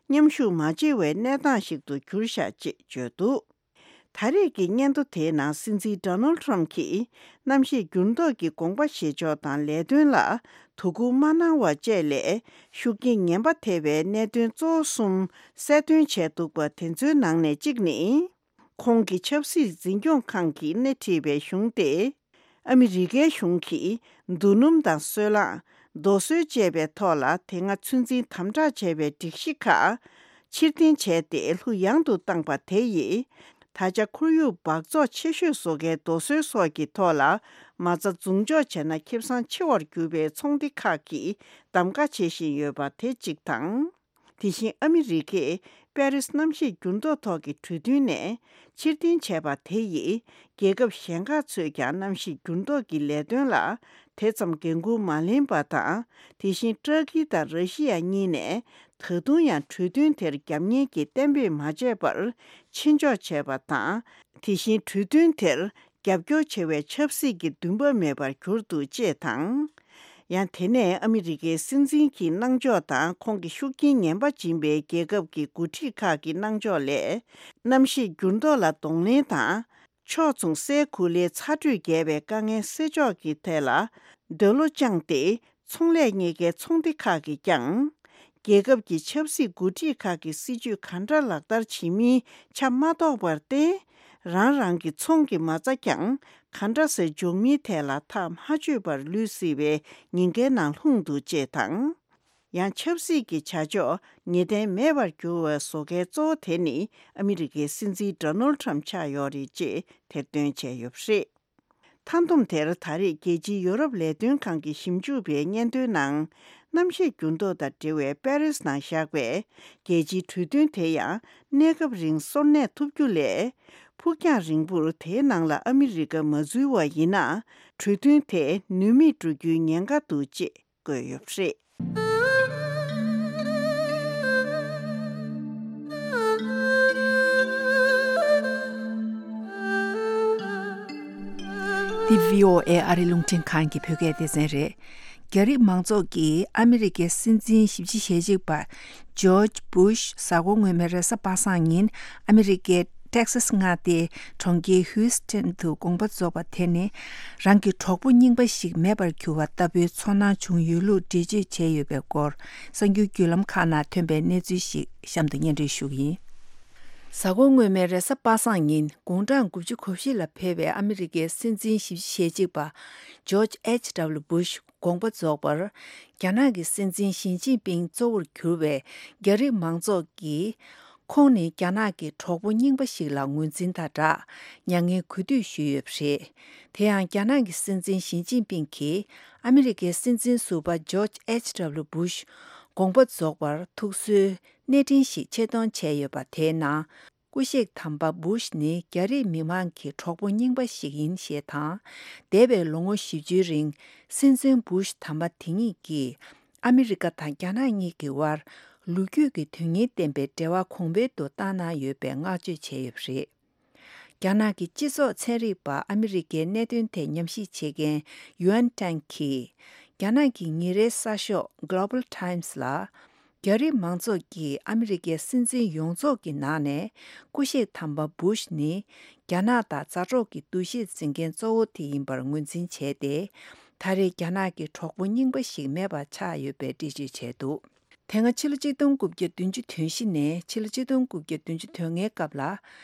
མཉམ་ཞུགས་མ་བྱེད་པའི་གནས་སྟངས་ཤིག་ཏུ་གྱུར་བཞག་ཅེས་བརྗོད་འདུག་ད་རེས་ཀྱི་སྙན་ཐོ་དེའི་ནང་སྲིད་འཛིན་ཌོ་ནལ་ཊམ་གྱིས་གནམ་གཤིས་འགྱུར་ལྡོག་གི་དགོངས་པ་བཞེས་ཕྱོགས་དང་ལས་དོན་ལ་དོ་ཁུར་མ་གནང་བ་བཅས་ལས་ཤུགས་རྐྱེན་ངན་པ་ཐེབས་པའི་གནད་དོན་གཙོ་བོ་གསུམ་གསལ་སྟོན་བྱས་འདུག་པ་དེ་ཚོའི་ནང་ནས་གཅིག་ནི། ཁོང་གི་ཆབ་སྲིད་འཛིན་སྐྱོང་ཁང་གིས་སྣེ་ཁྲིད་པའི་གཞུང་སྟེ། ཨ་མི་རི་ཀའི་གཞུང་གིས་རྡོ་སྣུམ་དང་སོལ་རླངས། རྡོ་སོལ་བཅས་པའི་ཐོག་ལ་དེ་སྔ་ཚོད་འཛིན་དམ་དྲག་བྱས་པའི་སྒྲིག་གཞི་ཁག་ཕྱིར་འཐེན་བྱས་ཏེ་ལྷུག་ཡངས་དུ་བཏང་པ་དེ་ཡིས། ད་ཆ་ཁོར་ཡུག་འབག་བཙོག་ཆེ་ཤོས་བཟོ་མཁན་རྡོ་སོལ་སོགས་ཀྱི་ཐོག་ལ་མ་རྩ་རྫོང་འཇོག་བྱས་ན་ཁེ་བཟང་ཆེ་བར་གྱུར་པའི་ཚོང་སྡེ་ཁག་གིས་གདམ་ག་བྱེད་བཞིན་ཡོད་པ་དེ་གཅིག་དང་། དེ་བཞིན་ཨ་མི་རི་ཀས་པེ་རིས་གནམ་གཤིས་འགྱུར་ལྡོག་ཐོག་གི་གྲོས་མཐུན་ནས་ཕྱིར་འཐེན་བྱས་པ་དེ་ཡིས། རྒྱལ་ཁབ་གཞན་ཁག་ཚོས་ཀྱང་གནམ་གཤིས་འགྱུར་ལྡོག་གི་ལས་དོན་ལ་དེ་ཙམ་འགན་འཁུར་མ་ལེན་པ་དང་། དེ་བཞིན་ཏུར་ཀི་དང་ར་ཤི་ཡ་གཉིས་ནས་ད་དུང་ཡང་གྲོས་མཐུན་དེར་རྒྱབ་གཉེར་གྱི་གཏན་འབེབས་མ་བྱས་པར་ཕྱིར་འཇོག་བྱས་པ་དང་། དེ་བཞིན་གྲོས་མཐུན་དེར་རྒྱབ་སྐྱོར་བྱ་བའི་ཆབ་སྲིད་ཀྱི་འདུན་པ་མེད་པར་གྱུར་འདུག་ཅེས་དང་། ཡང་དེ་ནས་ཨ་མི་རི་ཀའི་སྲིད་འཛིན་གྱི་གནང་ཕྱོགས་དང་ཁོང་གི་ཤུགས་རྐྱེན་ངན་པ་སྦྱིན་པའི་རྒྱལ་ཁབ་ཀྱི་འགོ་ཁྲིད་ཁག་གི་གནང་ཕྱོགས་ལས། གནམ་གཤིས་འགྱུར་ལྡོག་ལ་གདོང་ལེན་དང་། ཕྱོགས་མཚུངས་སའི་གོ་ལའི་ཚ་དྲོད་རྒྱས་པའི་དཀའ་ངལ་སེལ་ཕྱོགས་ཀྱི་ཐད་ལ། འདོད་བློ་བཅངས་ཏེ། ཚོང་ལས་གཉིས་ཀའི་ཚོང་སྡེ་ཁག་གིས་ཀྱང་། རྒྱལ་ཁབ་ཀྱི་ཆབ་སྲིད་འགོ་ཁྲིད་ཁག་གི་སྲིད་ཇུས་ག་འདྲ་ལག་བསྟར་བྱེད་མིན་ཆ་མ་རྟོགས་པར་བརྟེན། རང་རང་གི་ཚོང་གི་མ་རྩ་ཀྱང་ག་འདྲ་སེ་འཇོག་མིན་ཐད་ལ་ཐག་མ་ཆོད་པར་ལུས་སྲིད་པའི་ཉེན་ཁའི་ནང་ལྷུང་འདུག་ཅེས་དང་། ཡང་ཆབ་སྲིད་ཀྱི་བྱ་ཕྱོགས་ངེས་གཏན་མེད་པར་གྱུར་བའི་བཟོ་འགལ་གཙོ་བོ་དེ་ནི་ཨ་མི་རི་ཀའི་སྲིད་འཛིན་ཌོ་ནལ་ཊམ་ཆགས་ཡོད་རེད་ཅེས་ཐེར་འདོན་བྱས་ཡོད་པ་རེད། མཐའ་བསྡོམས་དེར་ད་རེས་རྒྱལ་སྤྱིའི་ཡོ་རོབ་ལས་དོན་ཁང་གི་ཞིབ་འཇུག་པའི་སྙན་ཐོའི་ནང་། གནམ་གཤིས་འགྱུར་ལྡོག་དང་འབྲེལ་བའི་པེ་རིས་ནང་བཞག་པའི་རྒྱལ་སྤྱིའི་གྲོས་མཐུན་དེ་ཡང་གནས་སྐབས་རིང་སོར་གནས་ཐུབ་རྒྱུ་ལས། ཕུགས་རྒྱང་རིང་པོར་དེའི་ནང་ལ་ཨ་མི་རི་ཀ་མ་འཛུལ་བ་ཡིན་ན། གྲོས་མཐུན་དེ་ནུས་མེད་འགྲོ་རྒྱུའི་ཉེན་ཁ་འདུག་ཅེས་བཀོད་ཡོད་པ་རེད། འདི་བྷི་ཨོ་ཨེ་ཨ་རི་རླུང་འཕྲིན་ཁང་གི་བོད་སྐད་སྡེ་ཚན་རེད། རྒྱ་རིགས་མང་ཚོགས་ཀྱིས་ཨ་མི་རི་ཀའི་སྲིད་འཛིན་བཞི་བཅུ་ཞེ་གཅིག་པ་ཇོརྗ་བུ་ཤ་གཟའ་འཁོར་སྔོན་མའི་རེས་གཟའ་པ་སངས་ཉིན་ཨ་མི་རི་ཀའི་ཏེག་སཱས་མངའ་སྡེའི་གྲོང་ཁྱེར་ཧིའུ་སི་ཐན་དུ་དགོངས་པ་རྫོགས་པ་དེ་ནི་རང་གི་གྲོགས་པོ་རྙིང་པ་ཞིག་མེད་པར་གྱུར་བ་ལྟ་བུའི་ཚོར་སྣང་བྱུང་ཡོད་ལུགས་འགྲེལ་བརྗོད་བྱས་ཡོད་པའི་སྐོར་གསར་འགྱུར་བརྒྱུད་ལམ་ཁག་ནང་ཐོན་པའི་གནས་ཚུལ་ཞིག་གཤམ་དུ་སྙན་སྒྲོན་ཞུ་གི་ཡིན། གཟའ་འཁོར་སྔོན་མའི་རེས་གཟའ་པ་སངས་ཉིན་དགུང་གྲངས་དགུ་བཅུ་གོ་བཞི་ལ་ཕེབས་པའི་ཨ་མི་རི་ཀའི་སྲིད་འཛིན་བཞི་བཅུ་ཞེ་གཅིག་པ་ཇོརྗ་ཨེཆ་ཌབ་ལུ་བུ་ཤ་དགོངས་པ་རྫོགས་པར། རྒྱ་ནག་གི་སྲིད་འཛིན་ཞི་ཅིན་ཕིང་གཙོ་བོར་གྱུར་བའི་རྒྱ་རིགས་མང་ཚོགས་ཀྱིས། ཁོང་ནི་རྒྱ་ནག་གི་གྲོགས་པོ་རྙིང་པ་ཞིག་ལ་ངོས་འཛིན་དང་སྦྲགས། མྱ་ངན་གུས་འདུད་ཞུས་ཡོད་པ་རེད། དེ་ཡང་རྒྱ་ནག་གི་སྲིད་འཛིན་ཞི་ཅིན་ཕིང་གིས་ཨ་མི་རི་ཀའི་སྲིད་འཛིན་ཟུར་པ་ཇོརྗ་ཨེཆ་ཌབ་ལུ་བུ་ཤ་དགོངས་པ་རྫོགས་པར་ཐུགས་གསོའི་གནས་འཕྲིན་ཞིག་ཆེད་གཏོང་བྱས་ཡོད་པ་དེའི་ནང་། སྐུ་གཤེགས་དམ་པ་བུ་ཤ་ནི་རྒྱ་རིགས་མི་མང་གི་གྲོགས་པོ་རྙིང་པ་ཞིག་ཡིན་ཞེས་དང་། འདས་པའི་ལོ་ངོ་བཞི་བཅུའི་རིང་སྲིད་འཛིན་བུ་ཤ་དམ་པ་དེ་ཉིད་ཀྱིས་ཨ་མི་རི་ཀ་དང་རྒྱ་ནག་གཉིས་ཀྱི་དབར་ལོ་རྒྱུས་ཀྱི་དོན་སྙིང་ལྡན་པའི་འབྲེལ་བ་གོང་འཕེལ་དུ་བཏང་གནང་ཡོད་པའི་བསྔགས་བརྗོད་བྱས་ཡོད་པ་རེད། རྒྱ་ནག་གི་སྤྱི་ཚོགས་ཚན་རིག་པ་ཨ་མི་རི་ཀའི་གནད་དོན་ཐད་ཉམས་ཞིབ་བྱེད་མཁན་ཡུའན་ཀྲེང་གིས་རྒྱ་ནག་གི་ཉིན་རེའི་གསར་ཤོག་Global Times་ལ། རྒྱ་རིགས་མང་ཚོགས་ཀྱིས་ཨ་མི་རི་ཀའི་སྲིད་འཛིན་ཡོངས་རྫོགས་ཀྱི་ནང་ནས་སྐུ་གཤེགས་དམ་པ་བུ་ཤ་ནི་རྒྱ་ནག་དང་མཛའ་གྲོགས་ཀྱི་འདུ་ཤེས་འཛིན་མཁན་གཙོ་བོ་དེ་ཡིན་པར་ངོས་འཛིན་བྱས་ཏེ། ད་རེས་རྒྱ་ནག་གི་གྲོགས་པོ་རྙིང་པ་ཞིག་མེད་པ་ཆགས་ཡོད་པའི་འགྲེལ་བརྗོད་བྱས་འདུག་དེ་སྔ་ཕྱི་ལོ་ཆིག་སྟོང་དགུ་བརྒྱ་བདུན་ཅུ་དོན་བཞི་ནས་ཕྱི་ལོ་ཆིག་སྟོང་དགུ་བརྒྱ་བདུན་ཅུ་དོན་ལྔའི་སྐབས་ལ།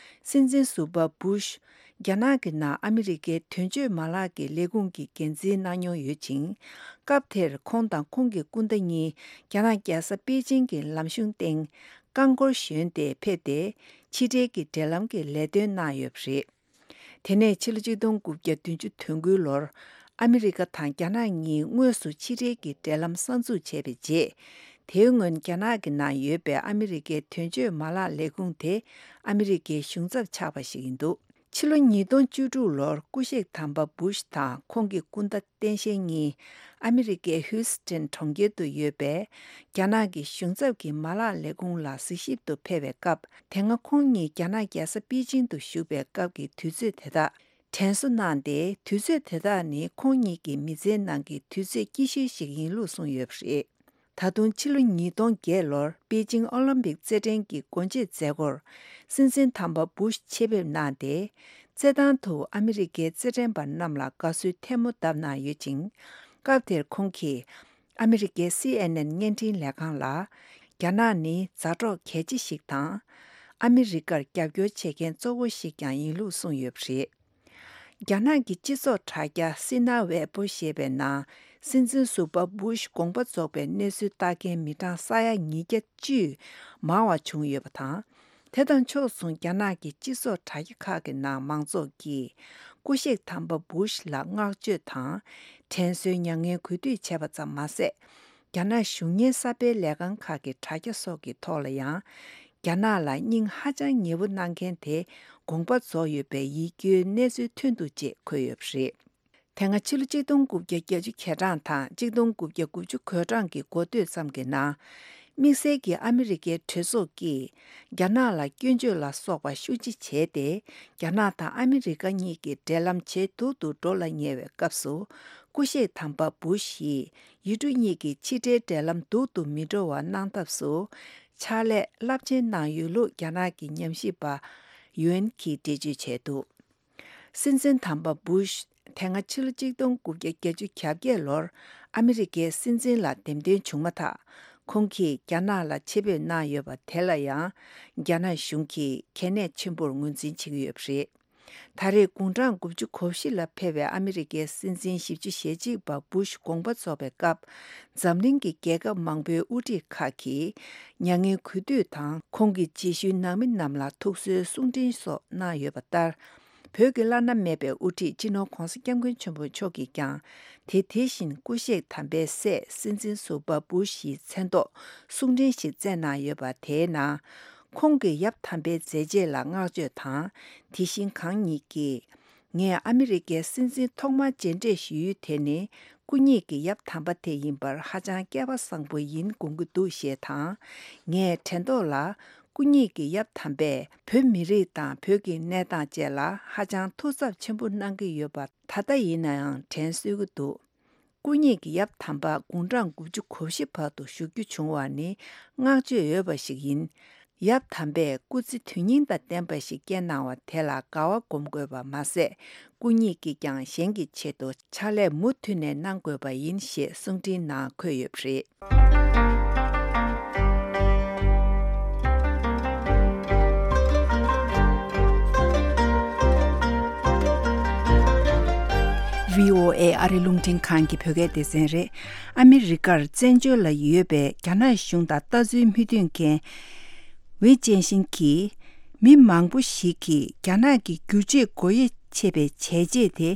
སྲིད་འཛིན་ཟུར་པ་བུ་ཤ་རྒྱ་ནག་གི་ནང་ཨ་མི་རི་ཀའི་དོན་གཅོད་མ་ལག་གི་ལས་ཁུངས་ཀྱི་འགན་འཛིན་གནང་མྱོང་ཡོད་ཅིང་། སྐབས་དེར་ཁོང་དང་ཁོང་གི་སྐུ་ཟླ་གཉིས་རྒྱ་ནག་རྒྱལ་ས་པེ་ཅིང་གི་ལམ་གཞུང་སྟེང་རྐང་འཁོར་ཞོན་ཏེ་ཕེབས་ཏེ། ཕྱི་འབྲེལ་གྱི་འབྲེལ་ལམ་གྱི་ལས་དོན་གནང་ཡོད་པ་རེད། དེ་ནས་ཕྱི་ལོ་ཆིག་སྟོང་དགུ་བརྒྱ་བདུན་ཅུ་དོན་དགུའི་ལོར་ཨ་མི་རི་ཀ་དང་རྒྱ་ནག་གཉིས་དངོས་སུ་ཕྱི་འབྲེལ་གྱི་འབྲེལ་ལམ་གསར་འཛུགས་བྱས་པའི་རྗེས། དེའི་སྔོན་རྒྱ་ནག་གི་ནང་ཡོད་པའི་ཨ་མི་རི་ཀའི་དོན་གཅོད་མ་ལག་ལས་ཁུངས་དེ་ཨ་མི་རི་ཀའི་གཞུང་ཚབ་ཆགས་པ་ཞིག་ཡིན་འདུག་ཕྱི་ལོ་ཉིས་སྟོང་བཅུ་དྲུག་ལོར་སྐུ་གཤེགས་དམ་པ་བུ་ཤ་དང་ཁོང་གི་སྐུ་ཟླ་སྟངས་དཔྱལ་གཉིས་ཨ་མི་རི་ཀའི་ཧིའུ་སི་ཐན་གྲོང་ཁྱེར་དུ་ཡོད་པའི་རྒྱ་ནག་གི་གཞུང་ཚབ་ཀྱི་མ་ལག་ལས་ཁུངས་ལ་གཟིགས་ཞིབ་ཏུ་ཕེབས་པའི་སྐབས། དེ་སྔ་ཁོང་གཉིས་རྒྱ་ནག་རྒྱལ་ས་པེ་ཅིང་དུ་བཞུགས་པའི་སྐབས་ཀྱི་དུས་ཚོད་དེ་དག་དྲན་གསོ་གནང་སྟེ། དུས་ཚོད་དེ་དག་ནི་ཁོང་གཉིས་ཀྱི་མི་ཚེའི་ནང་གི་དུས་ཚོད་སྐྱིད་ཤོས་ཤིག་ཡིན་ལུགས་གསུངས་ཡོད་པ་རེད། ད་དུང་ཕྱི་ལོ་ཉིས་སྟོང་བརྒྱད་ལོར་པེ་ཅིང་ཨོ་ལིམ་པིག་རྩེད་འགྲན་གྱི་སྒོ་འབྱེད་མཛད་སྒོར་སྲིད་འཛིན་དམ་པ་བུ་ཤ་ཆེད་ཕེབས་གནང་སྟེ། རྩེད་ཐང་དུ་ཨ་མི་རི་ཀའི་རྩེད་འགྲན་པ་རྣམས་ལ་དགའ་བསུའི་ཐལ་མོ་བརྡབས་གནང་ཡོད་ཅིང་། སྐབས་དེར་ཁོང་གིས་ཨ་མི་རི་ཀའི་སི་ཨེན་ཨེན་བརྙན་འཕྲིན་ལས་ཁང་ལ། རྒྱ་ནག་ནི་མཛའ་གྲོགས་གལ་ཆེ་ཞིག་དང་། ཨ་མི་རི་ཀར་རྒྱབ་སྐྱོར་བྱེད་མཁན་གཙོ་བོ་ཞིག་ཀྱང་ཡིན་ལུགས་གསུངས་ཡོད་པ་རེད། རྒྱ་ནག་གི་སྤྱི་ཚོགས་དྲ་རྒྱ་སི་ན་ཝེ་པོ་ཞེས་པའི་ནང་། སྲིད་འཛིན་ཟུར་པ་བུ་ཤ་དགོངས་པ་རྫོགས་པའི་གནས་ཚུལ་ལྟ་མཁན་མི་གྲངས་ས་ཡ་ཉིས་བརྒྱ་བཅུ་མང་བ་བྱུང་ཡོད་པ་དང་། དེ་དང་ཕྱོགས་མཚུངས་རྒྱ་ནག་གི་སྤྱི་ཚོགས་དྲ་རྒྱ་ཁག་གི་ནང་མང་ཚོགས་ཀྱིས་སྐུ་གཤེགས་དམ་པ་བུ་ཤ་ལ་བསྔགས་བརྗོད་དང་། དྲན་གསོའི་མྱ་ངན་གུས་འདུད་བྱས་པ་ཙམ་མ་ཟད། རྒྱ་ནག་གཞུང་གཉེར་གསར་སྤེལ་ལས་ཁང་ཁག་གི་དྲ་རྒྱ་སོགས་ཀྱི་ཐོག་ལ་ཡང་། རྒྱ་ནག་ལ་སྙིང་ཧ་ཅང་ཉེ་བོ་གནང་མཁན་དེ་དགོངས་པ་རྫོགས་ཡོད་པའི་ཡིད་སྐྱོའི་གནས་ཚུལ་ཐོན་འདུག་ཅེས་འཁོད་ཡོད་པ་རེད། དེ་སྔ་ཕྱི་ལོ་གཅིག་སྟོང་དགུ་བརྒྱ་བརྒྱད་ཅུ་གྱ་གྲངས་དང་གཅིག་སྟོང་དགུ་བརྒྱ་དགུ་བཅུ་གོ་གྲངས་ཀྱི་འགོ་སྟོད་ཙམ་གྱི་ནང་། དམིགས་བསལ་གྱིས་ཨ་མི་རི་ཀའི་གྲོས་ཚོགས་ཀྱིས་རྒྱ་ནག་ལ་སྐྱོན་བརྗོད་ལ་སོགས་པ་ཤུགས་ཆེ་བྱས་ཏེ། རྒྱ་ནག་དང་ཨ་མི་རི་ཀ་གཉིས་ཀྱི་འབྲེལ་ལམ་ཇེ་སྡུག་ཏུ་འགྲོ་ལ་ཉེ་བའི་སྐབས་སུ། སྐུ་གཤེགས་དམ་པ་བུ་ཤི་ཡིས་ཡུལ་གྲུ་གཉིས་ཀྱི་ཕྱི་འབྲེལ་འབྲེལ་ལམ་སྡུག་ཏུ་མི་འགྲོ་བ་གནང་ཐབས་སུ། ཕྱག་ལས་རླབས་ཆེན་གནང་ཡོད་ལུགས་རྒྱ་ནག་གི་ཉམས་ཞིབ་པ་ཡུན་གྱིས་འགྲེལ་བརྗོད་བྱས་འདུག། སྲིད་འཛིན་དམ་པ་བུ་ཤ་དེ་སྔ་ཕྱི་ལོ་གཅིག་སྟོང་དགུ་བརྒྱ་བརྒྱད་ཅུ་གྱ་བརྒྱད་ལོར་ཨ་མི་རི་ཀའི་སྲིད་འཛིན་ལ་འདེམས་ཐོན་བྱུང་མ་ཐག་ཁོང་གིས་རྒྱ་ནག་ལ་ཆེད་ཕེབས་གནང་ཡོད་པ་དེ་ལ་ཡང་རྒྱ་ནག་གཞུང་གིས་གལ་གནད་ཆེན་པོར་ངོས་འཛིན་བྱེད་ཀྱི་ཡོད་པ་རེད། ད་རེས་དགུང་གྲངས་དགུ་བཅུ་གོ་བཞི་ལ་ཕེབས་པའི་ཨ་མི་རི་ཀའི་སྲིད་འཛིན་བཞི་བཅུ་ཞེ་གཅིག་པ་བུ་ཤ་དགོངས་པ་རྫོགས་པའི་སྐབས། འཛམ་གླིང་གི་རྒྱལ་ཁབ་མང་པོའི་དབུ་ཁྲིད་ཁག་གིས་མྱ་ངན་གུས་འདུད་དང་ཁོང་གི་རྗེས་ཤུལ་ནང་མི་རྣམས་ལ་ཐུགས་གསོའི་གསུང་འཕྲིན་སོགས་གནང་ཡོད་པ་ལྟར། བོད་ཀྱི་བླ་ན་མེད་པའི་དབུ་ཁྲིད་སྤྱི་ནོར་༧གོང་ས་༧སྐྱབས་མགོན་ཆེན་པོ་མཆོག་གིས་ཀྱང་དེ་དེ་བཞིན་སྐུ་གཤེགས་དམ་པའི་སྲས་སྲིད་འཛིན་ཟུར་པ་བུ་ཤ་ཡི་མཚན་ཐོག་གསུང་འཕྲིན་ཞིག་བསྩལ་གནང་ཡོད་པ། དེའི་ནང་། ཁོང་གི་ཡབ་དམ་པའི་མཛད་རྗེས་ལ་བསྔགས་བརྗོད་དང་། དེ་བཞིན་གང་ཉིད་ཀྱིས། ངས་ཨ་མི་རི་ཀའི་སྲིད་འཛིན་ཐོག་མར་མཇལ་འཕྲད་ཞུ་ཡུལ་དེ་ནི། སྐུ་ཉིད་ཀྱི་ཡབ་དམ་པ་དེ་ཡིན་པར་ཧ་ཅང་སྐལ་པ་བཟང་པོ་ཡིན་དགོངས་ཀྱི་འདུག་ཞེས་དང་། ངས་དྲན་ཐོག་ལ། སྐུ་ཉིད་ཀྱི་ཡབ་དམ་པས་བོད་མི་རིགས་དང་བོད་ཀྱི་གནས་སྟངས་བཅས་ལ་ཧ་ཅང་ཐུགས་འཚབ་ཆེན་པོ་གནང་གི་ཡོད་པ་ད་ལྟ་ཡིན་ན་ཡང་དྲན་གསོས་ཀྱི་འདུག། སྐུ་ཉིད་ཀྱི་ཡབ་དམ་པ་དགུང་གྲངས་དགུ་བཅུ་གོ་བཞི་བར་དུ་བཞུགས་རྒྱུ་བྱུང་བ་ནི་བསྔགས་བརྗོད་འོས་པ་ཞིག་ཡིན། ཡབ་དམ་པས་སྐུ་ཚེ་དོན་སྙིང་དང་ལྡན་པ་ཞིག་བསྐྱལ་གནང་བ་དེ་ལ་དགའ་བ་སྒོམ་དགོས་པ་མ་ཟད། སྐུ་ཉིད་ཀྱིས་ཀྱང་གཞན་གྱི་ཆེད་དུ་ཕྱག་ལས་མུ་མཐུད་ནས་གནང་དགོས་པ་ཡིན་ཞེས་གསུང་འཕྲིན་ནང་འཁོད་ཡོད་པ་རེད། བྷི་ཨོ་ཨེ་ཨ་རི་རླུང་འཕྲིན་ཁང་གི་བོད་སྐད་སྡེ་ཚན་རེད། ཨ་མི་རི་ཀར་བཙན་བྱོལ་ལ་ཡོད་པའི་རྒྱ་ནག་གཞུང་དང་ལྟ་ཚུལ་མི་མཐུན་མཁན། ཝེ་ཅན་ཤིན་གྱིས། མི་མང་པོ་ཞིག་གིས་རྒྱ་ནག་གི་བསྒྱུར་བཅོས་སྒོ་དབྱེ་ཕྱེ་བའི་བྱས་རྗེས་དེ་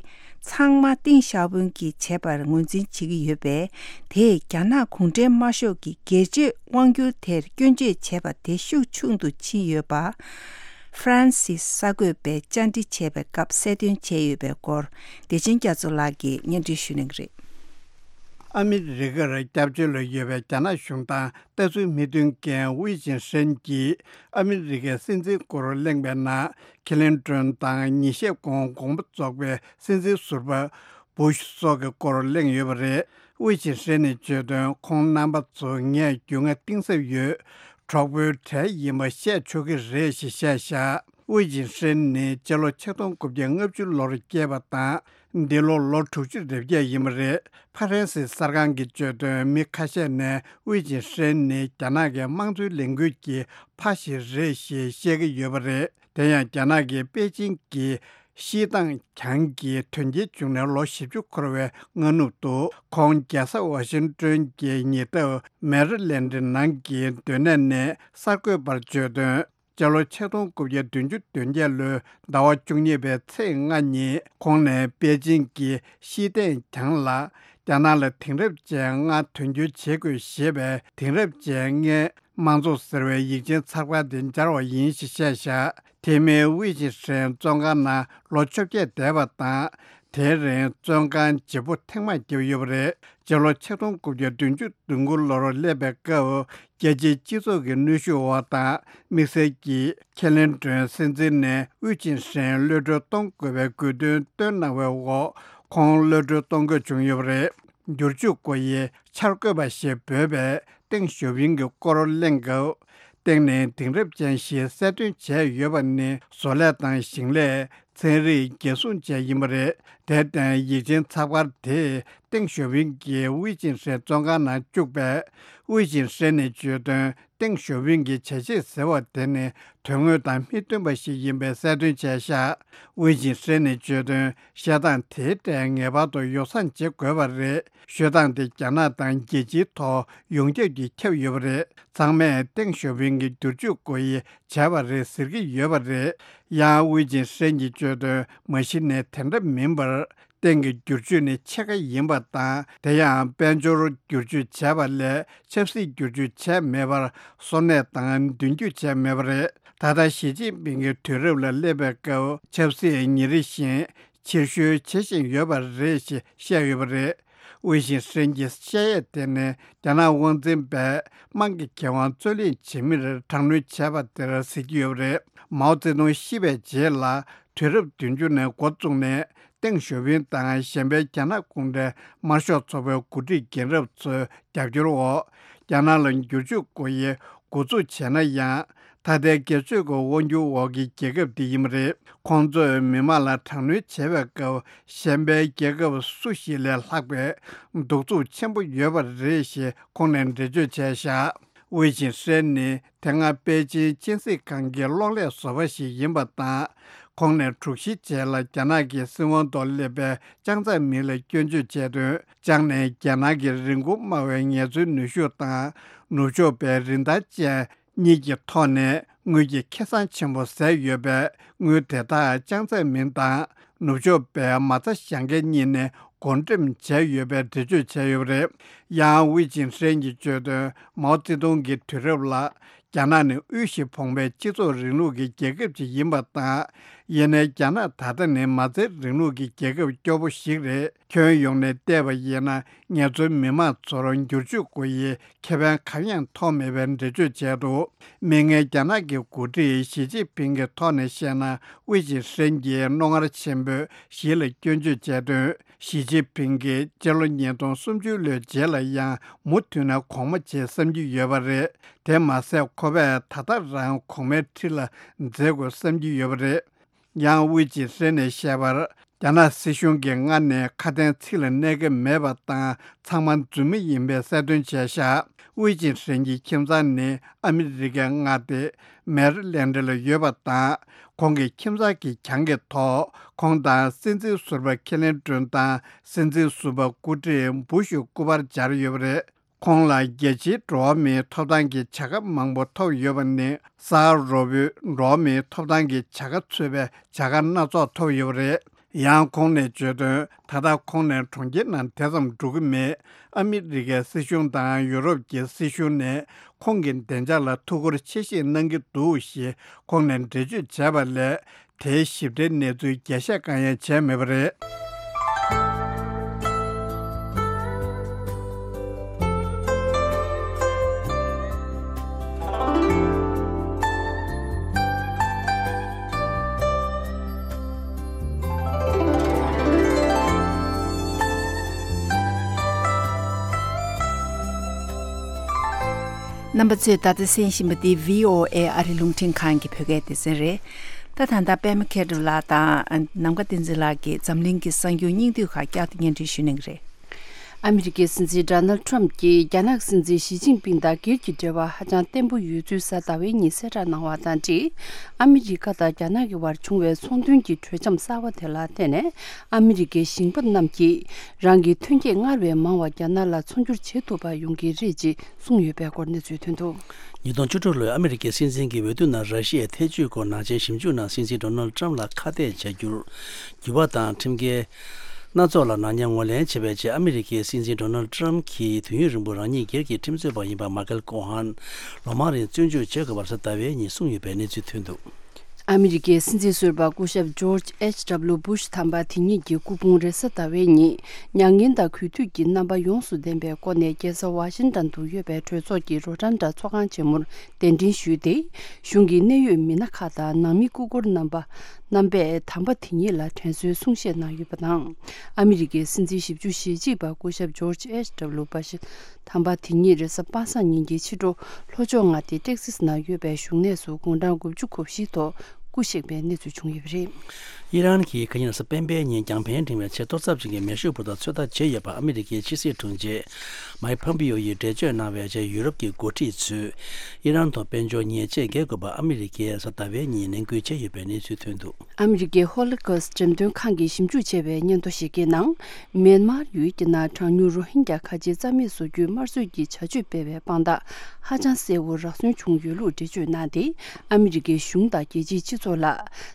ཚང་མ་ཏིང་ཞའོ་ཕིང་གིས་བྱས་པར་ངོས་འཛིན་བྱེད་ཀྱི་ཡོད་པས། དེས་རྒྱ་ནག་གུང་ཁྲན་དམར་ཤོག་གི་སྒེར་གཅོད་དབང་སྒྱུར་དེར་སྐྱོན་བརྗོད་བྱས་པ་དེ་ཤུགས་ཆུང་དུ་ཕྱིན་ཡོད་པ། ཧྥ་རན་སིའི་གསར་འགོད་པས་བཅར་འདྲི་བྱས་པའི་སྐབས་གསལ་སྟོན་བྱས་ཡོད་པའི་སྐོར། བདེ་ཆེན་རྒྱ་མཚོ་ལགས་ཀྱིས་སྙན་སྒྲོན་ཞུ་གནང་གི་རེད། ཨ་མི་རི་ཀར་སྐྱབས་བཅོལ་ལ་ཡོད་པའི་རྒྱ་ནག་གཞུང་དང་ལྟ་ཚུལ་མི་མཐུན་མཁན་ཝེ་ཅིན་ཧྲེན་གྱིས་ཨ་མི་རི་ཀའི་སྲིད་འཛིན་སྐོར་གླེང་བའི་ནང་། ཁེ་ལིན་ཀྲོན་དང་ཉིན་ཤས་གོང་དགོངས་པ་རྫོགས་པའི་སྲིད་འཛིན་ཟུར་པ་བུ་ཤ་སོགས་ཀྱི་སྐོར་གླེང་ཡོད་པ་རེད། ཝེ་ཅིན་ཧྲེན་ནས་བརྗོད་དོན། ཁོང་རྣམ་པ་ཚོ་ངས་རྒྱུས་མངའ་གཏིང་ཟབ་ཡོད། གྲོགས་པོའི་གྲས་ཡིན་པ་བཤད་ཆོག་གི་རེད་ཞེས་བཤད་བཞག། ཝེ་ཅིན་ཧྲེན་ནི་སྤྱི་ལོ་ཆིག་སྟོང་དགུ་བརྒྱ་ལྔ་བཅུ་ལོར་སྐྱེས་པ་དང་། འདི་ལོ་ལོ་དྲུག་ཅུ་རེ་བརྒྱད་ཡིན་པ་རེད། ཧྥ་རན་སིའི་གསར་ཁང་གིས་བརྗོད་དོན། མི་ཁ་ཤས་ནས་ཝེ་ཅིན་ཧྲེན་ནི་རྒྱ་ནག་གི་དམངས་གཙོའི་ལས་འགུལ་གྱི་ཕ་ཞིག་རེད་ཞེས་བཤད་ཀྱི་ཡོད་པ་རེད། དེ་ཡང་རྒྱ་ནག་གི་པེ་ཅིང་གི་ཤི་ཏང་གྱང་གི་དོན་རྐྱེན་བྱུང་ནས་ལོ་བཞི་བཅུ་འཁོར་བའི་སྔ་ནུབ་ཏུ། ཁོང་རྒྱལ་ས་ཝ་ཤིང་ཏོན་གྱི་ཉེ་འདབས་མེ་རི་ལན་ཌི་ནང་གི་སྡོད་གནས་ནས་གསར་འགོད་པར་བརྗོད་དོན། སྤྱི་ལོ་ཆིག་སྟོང་དགུ་བརྒྱ་བདུན་ཅུ་དོན་བརྒྱད་ལོའི་ཟླ་བ་བཅུ་གཉིས་པའི་ཚེས་ལྔ་ཉིན་ཁོང་ནས་པེ་ཅིང་གི་ཤི་ཏན་གྱང་ལ། རྒྱ་ནག་ལ་དེང་རབས་ཅན་ལྔ་དོན་འཁྱོལ་བྱེད་དགོས་ཞེས་པའི་དེང་རབས་ཅན་ལྔའི་དམངས་གཙོ་ཟེར་བའི་ཡིག་ཆེན་ཚགས་པར་དེ་སྦྱར་བ་ཡིན་ཞེས་བཤད་བཞག། དེ་མིན་ཝེ་ཅིན་ཧྲེན་བཙོན་ཁང་ནང་ལོ་བཅོ་བརྒྱད་བསྡད་པ་དང་། དེའི་རིང་བཙོན་ཁང་བརྗེ་པོ་ཐེངས་མང་བརྒྱབ་ཡོད་པ་རེད། སྤྱི་ལོ་ཆིག་སྟོང་དགུ་བརྒྱ་བདུན་ཅུ་དོན་དགུ་ལོར་སླེབས་པའི་སྐབས། རྒྱལ་སྤྱིའི་སྤྱི་ཚོགས་ཀྱི་གནོན་ཤུགས་འོག་དང་། དམིགས་བསལ་གྱིས་ཁེ་ལིན་ཀྲོན་སྲིད་འཛིན་ནས་ཝེ་ཅིན་ཧྲེན་གློད་གྲོལ་གཏོང་དགོས་པའི་དགོས་འདུན་བཏོན་གནང་བའི་འོག་ཁོང་གློད་གྲོལ་གཏོང་དགོས་བྱུང་ཡོད་པ་རེད། བསྒྱུར་བཅོས་སྒོ་དབྱེ་འཆར་འགོད་པ་ཞེས་འབོད་པས་ཏེང་ཞའོ་ཕིང་གི་སྐོར་གླེང་སྐབས། ཏེང་ནི་དེང་རབས་ཅན་ཞེས་གསལ་སྟོན་བྱས་ཡོད་པ་ནི་བཟོ་ལས་དང་ཞིང་ལས། ཚན་རིག་རྒྱལ་སྲུང་བཅས་ཡིན་པ་རེད། དེར་བརྟེན་ཡིག་ཆེན་ཚགས་པར་དེས་ཏེང་ཞའོ་ཕིང་གིས་ཝེ་ཅིན་ཧྲེན་བཙོན་ཁང་ནང་བཅུག་པས། ཝེ་ཅིན་ཧྲེན་ནས་བརྗོད་དོན། ཏེང་ཞའོ་ཕིང་གིས་བྱས་རྗེས་ཟེར་བ་དེ་ནི་དོན་དངོས་དང་མི་མཐུན་པ་ཞིག་ཡིན་པའི་གསལ་སྟོན་བྱས་བཞག། ཝེ་ཅིན་ཧྲེན་ནས་བརྗོད་དོན། བཤད་སྟངས་དེའི་གྲས་ངེས་པར་དུ་ཡོ་བསྲང་བྱེད་དགོས་པ་རེད། ཤོད་སྟངས་དེ་རྒྱ་ནག་དང་རྒྱལ་སྤྱིའི་ཐོག་ཡོངས་ཁྱབ་ཀྱིས་ཁྱབ་ཡོད་པ་རེད། ཚང་མས་ཏེང་ཞའོ་ཕིང་གིས་བསྒྱུར་བཅོས་སྒོ་དབྱེ་བྱས་པ་རེད་ཟེར་གྱི་ཡོད་པ་རེད། ཡང་ཝེ་ཅིན་ཧྲེན་གྱིས་བརྗོད་དོན། མ་གཞི་ནས་དེ་འདྲ་མིན་པར། སྟེང་གི་བསྒྱུར་བཅོས་ནི་ཕྱེད་ཀ་ཡིན་པ་དང་། དེ་ཡང་དཔལ་འབྱོར་བསྒྱུར་བཅོས་བྱས་པ་ལས་ཆབ་སྲིད་བསྒྱུར་བཅོས་བྱས་མེད་པར། གསོ་གནས་དང་མདུན་སྐྱོད་བྱས་མེད་པ་རེད། ད་ལྟ་ཞི་ཅིན་ཕིང་གི་དུས་རབས་ལ་སླེབས་པའི་སྐབས་ཆབ་སྲིད་ཉིན་རེ་བཞིན་ཕྱིར་བཤོལ་བྱེད་བཞིན་ཡོད་པ་རེད་ཞེས་བཤད་ཡོད་པ་རེད། ཝེ་ཞིན་ཧྲེན་གྱི་བཤད་ཡས་དེ་ནི་རྒྱ་ནག་དབང་འཛིན་པས་དམངས་ཀྱི་ཁེ་དབང་རྩོད་ལེན་བྱེད་མིར་དྲག་གནོན་བྱས་པ་དེར་གཟིགས་ཀྱི་ཡོད་པ་རེད། མའོ་ཙེ་ཏུང་ཤི་བའི་རྗེས་ལ་དུས་རབས་བདུན་ཅུ་ནས་འགོ་བཙུགས་ནས། ཏེང་ཞའོ་ཕིང་དང་གཞན་པའི་རྒྱ་ནག་གུང་ཁྲན་དམར་ཤོག་ཚོགས་པའི་འགོ་ཁྲིད་རྒན་རབས་ཚོའི་རྒྱབ་སྐྱོར་འོག་རྒྱ་ནག་ལ་བསྒྱུར་བཅོས་དགོས་ཡས་འགོ་འཛུགས་བྱས་ན་ཡང་། ད་ལྟའི་སྒེར་གཅོད་ཀྱི་དབང་སྒྱུར་འོག་གི་རྒྱལ་ཁབ་འདི་ཡིན་པ་རེད། ཁོང་ཚོས་མི་མང་ལ་དྲག་གནོན་བྱས་པའི་སྐབས། གཞན་པའི་རྒྱལ་ཁབ་སུ་ཞིག་ལས་ལྷག་པའི་གདུག་རྩུབ་ཆེན་པོ་ཡོད་པ་རེད་ཞེས་ཁོང་ནས་འགྲེལ་བརྗོད་བྱས་བཞག་ཝེ་ཅིན་ཧྲེན་ནི་དེ་སྔ་པེ་ཅིན་སྤྱི་སྲིད་ཁང་གི་གློག་ཀླད་བཟོ་པ་ཞིག་ཡིན་པ་དང་། ཁོང་ནས་དྲུག་བཞི་རྗེས་ལ་རྒྱ་ནག་གི་སྲིད་དབང་ཐོག་སླེབས་པའི་ཅང་ཙེ་མིན་ལ་སྐྱོན་བརྗོད་བྱས་དོན། ཅང་ནས་རྒྱ་ནག་གི་རིན་གོང་དམའ་བའི་ངལ་རྩོལ་ནུས་ཤུགས་དང་ནུབ་ཕྱོགས་པའི་རིན་ཐང་ཅན་གཉིས་ཀྱི་ཐོག་ནས་དངུལ་གྱི་ཁེ་བཟང་ཆེན་པོ་ཟད་ཡོད་པས། དངུལ་དེ་དག་ཅང་ཙེ་མིན་དང་ནུབ་ཕྱོགས་པའི་མ་རྩ་བཞག་མཁན་གཉིས་ནས་བགོ་འགྲེམས་བྱས་ཡོད་པའི་འགྲེལ་བརྗོད་བྱས་ཡོད་པ་རེད། ཡང་ཝེ་ཅིན་ཧྲེན་གྱིས་བརྗོད་དོན། མའོ་ཙེ་ཏུང་གི་དུས་རབས་ལ། རྒྱ་ནག་ནི་དབུལ་ཞིང་ཕོངས་པའི་སྤྱི་ཚོགས་རིང་ལུགས་ཀྱི་རྒྱལ་ཁབ་ཅིག་ཡིན་པ་དང་། ཡིན་ནའི་རྒྱ་ནག་ད་ལྟ་ནི་མ་རྩའི་རིང་ལུགས་ཀྱི་རྒྱལ་ཁབ་སྐྱོ་པོ་ཞིག་རེད། ཁྱོན་ཡོངས་ནས་བལྟས་པ་ཡིན་ན། ངལ་རྩོལ་མི་མང་ཚོར་འགྱུར་བཅོས་དགོས་ཡའི་ཁེ་ཕན་གང་ཡང་ཐོགས་མེད་པའི་འགྲེལ་བརྗོད་བྱས་འདུག་མིག་སྔའི་རྒྱ་ནག་གི་འགོ་ཁྲིད་ཞི་ཅིན་ཕིང་གི་ཐོག་ནས་བཤད་ན། ཝེ་ཅིན་ཧྲེན་གྱིས་རྣོ་ངར་ཆེན་པོས་ཞི་ལ་སྐྱོན་བརྗོད་བྱས་དོན། ཞི་ཅིན་ཕིང་གིས་སྤྱི་ལོ་ཉིས་སྟོང་སུམ་ཅུ་ལོའི་རྗེས་ལ་ཡང་མུ་མཐུད་ནས་གོང་མ་བྱེད་བསམ་གྱི་ཡོད་པ་རེད། དེ་མ་ཟད་ཁོ་པས་ད་ལྟ་རང་གོང་མའི་ཁྲི་ལ་འཛེག་དགོས་བསམ་གྱི་ཡོད་པ་རེད། ཡང་ཝེ་ཅིན་ཧྲེན་ནས་བཤད་པར། རྒྱ་ནག་སྲིད་གཞུང་གིས་སྔར་ནས་ཁ་དན་ཚིག་ལ་གནས་ཀྱི་མེད་པ་དང་། ཚང་མ་རྫུན་མ་ཡིན་པའི་གསལ་སྟོན་བྱས་བཞག་ཝེ་ཅིན་ཧྲེན་གྱི་ཁྱིམ་ཚང་ནི་ཨ་མི་རི་ཀའི་མངའ་སྡེ་མེ་རི་ལེན་ཌི་ལ་ཡོད་པ་དང་། ཁོང་གི་ཁྱིམ་ཚང་གི་གྱང་གི་ཐོག་ཁོང་དང་སྲིད་འཛིན་ཟུར་པ་ཁེ་ལིན་ཏྲོན་དང་སྲིད་འཛིན་ཟུར་པ་སྐུ་བགྲེས་བུ་ཤུ་སྐུ་པར་སྦྱར་ཡོད་པ་རེད། ཁོང་ལ་རྒྱལ་སྤྱིའི་འགྲོ་བ་མིའི་ཐོབ་ཐང་གི་བྱ་དགའ་མང་པོ་ཐོབ་ཡོད་པ་ནི། ས་ཧ་རོ་པོའི་འགྲོ་བ་མིའི་ཐོབ་ཐང་གི་བྱ་དགའ་ཚུད་པའི་བྱ་དགའ་སྣ་ཚོགས་ཐོབ་ཡོད་པ་རེད། ཡང་ཁོང་ནས་བརྗོད་དོན། ད་ལྟ་ཁོང་ནས་གྲོང་ཁྱེར་ནང་དེ་ཙམ་འགྲོ་གི་མེད། ཨ་མི་རི་ཀའི་སྲིད་གཞུང་དང་ཡུ་རོབ་ཀྱི་སྲིད་གཞུང་ནས་ཁོང་གི་བདེ་འཇགས་ལ་ཐུགས་ཁུར་ཆེ་བཞེས་གནང་གི་འདུག་ཞེས་ཁོང་ནས་འགྲེལ་བརྗོད་བྱས་པ་ལས། དེའི་ཞིབ་ཕྲའི་གནས་ཚུལ་རྒྱས་བཤད་གང་ཡང་བྱས་མེད་པ་རེད། རྣམ་པ་ཚོས་ད་ལྟ་གསན་བཞིན་པ་འདི་བྷི་ཨོ་ཨེ་ཨ་རི་རླུང་འཕྲིན་ཁང་གི་བོད་སྐད་སྡེ་ཚན་རེད། ད་ད་ལྟ་པད་མ་མཁས་གྲུབ་ལགས་དང་ནམ་མཁའ་བསྟན་འཛིན་ལགས་ཀྱིས་འཛམ་གླིང་གི་གསར་འགྱུར་སྙིང་བསྡུས་ཁག་བསྐྱར་དུ་སྙན་སྒྲོན་ཞུ་གནང་གི་རེད། ཨ་མི་རི་ཀའི་སྲིད་འཛིན་ཌོ་ནལ་ཌི་ཊརམ་ཕ་གྱིས་རྒྱ་ནག་སྲིད་འཛིན་ཞི་ཅིན་ཕིང་དང་སྒེར་གྱི་འབྲེལ་བ་ཧ་ཅང་བརྟན་པོ་ཡོད་ཚུལ་གཟའ་ཟླ་བའི་ཉིན་གསལ་བསྒྲགས་གནང་བ་དང་འབྲེལ། ཨ་མི་རི་ཀ་དང་རྒྱ་ནག་གི་བར་བྱུང་བའི་ཚོང་དོན་གྱི་གྲོས་འཆམ་གསར་བ་དེ་ལ་བརྟེན་ནས། ཨ་མི་རི་ཀའི་ཞིང་པ་རྣམས་ཀྱིས་རང་གི་ཐོན་སྐྱེད་སྔར་བས་མང་བ་རྒྱ་ནག་ལ་ཚོང་སྒྱུར་བྱེད་ཐུབ་པ་ཡོང་གི་རེད་ཅེས་གསུངས་ཡོད་པའི་སྐོར་གནས་ཚུལ་ཐོན་འདུག་ཉིས་སྟོང་བཅུ་དྲུག་ལོའི་ཨ་མི་རི་ཀའི་སྲིད་འཛིན་གྱི་འོས་བསྡུ་ནང་ར་ཤི་ཡའི་ཐེ་ཇུས་སྐོར་ནག་ཅན་ཞིབ་འཇུག་གནང་སྲིད་འཛིན་ཌོ་ནལ་ཌི་ཊརམ་ཕ་ལ་ཁ་གཏད་བྱ་རྒྱུར། འགྱུར་བ་དང་ཁྲིམས་འགལ་སྣ་ཚོགས་ལ་ནག་ཉེས་ངོས་ལེན་བྱས་པའི་རྗེས། ཨ་མི་རི་ཀའི་སྲིད་འཛིན་ཌོ་ནལ་ཌི་ཊརམ་ཕ་གྱིས་དུས་ཡུན་རིང་པོར་རང་ཉིད་སྒེར་གྱི་ཁྲིམས་རྩོད་པ་ཡིན་པ་མཱ་ཀལ་ཀོ་ཧན་ལོ་མང་རིང་བཙོན་འཇུག་བྱེད་དགོས་པ་རེས་གཟའ་ཟླ་བའི་ཉིན་གསུངས་ཡོད་པའི་གནས་ཚུལ་ཐོན་འདུག་ཨ་མི་རི་ཀའི་སྲིད་འཛིན་ཟུར་པ་སྐུ་ཞབས་ཇོརྗ་ཨེཆ་ཌབ་ལུ་བྷུཤ་དམ་པ་དེ་ཉིད་ཀྱི་སྐུ་ཕུང་རེས་གཟའ་ཟླ་བའི་ཉིན། མྱ་ངན་དང་གུས་འདུད་ཀྱི་རྣམ་པ་ཡོངས་སུ་ལྡན་པའི་སྒོ་ནས། རྒྱལ་ས་ཝ་ཤིང་ཊོན་དུ་ཡོད་པའི་གྲོས་ཚོགས་ཀྱི་རོ་ཊན་ཌ་ཚོགས་ཁང་ཆེན་མོར་གདན་འདྲེན་ཞུས་ཏེ། གཞུང་གི་གནད་ཡོད་མི་སྣ་ཁག་དང་ནང་མི་སྐུ་འཁོར་རྣམ་པ་རྣམ་པས་དམ་པ་དེ་ཉིད་ལ་དྲན་གསོའི་གསུང་བཤད་གནང་ཡོད་པ་དང་། ཨ་མི་རི་ཀའི་སྲིད་འཛིན་ཞེ་གཅིག་པ་སྐུ་ཞབས་ཇོརྗ་ཨེཆ་ཌབ་ལུ་བྷུཤ་དམ་པ་དེ་ཉིད་རེས་གཟའ་པ་སངས་ཉིན་གྱི་ཕྱི་དྲོ་ལྷོ་ཕྱོགས་མངའ་སྡེ་ཏེག་སིས་ནང་ཡོད་པའི་བཞུགས་གནས་སུ་དགུང་གྲངས་དགུ་བཅུ་གོ་བཞི་ཐོག་སྐུ་གཤེགས་པའི་གནས་ཚུལ་བྱུང་ཡོད་པ་རེད། ཨི་རན་གྱིས་ཁ་ཉིན་གཟའ་སྤེན་པའི་ཉིན་རྒྱང་འཕེན་འཕྲེང་བའི་ཆེས་མཐོ་ཚབ་ཅན་གྱི་མེ་ཤུགས་འབུར་ཐོན་ཚོད་ལྟ་བྱས་ཡོད་པ་ཨ་མི་རི་ཀའི་ཕྱི་སྲིད་དྲུང་ཆེ་མའིག་ཕོམ་པིའོ་ཡིས་འགྲེལ་བརྗོད་གནང་བའི་རྗེས། ཡུ་རོབ་ཀྱི་འགོ་ཁྲིད་ཚོས་ཨི་རན་དང་དཔལ་འབྱོར་ཉེས་ཆད་འགེལ་དགོས་པ་ཨ་མི་རི་ཀས་གཟའ་ཟླ་བའི་ཉིན་ནན་སྐུལ་བྱས་ཡོད་པའི་གནས་ཚུལ་ཐོན་འདུག་ཨ་མི་རི་ཀའི་ཧོ་ལོ་ཀོ་སི་འགྲེམས་སྟོན་ཁང་གིས་ཞིབ་འཇུག་བྱས་པའི་སྙན་ཐོ་ཞིག་གི་ནང་། མེན་མར་ཡུལ་གྱི་ནང་གྲངས་ཉུང་རོ་ཧིན་རྒྱ་ཁ་ཆེ་རྩ་མེད་བཟོ་རྒྱུའི་དམར་གསོད་ཀྱི་བྱ་སྤྱོད་སྤེལ་བའི་དཔང་རྟགས་ཧ་ཅང་གསལ་བོ་རག་སོན་བྱུང་ཡོད་ལུགས་འགྲེལ་བརྗོད་གནང་སྟེ། ཨ་མི་རི་ཀའི་གཞུང་དང་རྒྱལ་སྤྱིའི་སྤྱི་ཚོགས་ལ།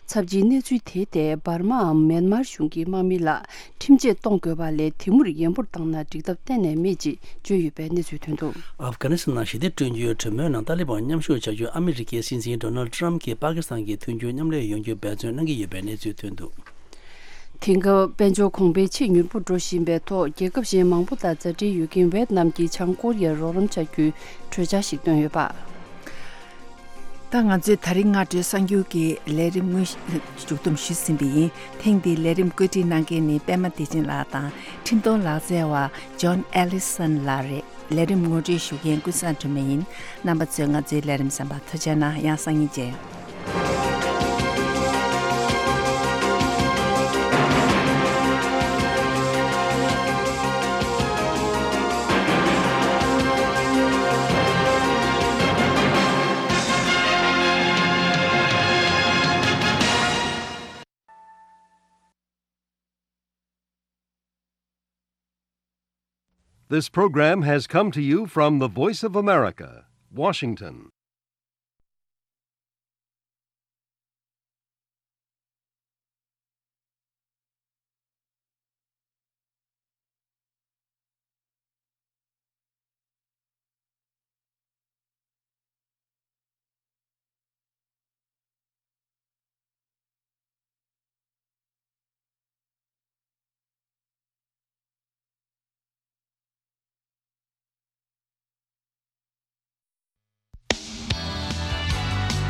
ཚབས་ཆེའི་གནས་ཚུལ་དེ་ཐད་འབར་མའམ་མེན་མར་གཞུང་གི་དམག་མི་ལ་ཁྲིམས་ཆད་གཏོང་དགོས་པ་ལས་དེ་མུར་ཡན་པོར་བཏང་ན་འགྲིག་ཐབས་གཏན་ནས་མེད་ཅེས་བརྗོད་ཡོད་པའི་གནས་ཚུལ་ཐོན་འདུག། ཨབ་གྷ་ནི་སི་ཐན་ནང་ཞི་བདེ་བསྐྲུན་རྒྱུའི་གྲོས་མོལ་ནང་ཏཱ་ལི་བན་མཉམ་ཞུགས་བྱ་རྒྱུར་ཨ་མི་རི་ཀའི་སྲིད་འཛིན་ཌོ་ནལ་ཊམ་གྱིས་པ་ཀི་སི་ཐན་གྱི་མཐུན་འགྱུར་མཉམ་ལས་ཡོང་རྒྱུར་འབད་བརྩོན་གནང་གི་ཡོད་པའི་གནས་ཚུལ་ཐོན་འདུག། དེང་སྐབས་དཔལ་འབྱོར་གོང་འཕེལ་ཆེས་མྱུར་པོ་འགྲོ་བཞིན་པའི་ཐོག་རྒྱལ་ཁབ་གཞན་མང་པོ་དང་མཛའ་འབྲེལ་ཡོད་མཁན་ཝེ་ཏི་ནམ་གྱིས་བྱང་ཀོ་རི་ཡར་རོགས་རམ་བྱ་རྒྱུའི་གྲོས་འཆར་ཞིག་བཏོན་ཡོད་པ། ད་ང་ཚོས་ད་རིང་སྔ་དྲོའི་གསར་འགྱུར་གྱི་ལས་རིམ་དངོས་གཞི་མཇུག་བསྡོམས་ཞུས་ཟིན་པ་ཡིན། ཐེངས་འདིའི་ལས་རིམ་བཀོད་སྒྲིག་གནང་མཁན་ནི་པད་མ་བདེ་ཆེན་ལགས་དང་ཁྲིམས་གཏོང་ལག་རྩལ་བ་ཇོན་ཨེ་ལི་སན་ལགས་རེད། ལས་རིམ་ངོ་སྤྲོད་ཞུ་མཁན་ཀུན་བཟང་སྒྲོལ་མ་ཡིན། རྣམ་པ་ཚོས་ང་ཚོའི་ལས་རིམ་གསན་པར་ཐུགས་རྗེ་གནང་། ཡང་སང་ཉིན་མཇལ། This program has come to you from the Voice of America, Washington.